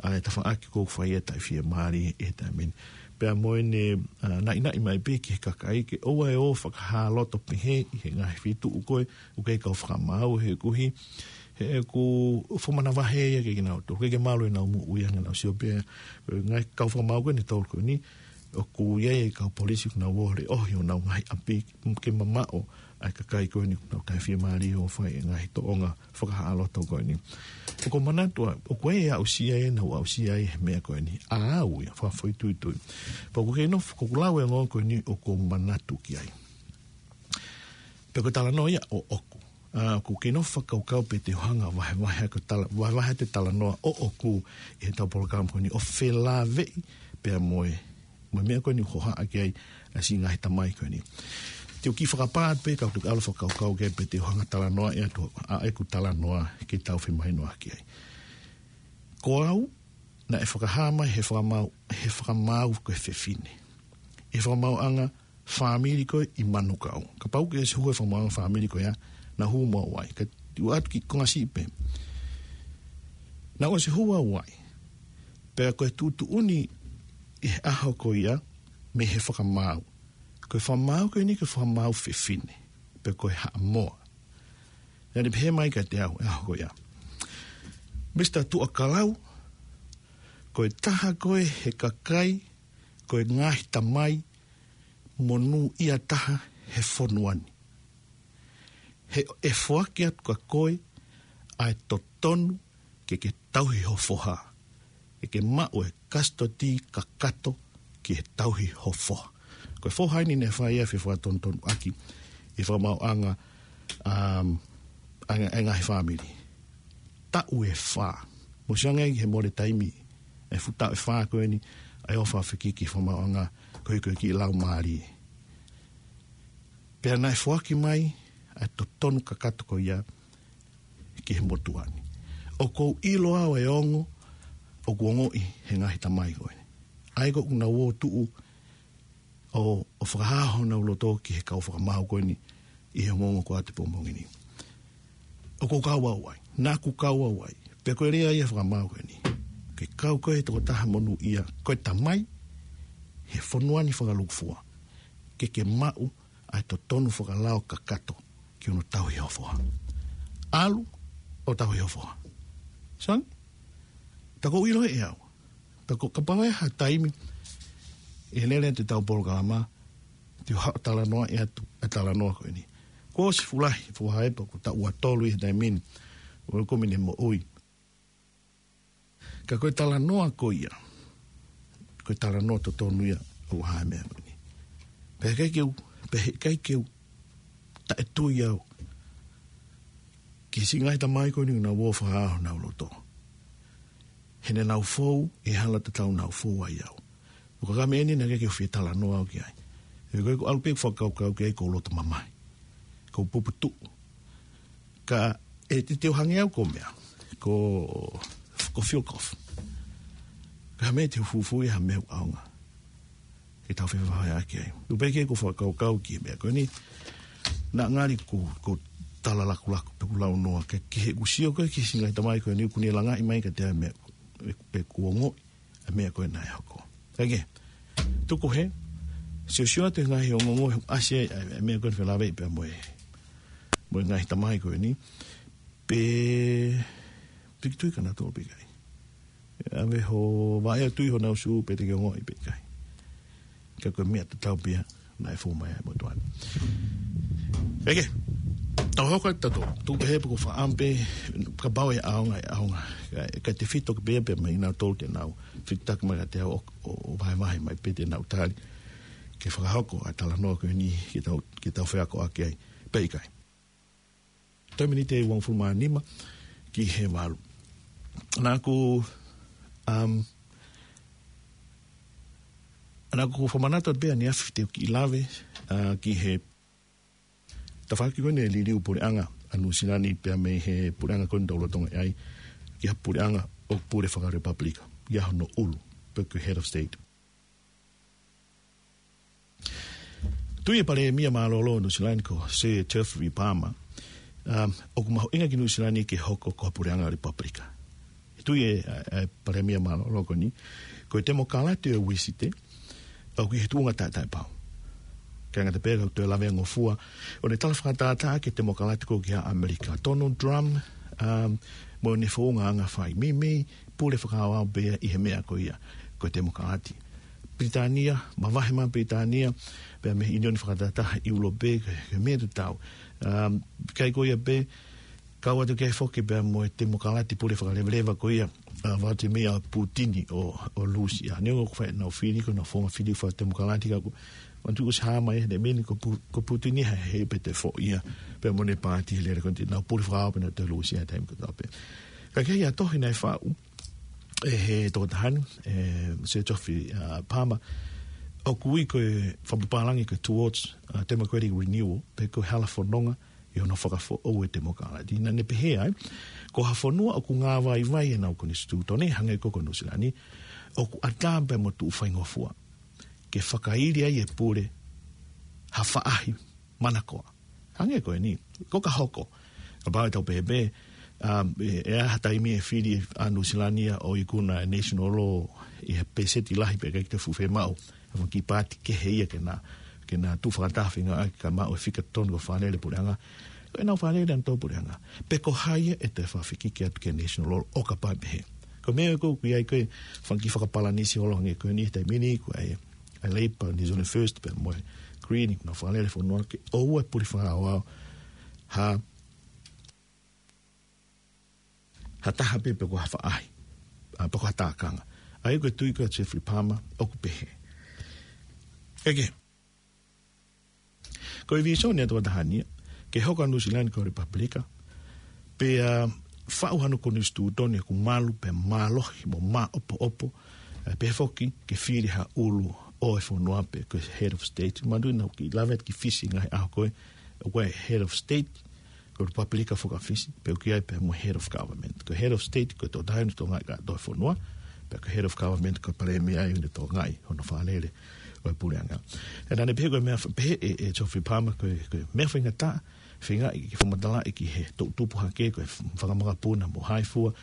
ʻa e tafaʻaki ʻoku fai e taʻefiemālie he taimi ni. Pea mo ʻene, ʻa, naʻinaʻi mai pē ki he kakai ke ʻoua ʻe ō fakahā loto pehē ʻi he ngaahi feituʻu ko ē ʻoku ʻikai kau fakamaau he ʻoku ʻi ai, he ʻoku fakamanavahē ia kiate kinautolu. ʻOku ʻikai ke malu ʻenau moʻui ange ʻenau sio pē, ʻa e ngaahi kau fakamaau ko eni ʻe tolu ko eni, ʻoku ʻi ai e kau polisi ʻoku nau ō ʻo leʻohi honau ngaahi ʻapi ke mamaʻo ʻa e kakai ko eni ʻoku nau taʻefiemālie ʻo fai e ngaahi tōʻonga fakahā loto ko eni. ʻOku ou manatu ʻa, ʻoku ʻi ai e aʻusia ʻe nau aʻusia ai he meʻa ko eni. ʻA au ia, fakafoʻituitui. Pea ʻoku kei nofo, ʻoku ou lau e ongoongo ko eni ʻoku ou manatu ki ai. Pea ko e talanoa ia ʻoʻoku. ʻA, ʻoku kei nofo fakakaukau pe te u hanga ʻo vahevahe ʻa e tala-, vahevahe atu e talanoa ʻoʻoku ʻi heʻetau polokalama ko eni ʻo felāveʻi pea mo e, mo e meʻa ko eni ʻoku hohaʻa ki ai ʻa e siʻi ngaahi tamai ko eni. Te u kiʻi fakapā atu pē ka u toki ʻalu ʻo fakakaukau ki ai pe te u hanga ʻo talanoaʻi atu ʻa ʻeku talanoa ke tau femahinoʻaki ai. Ko au, naʻe fakahā mai he fakamaau, he fakamaau ko e fefine. ʻI he fakamaauʻanga fāmili ko ē ʻi Manukau. Kapau ʻoku ke ʻosi hū he fakamaauʻanga fāmili ko ia, naʻa ku hū mo au ai. Ka u ʻoatu kiʻi konga siʻi pē. Naʻa ku ʻosi hū au ai. Pea ko e tuʻutuʻuni ʻi he ʻaho ko ia mei he fakamaau. Ko e fakamaau ko eni ko e fakamaau fefine. Pea ko e Haʻamoa. Naʻa ne pehē mai kiate au he ʻaho ko ia. Misa Tuʻakalau, ko e taha koe he kakai, ko e ngaahi tamai monūʻia taha he fonua ni. He ʻe foaki atu kia koe ʻa e totonu ke ke tauhi ho foha. Ke ke maʻu e kasitoti kakato ki he tauhi ho foha. Ko e foha eni naʻe fai ai e fefakatonutonu ʻaki ʻi he fakamaauʻanga, um, ʻa e, ʻa e ngaahi fāmili. Taʻu ʻe fā. Mou sio ange ki he mole taimi, e fuʻu taʻu ʻe fā ko eni, ʻa e ʻofa fekiki fakamaauʻanga, ko e, ko e kiʻi laumālie. Pea naʻe foaki mai ʻa e totonu kakato ko ia ki he motuʻa ni. ʻOku ou ʻilo au e ongo ʻoku ongoʻi he ngaahi tamai ko ē. ʻA ia ko ʻenau ō ʻo tuʻu ʻo, ʻo fakahā honau loto ki he kau fakamaau ko eni ʻi he ongoongo ko ē ʻa e pongipongi ni. ʻOku ou kau au ai. Naʻa ku kau au ai, pea ko e lea ia fakamaau ko eni. Ke kau koe he tokotaha monūʻia, ko e tamai, he fonua ni fakalūkufua. Ke ke maʻu, ʻa e totonu fakalao kakato, ki hono tauhi ho foha. ʻAlu, ʻo tauhi ho foha. Sang? Ta ko ʻilo ʻe au. Ta ko kapau ʻe ha taimi, ʻe lele atu ʻetau polokalama, te u haʻu ʻo talanoa ʻe atu, ʻa e talanoa ko eni. Kuo ʻosi fuʻu lahi, fuʻu hā pē, ko e taʻu ʻe tolu ʻi he taimi ni, ʻo e kumi ne moʻui. Ka ko e talanoa ko ia, ko e talanoa totonu ia ʻo e hā e meʻa ko eni. Pea ʻikai ke u, pea ʻikai ke u taʻetui au ki he siʻi ngaahi tamai ko eni naʻa nau ō ʻo fakahā honau loto. He naʻa nau fou ʻi he hala tatau naʻa ku fou ai au. ʻO ka ko e meʻa eni naʻe ʻikai ke u fie talanoa au ki ai. He ko e ʻalu pē ʻeku fakakaukau ki ai ʻoku ou loto mamahi. ʻOku ou puputuʻu. Ka ʻe titeu hangē au ko e meʻa. Ko, ko e feel good. Ka ko e meʻa te u fufuuʻi ha meʻa ʻoku ʻaonga ke tau fevahevaheʻaki ai. ʻOku ou pehē ʻoku ou fakakaukau ki he meʻa ko eni. Naʻa ngali ʻoku, ʻoku ou tala lakulaku pē ʻeku launoa. Ke, ke he ʻoku ou sio ko ē ki he siʻi ngaahi tamai ko eni ʻoku ne langaʻi mai kiate au e meʻa, ʻe, ʻeku ongoʻi e meʻa ko ē naʻe hoko. Kae kehe, tuku hē, siosio atu he ngaahi ongoongo he ʻasi ai e, e meʻa ko eni felāveʻi pea mo e, mo e ngaahi tamai ko eni. Pea, piki tui ka naʻa tō pē ʻikai. ʻAve ho vaʻe ʻo tui honau sū pe te ke ongoʻi pe ʻikai. Ka ko e meʻa tatau pē ia naʻe fou mai ai mo tuan. Eke, tau hoko atu tautolu, tuku pē he pē ko e fakaʻamu pē, kapau ʻe ʻaonga, ʻe ʻaonga. Ka, ka tefito ke pehē pē mai nautolu te nau fitaki mai kiate au ʻo, ʻo, ʻo vahevahe mai pe te nau tali. Ke fakahoko ʻa e talanoa ko eni ke tau, ke tau feakoʻaki ai. Pe ʻikai. Toe miniti ʻe uangofulu mā nima ki he valu. Naʻa ku, um, naʻa ku fakamanatu pē ʻaneafi te u kiʻi lave, uh, ki he tafaʻaki ko eni e liliu puleʻanga ʻa Nuʻusila ni pea mei he puleʻanga ko eni ʻoku tau lolotonga ʻi ai, ki ha puleʻanga ʻoku pule fakalelipapulika, ʻi ai hono ʻulu, pe ko e head of state. Tui e palēmia mālōlō ʻo Nuʻusila ni ko Sir Geoffrey Palmer, um, ʻoku mahuʻinga ki Nuʻusila ni ke hoko ko ha puleʻanga lelipapulika. Tui e, e, e palēmia mālōlō ko eni, ko e temokalati ʻo e Uisite, ʻoku ʻi he tuʻunga taʻetaʻepau. Kae ngata pē ka u toe lavea ngofua, ʻo ne tala fakatātā ki he temokalati ko ē ʻi ʻAmelika. Donald Trump, um, mo ʻene founga anga fai. Meimei, pule fakaaoao pē ia ʻi he meʻa ko ia, ko e temokalati. Pilitānia, mavahe mai Pilitānia, pea mei he ʻIunioni Fakatahataha ʻIulope, ko e, ko e meʻa tatau. Um, ʻikai ko ia pē, kau atu ki ai foki pea mo e temokalati pule fakalevaleva ko ia, uh, Vladimir Putin ʻo, ʻo Lūsia. Neongo ʻoku fai ʻenau fili, ko ʻenau founga fili fakatemokalati ka ʻoku, ʻoku tuʻu ʻosi hā mai he meʻa ni ko Pu-, ko Putin ia he, he pe te foʻi ia, pea mo ʻene paati he lele ko eni te nau pule fakaaoao pē ʻenau toe Lūsia he taimi kotoa pē. Ka ʻi he tohi naʻe faʻu ʻe he tokotaha ni, ʻe Sir Geoffrey, uh, Palmer, ʻoku ui ko e fakapapālangi ko e Towards, uh, Democratic Renewal, pe ko e hala fononga ʻi hono fakafoʻou e temokalati. Naʻa ne pehē ai, ko ha fonua ʻoku ngāvaivai ʻenau konisitūtone, hangē ko, ko Nuʻusila ni, ʻoku ʻatā pē mo tuʻu faingofua ke fakaili ai e pule ha faʻahi manakoa. Hangē ko eni, ko ka hoko. Kapau ʻe tau pehē pē, um, ʻe, ʻe ʻi ai ha taimi ʻe fili ʻa Nuʻusila ni ia ʻo ikuna e national law ʻi he pēseti lahi pea ʻikai ke fuʻu fiemaʻu ha fanga kiʻi paati kehe ia ke na, ke na tuʻu fakataha feinga ʻaki ka maʻu e fika tonu ko e fakalele puleʻanga. Ko ʻenau fakalele ʻa e tau puleʻanga. Pe ko hai ia ʻe toe fakafikiki atu ki he national law ʻo kapau ʻe pehē. Ko e meʻa ko ē ʻoku ʻi ai ko e fanga kiʻi fakapalanisi holo hangē ko eni he taimi ni ko e ʻa e Labour, New Zealand First, pea mo e Green, ʻenau fakalele fonua ke ʻoua ʻe pule fakaaoao ha, ha taha pē pe ko ha faʻahi, ʻa, pe ko ha tākanga. ʻA ia ko e tui ko ē ʻa Geoffrey Palmer, ʻoku pehē. Eke. Ko e vīsone ʻa e tokotaha ni ia, ke hoko ʻa Nuʻusila ni ko ha lelipapulika, pea faʻu hano konisitūtone ʻoku malu pea mālohi mo māʻopoʻopo, ʻe, pehē foki ke fili ha ʻulu ʻo e fonua pe ko e head of state. Manatuʻi naʻa ku kiʻi lave atu ki Fisi ngaahi ʻaho ko ē, ʻoku ʻi ai e head of state, ko e lelipapulika foki ʻa Fisi, pea ʻoku ʻi ai pē mo e head of government. Ko e head of state, ko e tokotaha eni ʻoku tokangaʻi kātoa e fonua, pea ko e head of government, ko e palēmia ia ʻoku ne tokangaʻi hono fakalele ko e puleʻanga. Naʻa ne pehē ko e meʻa, pehē ʻe, ʻe Geoffrey Palmer ko e, ko e meʻa faingataʻa, feingaʻi ke fakamatalaʻi ki he toʻutupu hake ko e fanga makapuna mo hai fua,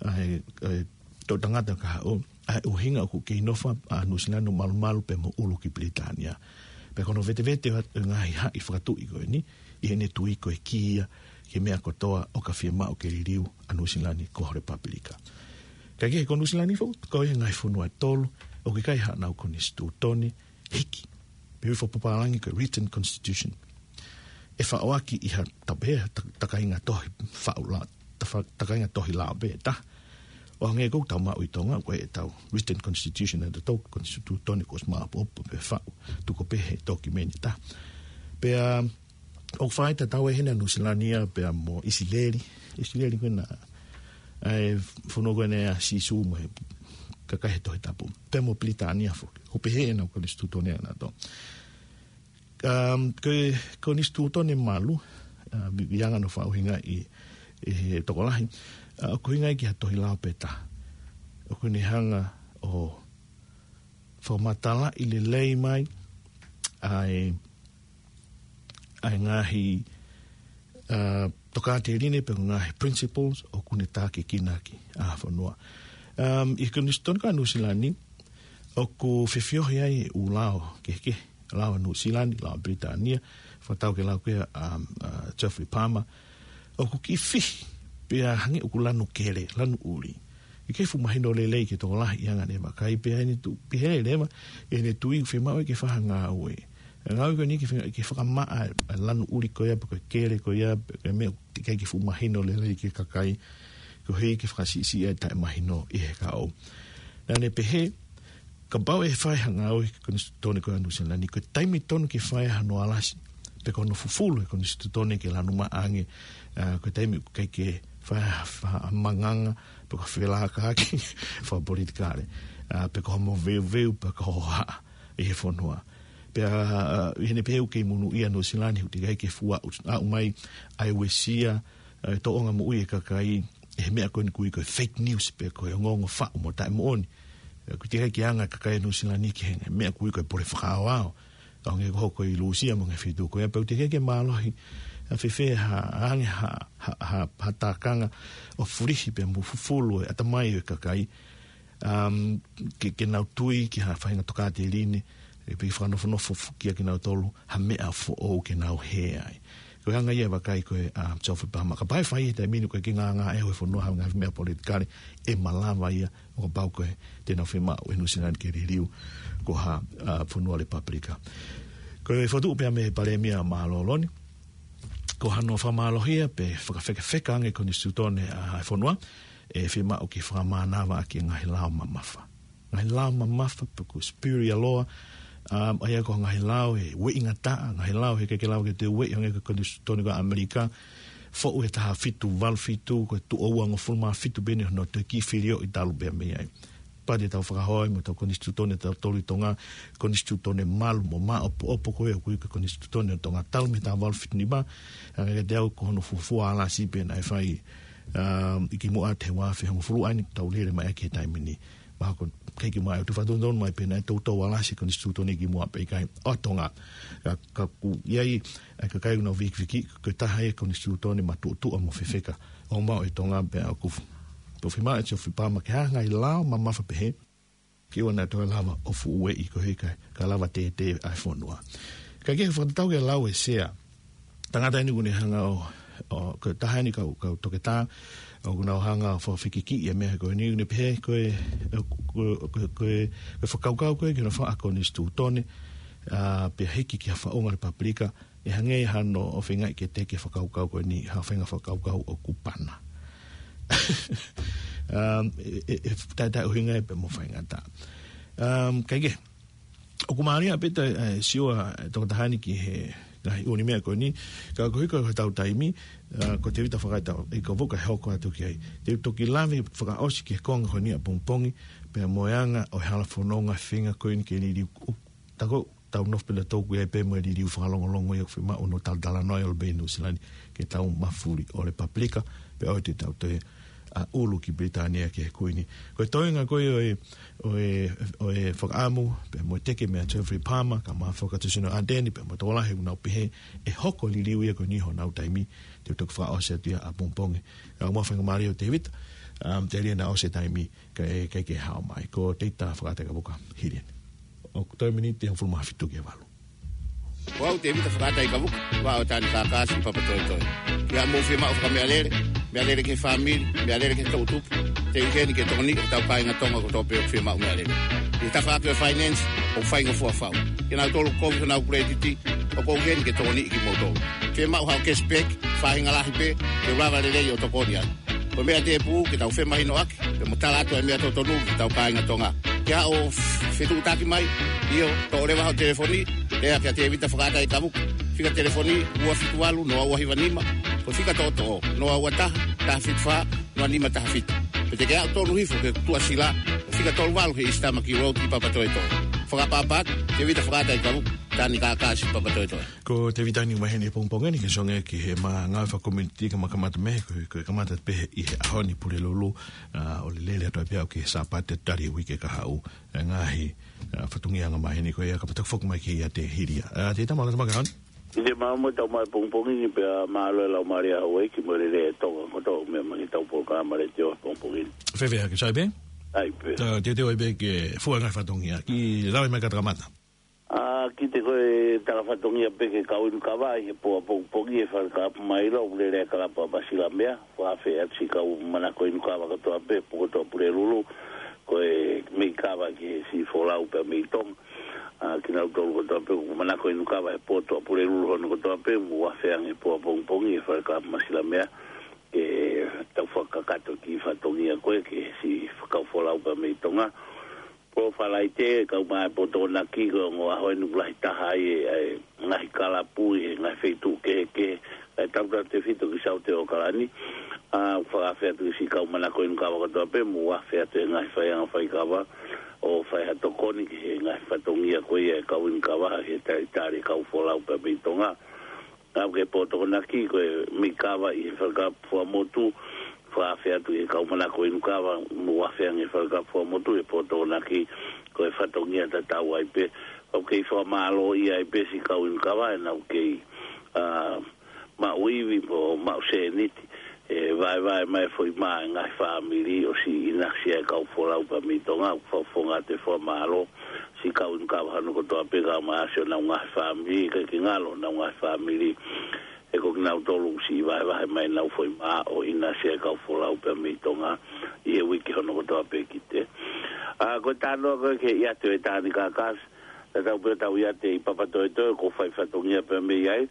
ʻa e, ʻa e toʻutangata ka haʻu, ʻa e ʻuhinga ʻoku kei nofo ʻa Nuʻusila ni ʻo malumalu pea mo ʻulu ki Pilitānia. Pea ko hono vetevete ʻo e ngaahi haʻi fakatuʻi ko eni, ʻi heʻene tui ko e kī ia ki he meʻa kotoa ʻoka fiemaʻu ke liliu ʻa Nuʻusila ni ko ha lepapilika. Kae kehe ko Nuʻusila ni foki, ko e ngaahi fonua ʻe tolu ʻoku ʻikai haʻanau konisitūtone hiki. Pe ui fakapapālangi ko e written constitution. ʻE faʻoaki ʻi ha tape, ha ta-, takainga tohi faʻu la-, tafa-, takainga tohi lao pē ʻe taha. ʻO hangē ko ʻetau maʻu ʻi Tonga, ko ʻetau written constitution ʻa tautolu, konisitūtone kuo ʻosi maʻopoʻopo pē faʻu, tuku pē he tokimeni ʻe taha. Pea, ʻoku fai tatau ʻi hena Nuʻusila ni ia pea mo ʻIsileli. ʻIsileli ko ena, ʻa e fonua ko ena ʻa Sīsū mo e kakai he Tohi Tapu. Pea mo Pilitānia foki. ʻOku pehē ʻenau konisitūtone ʻanautolu. Um, ko e konisitūtone malu, uh, vi-, vianga no faʻu hinga ʻi, ʻi he tokolahi. Uh, ʻoku hinga ki ha tohi lao pē taha. ʻOku ne hanga ʻo fakamatalaʻi lelei mai ʻa e, ʻa e ngaahi, uh, tokāteline pe ngaahi principles ʻoku ne tākiekina ʻaki ʻa e fonua. Um, ʻi he konisitūtone ko Nuʻusila ni, ʻoku fefiohi ai ʻū lao kehekehe, lao Nuʻusila ni, lao Pilitānia, fakatau ki he lao ko ia ʻa, um, uh, Geoffrey Palmer, ʻoku kiʻi fihi, pea hangē ʻoku lanu kele, lanu ʻuli. ʻIkai fuʻu mahino lelei ki he tokolahi ʻi he anga ʻene vakai pea ʻi heʻene tu-, pehē leva, ʻi heʻene tui fiemaʻu ke fai ha ngāue. Ngāue ko eni ke fai, ke fakamaʻa ʻa e lanu ʻuli ko ia pe ko e kele ko ia, pe ko e meʻa ʻoku ʻikai ke fuʻu mahino lelei ki he kakai, koeʻuhi ke fakasiʻisiʻi ʻa e taʻemahino ʻi he kahaʻu. Naʻa ne pehē, kapau ʻe fai ha ngāue ki he konisitūtone ko ia Nuʻusila ni, ko e taimi tonu ke fai hano alasi, pe ko hono fufulu e konisitūtone ke lanu maʻa ange, ʻa, ko e taimi ʻoku ʻikai ke fai ha, ha manganga, pe ko ha felākaʻaki fakapolitikale, ʻa, pe ko ha moveuveu, pe ko ha hohaʻa ʻi he fonua. Pea, ʻa, ʻi heʻene pehē ʻoku kei monūʻia Nuʻusila ni, ʻoku teʻeki ai ke fua, aʻu mai, ʻa e uesia, ʻa e tōʻonga moʻui e kakai, ʻi he meʻa ko eni ʻoku ui ko e fake news pe ko e ongoongo faʻu mo taʻemoʻoni. ʻOku teʻeki ai ke anga e kakai Nuʻusila ni ki he meʻa ʻoku ui ko e pole fakaaoao. ʻO hangē ko hoʻo hoko ʻi Lūsia mo e ngaahi feituʻu ko ia pea ʻoku teʻeki ai ke mālohi ʻa fēfē ha, ange ha, ha, ha, ha tākanga ʻo fulihi pea mo fufulu e ʻatamai ʻo e kakai. Um, ke, ke nau tui ki ha faʻahinga tokāteline, ʻe piki fakanofonofo fu-, kia kinautolu, ha meʻa foʻou ke nau hē ai. Ko e anga ia e vakai ko ē ʻa Geoffrey Palmer. Kapau ʻe fai he taimi ni ko ē ke ngāngāʻehe e fonua ha ngaahi meʻa politikale, ʻe malava ia ʻo kapau ko ē te nau fiemaʻu ʻe Nuʻusila ni ke liliu ko ha, ʻa, fonua lepapilika. Ko e fokotuʻu pea mei he Palēmia mālōlō ni, ko hano fakamālohia pe fakafekafeka ange konisitūtone ʻa e fonua, ʻe fiemaʻu ke fakamānava ʻaki e ngaahi lao mamafa. Ngaahi lao mamafa pe ko e superior law, um, ʻa ia ko e ngaahi lao ʻe ueʻi ngataʻa, ngaahi lao he ʻikai ke lava ke toe ueʻi hangē ko e konisitūtone ko ē ʻAmelika, foʻu he taha fitu valu fitu, ko e tuʻo uangofulu mā fitu pē eni hono toe kiʻi filioʻi talu pea mei ai. Pea te tau fakahoko mo ʻetau konisitūtone ʻatautolu ʻi Tonga, konisitūtone malu mo maʻopoʻopo ko ē ʻoku ui ko e konisitūtone ʻo Tonga talu mei he taha valu fitu nima, ʻa ia kiate au ko hono fuofua alasi pē naʻe fai, um, ʻi kimuʻa he ua afe hongofulu ʻa eni tau lele mai ʻaki he taimi ni. Mahalo ko e kimuʻa ʻe tufa tonutonu mai pē naʻe toutou alasi konisitūtone ʻi kimuʻa pe ʻikai ʻo Tonga. Ka, ka ʻoku ʻi ai ʻa e kakai ʻoku nau vikiviki, ko e taha ia e konisitūtone matuʻotuʻa mo fefeka ʻo maʻu ʻe Tonga pea ʻoku f-, ʻoku fiemaʻu ʻe Geoffrey Palmer ke hanga ʻi he lao mamafa pehē, ke ʻoua naʻa toe lava ʻo fuʻu ueʻi koeʻuhi ka, ka lava tētē ʻa e fonua. Kae kehe fakatatau ki he lau ʻa e Sea, tangata eni ʻoku ne hanga ʻo, ʻo, ko e taha eni kau, kau toketā, ʻoku nau hanga ʻo fakafekikiʻi e meʻa ko eni, ʻoku ne pehē ko e, ko, ko, ko, ko e fakakaukau ko ē ki hono faʻu ʻa e konisitūtone, ʻa, pea hiki ki ha faʻunga lepapilika, ʻe hangē hano ʻofaʻinga ke teke fakakaukau ko eni, ha faʻahinga fakakaukau ʻoku pana. Um, ʻe, ʻe, ʻe taʻetaʻeʻuhinga ia pea mo faingataʻa. Um, kae kehe, ʻoku mālie pē ʻa e, ʻa e sio ʻa e tokotaha ni ki he ngaahi ʻū meʻa ko eni, ka koeʻuhi ko hotau taimi, ʻa, ko Tēvita Fakaʻaitau, ʻe ka voka hoko atu ki ai. Te u toki lave fakaʻosi ki he konga ko eni ʻapongipongi, pea mo e anga ʻo e hala fononga feinga ko eni ke liliu, ʻo, tā ko ʻetau nofo pē ʻatautolu ʻoku ʻi ai pē mo e liliu fakalongolongo ia ʻoku fiemaʻu hono talatalanoa ʻi ʻAokalani, Nuʻusila ni, ke tau mafuli ʻo lepapilika, pea ʻoua te tau toe ʻa ʻulu ki Pilitānia ki he Kuini. Ko e toenga ko ē ʻo e, ʻo e, ʻo e fakaʻamu, pea mo e teke meia Jeffrey Palmer, kae ʻumaʻā Fakatuʻasino Ardern, pea mo e tokolahi ʻoku nau pehē ʻe hoko e liliu ia ko eni honau taimi, te u toki fakaʻosi atu ia ʻapongipongi. Kae ʻumaʻā e faingamālie ʻo Tēvita, um, telia naʻe ʻosi e taimi, kae, kae ʻikai ke hao mai. Ko Tēvita Fakaʻataʻekapuka, hili eni. ʻOku toe miniti hongofulu mā fitu ki he valu. Ko au Tēvita Fakaʻataʻekapuka, ʻa ʻo Tani Kākasi Papatoetoe. Ke ʻi ai haʻamou fiemaʻu fakameʻalele, meʻalele ki he fāmili, meʻalele ki he toʻutupu, te u ʻi heni ke tokoniʻi hotau kāinga Tonga kotoa pē ʻoku fiemaʻu meʻalele. ʻI he tafaʻaki ʻo e finance, ʻoku faingofua fau. Kinautolu ʻoku kovi honau kuletiti, ʻoku ou ʻi heni ke tokoniʻi kimoutolu. Fiemaʻu haʻo cashback, faʻahinga lahi pē, te u lava lelei ʻo tokoni ai. Ko e meʻa tēpū ke tau femahinoʻaki, pea mo tala atu e meʻa totonu ki hotau kāinga Tonga. Ke ʻi ai haʻo fetuʻutaki mai, ʻio, toʻo leva hoʻo telefoni, lea kia Tēvita Fakaʻataʻekapuka. Fika telefoni ua fitu valu noa ua hiva nima, ko e fika toʻotoʻo noa ua taha, taha fitu fā, noa nima taha fitu. Pe te ke aʻu tonu hifo ki he tuʻasila, fika tolu valu he East Tamaki Road ʻi Papatoetoe. Fakaʻapaʻapa atu, Tēvita Fakaʻataʻekapuka, Tani Kākasi Papatoetoe. Ko Tēvita ni ʻoku ʻi heni ʻapongipongi ni ke songe ki he ngāue fakakomiunitī kae kamata mei he, ko, ko e kamata pē ʻi he ʻaho ni Pulelulu, ʻa, ʻo lele atu ai pē ʻo aʻu ki he Sāpate tali e uike kahaʻu, ʻa e ngaahi, ʻa, fatongia ʻoku ʻomai heni ko ia ka pata foki mai ki he ʻiate hili ia. ʻA, Tēvita, mālō e tau maʻu e kahaʻu ni. Tēvita, mālō e tau maʻu e pongipongi ni pea mālō e laumālie ʻa houʻeiki mo e lelei ʻa Tonga kotoa ʻoku meʻa mai ki heʻetau polokalama letiō he pongipongi ni. Fēfē hake, sai pē? ʻAi pē. Tau teuteu ai pē ke fua e ngaahi fatongia. Kiʻi lave mai ka ta kamata. ʻA, kiʻi te ko e tala fatongia pē ki he kau inu kava ʻi he pō ʻapongipongi ʻi he Falekalapu Mailo, ʻoku lele e kalapu ʻa Masilamea, fakafeʻao atu siʻi kau manako inu kava kotoa pē, pō kotoa Pulelulu, ko e meʻi kava ki he siʻi folau pea mei Tonga. ʻA, kinautolu kotoa pē, ʻoku manako inu kava he pō kotoa Pulelulu hono kotoa pē, mou afe ange he pō ʻapongipongi ʻi he Falekalapu Masilamea, ke tau fakakakato e kiʻi fatongia ko ē, ki he siʻi kau folau pea mei Tonga. Pō Falaite, kae ʻumaʻā e pō Tokonaki, ko e ongo ʻaho eni ʻoku lahi taha ai e, e ngaahi kalapu ʻi he ngaahi feituʻu kehekehe, ʻa e tautautefito ki Saute ʻAokalani. ʻA, fakaafe atu ki siʻi kau manako inu kava kotoa pē, mou afe atu he ngaahi faiʻanga faikava, ʻo fai ha tokoni ki he ngaahi fatongia ko ia e kau inu kava, he talitali e kau folau pea mei Tonga. ʻA, ki he pō Tokonaki, ko e meʻi kava ʻi he Falekalapu Fuaʻamotu, fakaafe atu ki he kau manako inu kava, mou afe ange he Falekalapu Fuaʻamotu he pō Tokonaki, ko e fatongia tatau ai pē. ʻOku kei fakamālōʻia ai pē siʻi kau inu kava, ʻenau kei, ʻa, maʻu ivi mo maʻu sēniti, ʻe vaevae mai e foʻi mā e ngaahi fāmili ʻo siʻi ʻinasi ʻa e kau folau pea mei Tonga, ʻoku fakafofonga atu e fakamālō, siʻi kau inu kava hono kotoa pē kae ʻumaʻā siʻonau ngaahi fāmili, ʻikai ke ngalo honau ngaahi fāmili, he ko kinautolu ʻoku siʻi vaevae mai ʻenau foʻi mā ʻo ʻinasi ʻa e kau folau pea mei Tonga, ʻi he uike hono kotoa pē ki te. ʻA, ko e talanoa ko ē ki he ʻiate ʻo e Tani Kākasi, tatau pē ʻetau ʻiate ʻi Papatoetoe, ʻoku fai fatongia pea mei ai,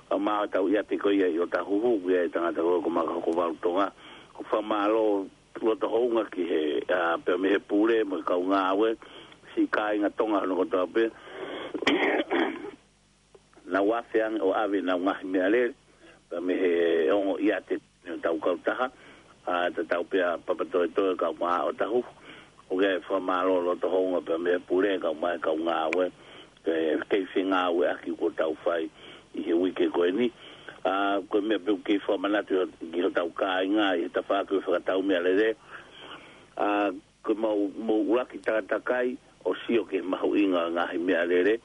kae ʻumaʻā ʻetau ʻiate ko ia ʻi ʻOtahuhu, ʻoku ʻi ai e tangata ko ē ko Makahokovalu Tonga, ʻoku fakamālō loto hounga ki he, ʻa, pea mei he pule mo e kau ngāue, siʻi kāinga Tonga hono kotoa pē, nau afe ange ʻo ʻave ʻenau ngaahi meʻalele, pea mei he ongo ʻiate ʻetau kautaha, ʻa, tatau pē ʻa Papatoetoe kae ʻumaʻā ʻOtahuhu, ʻoku ʻi ai e fakamālō loto hounga pea mei he pule kae ʻumaʻā e kau ngāue, ʻe kei fengāueʻaki kuo tau fai ʻi he uike ko eni. ʻA, ko e meʻa pē ʻoku kei fakamanatu ki hotau kāinga ʻi he tafaʻaki ʻo e fakatau meʻalele. ʻA, ko ʻemau, mou ʻuluaki takatakai ʻo sio ki he mahuʻinga ʻo e ngaahi meʻalele,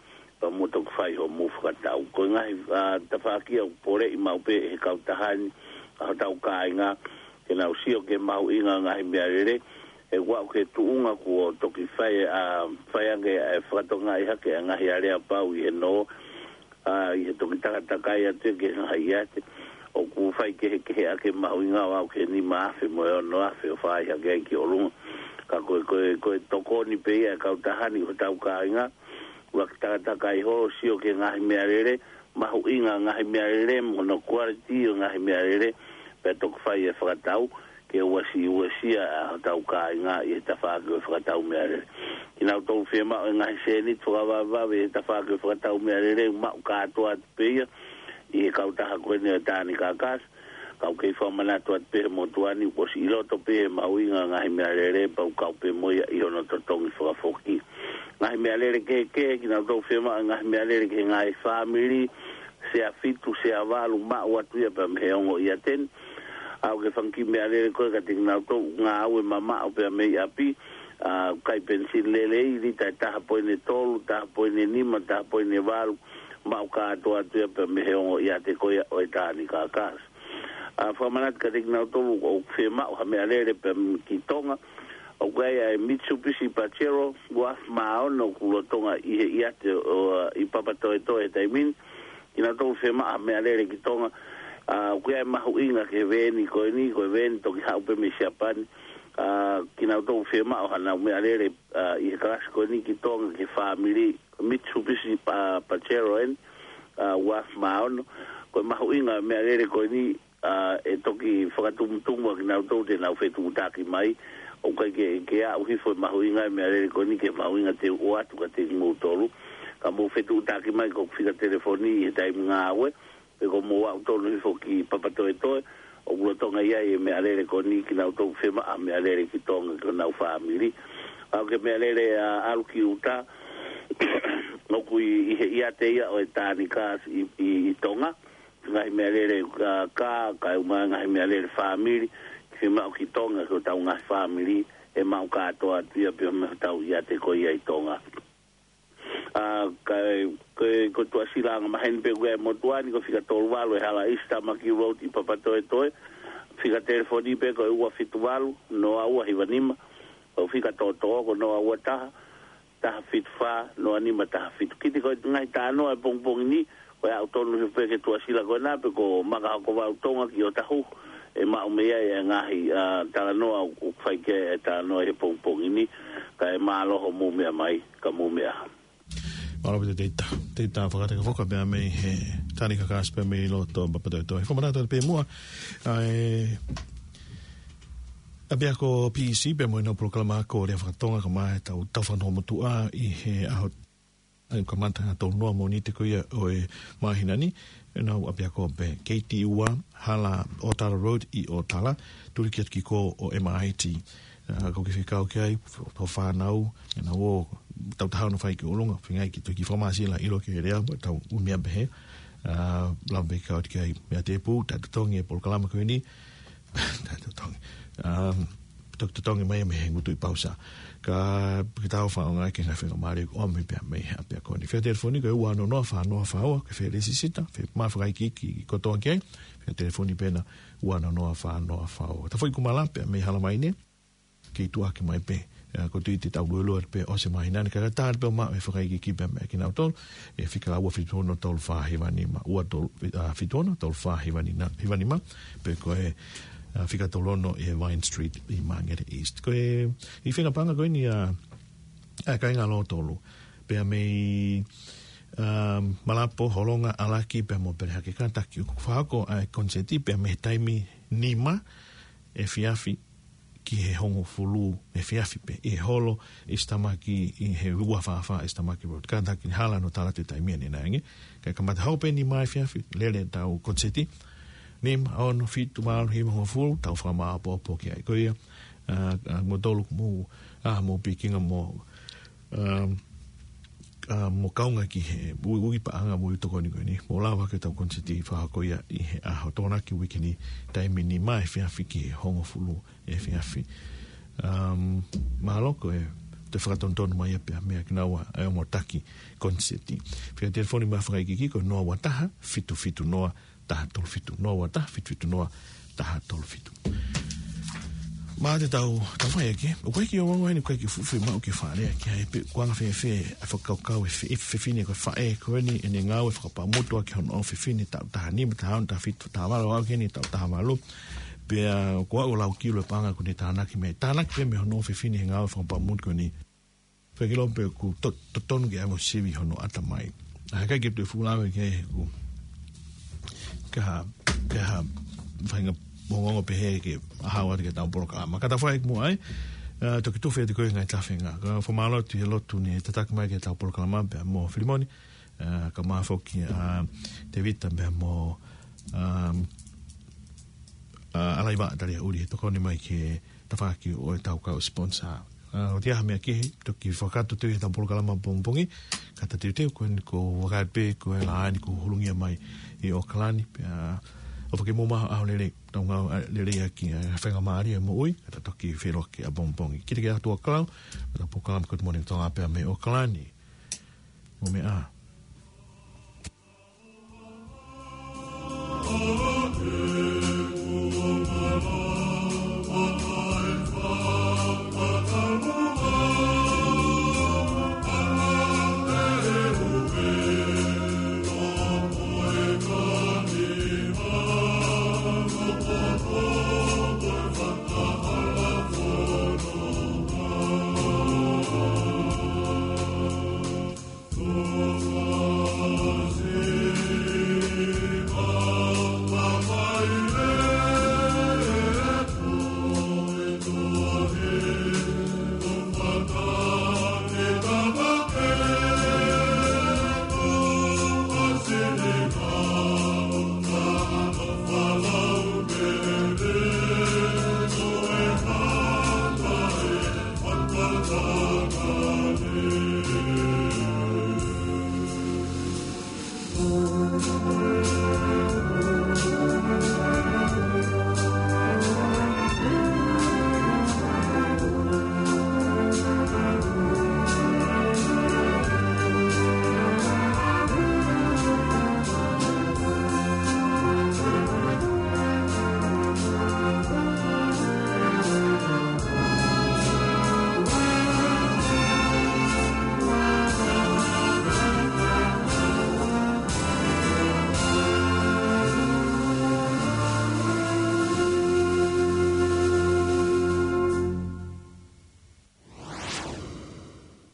pea mou toki fai hoʻomou fakatau. Ko e ngaahi, ʻa, tafaʻaki ʻoku poleʻi maʻu pē ʻe he kautaha ni ʻa hotau kāinga, ke nau sio ki he mahuʻinga ʻo e ngaahi meʻalele, ʻe ʻoku aʻu ki he tuʻunga kuo toki fai, ʻa, fai ange e fakatokangaʻi hake ʻa e ngaahi aleapau ʻi he nō, ʻa, ʻi he toki takatakai atu ki he ngaahi ʻiate, ʻoku fai kehekeheʻaki e mahuʻinga ʻo aʻu ki he nima afe mo e ono afe ʻo fai hake ai ki ʻolunga. Ka ko e, ko e, ko e tokoni pē ia ʻa e kautaha ni ki hotau kāinga, ʻuluaki takatakai holo, sio ki he ngaahi meʻalele, mahuʻinga e ngaahi meʻalele, mo hono quality ʻo e ngaahi meʻalele, pea toki fai e fakatau, ke uesia, uesia ʻa hotau kāinga ʻi he tafaʻaki ʻo e fakatau meʻalele. Kinautolu fiemaʻu e ngaahi sēniti fakavavevave ʻi he tafaʻaki ʻo e fakatau meʻalele, maʻu kātoa atu pē ia ʻi he kautaha ko eni ʻo e Tani Kākasi, ka ʻoku kei fakamanatu atu pē ʻe he motuʻa ni kuo ʻosi ʻi loto pē ʻi he mahuʻinga e ngaahi meʻalele, pea ʻoku kau pē mo ia ʻi hono totongi fakafoki. Ngaahi meʻalele kehekehe, kinautolu fiemaʻu e ngaahi meʻalele ki he ngaahi fāmili, sea fitu, sea valu, maʻu atu ia pea mei he ongo ʻiate ni. ʻAuke fanga kiʻi meʻalele ko ē kiate kinautolu ngāue mamaʻo pea mei ʻapi, ʻa, kai penisini lelei, lita ʻe taha poini tolu, taha poini nima, taha poini valu, maʻu kātoa atu ia pea mei he ongo ʻiate ko ia ʻo e Tānika Gas. ʻA, fakamanatu kiate kinautolu ʻoku fiemaʻu ha meʻalele pea mei ki Tonga, ʻoku ʻi ai ʻa e Mitsubishi Pajero, ua afe mā ono, ʻoku lolotonga ʻi he ʻiate ʻo, ʻi Papatoetoe he taimi ni, kinautolu fiemaʻu ha meʻalele ki Tonga, ʻa, ʻoku ʻi ai e mahuʻinga ki he veeni ko eni, ko e veeni toki haʻu pē mei Siapani, ʻa, kinautolu fiemaʻu haʻanau meʻalele, ʻa, ʻi he kalasi ko eni ki Tonga ki he fāmili, Mitsubishi, ʻa, Pajero eni, ʻa, ua afe mā ono, ko e mahuʻinga e meʻalele ko eni, ʻa, ʻe toki fakatumutumu ʻa kinautolu te nau fetuʻutaki mai, ʻoku ʻikai ke, ke aʻu hifo e mahuʻinga e meʻalele ko eni ki he mahuʻinga te u ʻoatu kiate kimoutolu, ka mou fetuʻutaki mai ki hoku fika telefoni ʻi he taimi ngāue, pe ko hoʻomou aʻu tonu hifo ki Papatoetoe, ʻoku lolotonga ʻi ai e meʻalele ko eni kinautolu fiemaʻu ha meʻalele ki Tonga ki honau fāmili. ʻAuke meʻalele ʻa ʻalu ki ʻuta, ʻoku ʻi, ʻi he ʻiate ia ʻo e Tānika Gas ʻi, ʻi, ʻi Tonga, ngaahi meʻalele, ʻa, kā, kae ʻumaʻā ngaahi meʻalele fāmili, fiemaʻu ki Tonga ki hotau ngaahi fāmili, ʻe maʻu kātoa atu ia pea mei hotau ʻiate ko ia ʻi Tonga. ʻA, kae, ko, ko Tuʻasila anga maheni pē ʻoku ʻi ai e motuʻa ni, ko e fika tolu valu e hala East Tamaki Road ʻi Papatoetoe, fika telefoni pē ko e ua fitu valu, noa ua hiva nima, ko e fika tōtō ko e noa ua taha, taha fitu fā, noa nima taha fitu. Kiate koe ngaahi talanoa e pongipongi ni, ko e aʻu tonu hifo pē ki Tuʻasila ko ena, pe ko Makahokovau Tonga ki ʻOtahuhu, ʻe maʻu mei ai e ngaahi, ʻa, talanoa ʻoku fai ki ai e talanoa he pongipongi ni, kae mālō hoʻomou meʻa mai, ka mou meʻa. Mālō pē Teita, Teita Fakatekafoka pea mei he Tānika Gas pea mei loto Papatoetoe. Fakamanatu pē muʻa, ʻa e ʻapiako P E C pea mo ʻenau polokalama ako lea faka-Tonga kae ʻumaʻā ʻetau tau fakanoa motuʻa ʻi he ʻaho, ʻa e kamata ʻa e tolu noa Mōnite ko ia ʻo e māhina ni, ʻenau ʻapiako pē K T ua, Hala ʻOtala Road ʻi ʻOtala, tuli ki atu ki kō ʻo M I T. ʻA, ko e kiʻi fekau ki ai, ho fānau, ʻenau ō, tau taha ono fai ki ʻolunga, feinga ke toki fakamāsila ʻilo ki he lea, tau ʻumia pehē, ʻa, lava pē kau ki ai, meʻa tēpū, taʻetotongi e polokalama ko eni, taʻetotongi. ʻA, toki totongi mai mei he ngutu ʻi Pausa. Ka, ke tau faʻa ʻoange ki he ngaahi faingamālie ʻoku ʻomi pea mei he ʻapiako ni. Fika telefoni ko e ua noa noa fā noa fā ua, ke fie lēsisita, fie maʻu fakaikiiki kotoa ki ai, fika telefoni pē ena ua noa noa fā noa fā ua. Tafoʻi Kumala pea mei Halamaine, kei tuʻaki mai pē. ʻA, ko tui te tau luelue pē ʻosi e māhina ni, ka ka tali pē ʻo maʻu e fakaikiiki pea mei kinautolu, ʻe fika ua fitu ono tolu fā hiva nima, ua tolu, ʻa, fitu ono tolu fā hiva nima, pe ko e, ʻa, fika tolu ono ʻi he Vine Street ʻi Māngere East. Ko e, ʻi he fenga paʻanga ko eni ʻa, ʻa e kāinga Lotolu. Pea mei, um, Malapo, Holonga, ʻAlaki, pea mo Pelehake kātaki ʻoku fakahoko ʻa e konisēti pea mei he taimi nima efiafi ki he hongofulu efiafi pē, ʻi he holo East Tamaki, ʻi he ua fā fā East Tamaki Road. Kātaki hala ʻo tala atu e taimi ʻanenai ange. Kae kamata hoko pē nima efiafi, lele ʻetau konisēti. Nima, ono, fitu, valu, hiva, hongofulu, tau fakamāʻopoʻopo ki ai. Ko ia, ʻa, ʻa, kimoutolu ʻoku mou, ʻa, mou pikinga mo, um, ʻa, mo kaunga ki he ui, ui paʻanga mo e ui tokoni ko eni. Mou lava ke tau konisēti fakahoko ia ʻi he ʻaho Tokonaki uike ni, taimi nima efiafi ki he hongofulu efiafi. Um, mālō ko e toe fakatonutonu mai ia pea mei kinaua ʻa e ongo taki konisēti. Fika telefoni mo e fakaikiiki ko e noa ua taha, fitu fitu noa, taha tolu fitu, noa ua taha, fitu fitu noa, taha tolu fitu. Mā te tau, tau fai ake, ʻoku ʻikai ke ʻi ai ha ongo heni, ʻoku ʻikai ke fuʻu fiemaʻu ke fale ake, ʻa e pe, ʻoku anga fēfē ʻa e fakakaukau e fe-, e fefine ko e faʻē ko eni ʻene ngāue fakapaʻamutuʻa ki hono ʻofefine taʻu taha nima, taha ono, taha fitu, taha valu, ʻalu ki he taʻu taha valu. Pea ʻoku ʻalu ʻo lau kilo e paʻanga ʻoku ne tānaki mei ai. Tānaki pē mei hono ʻofefine he ngāue fakapaʻamutuʻa ko eni. Fekilo pe ʻoku to-, totonu ke ʻai mo sivi hono ʻatamai. ʻA, ʻikai ke toe fuʻu lave ki ai he ʻoku ʻikai ha, ʻikai ha faʻahinga ongoongo pehē ke ʻalu atu ki heʻetau polokalama. Ka tau fai muʻa ai, ʻa, toki tufe atu ko e ngaahi tafenga. Ka fakamālō atu he lotu ne tataki mai ki heʻetau polokalama pea mo Filimoni, ʻa, kae ʻumaʻā foki, ʻa, Tevita pea mo, um, ʻa, ʻAlaiva Taliaʻuli he tokoni mai ki he tafaʻaki ʻo ʻetau kau sponsor. ʻA, ʻoku ʻi ai ha meʻa kehe, toki fakakakato atu heʻetau polokalama pongipongi, ka ta teuteu ko eni ko e vakai pē ko e laine kuo hulungia mai ʻi ʻAokalani, pea ʻOfa ke mou maʻu ha ʻaho lelei, tau ngāue lelei ʻaki ʻa e faingamālie ʻo e moʻui, ka tau toki feʻiloaki ʻapongipongi. Kiate kimoutolu ʻa e kau, mo e polokalama Good Morning Tonga pea mei ʻAokalani. Mou meʻa ā.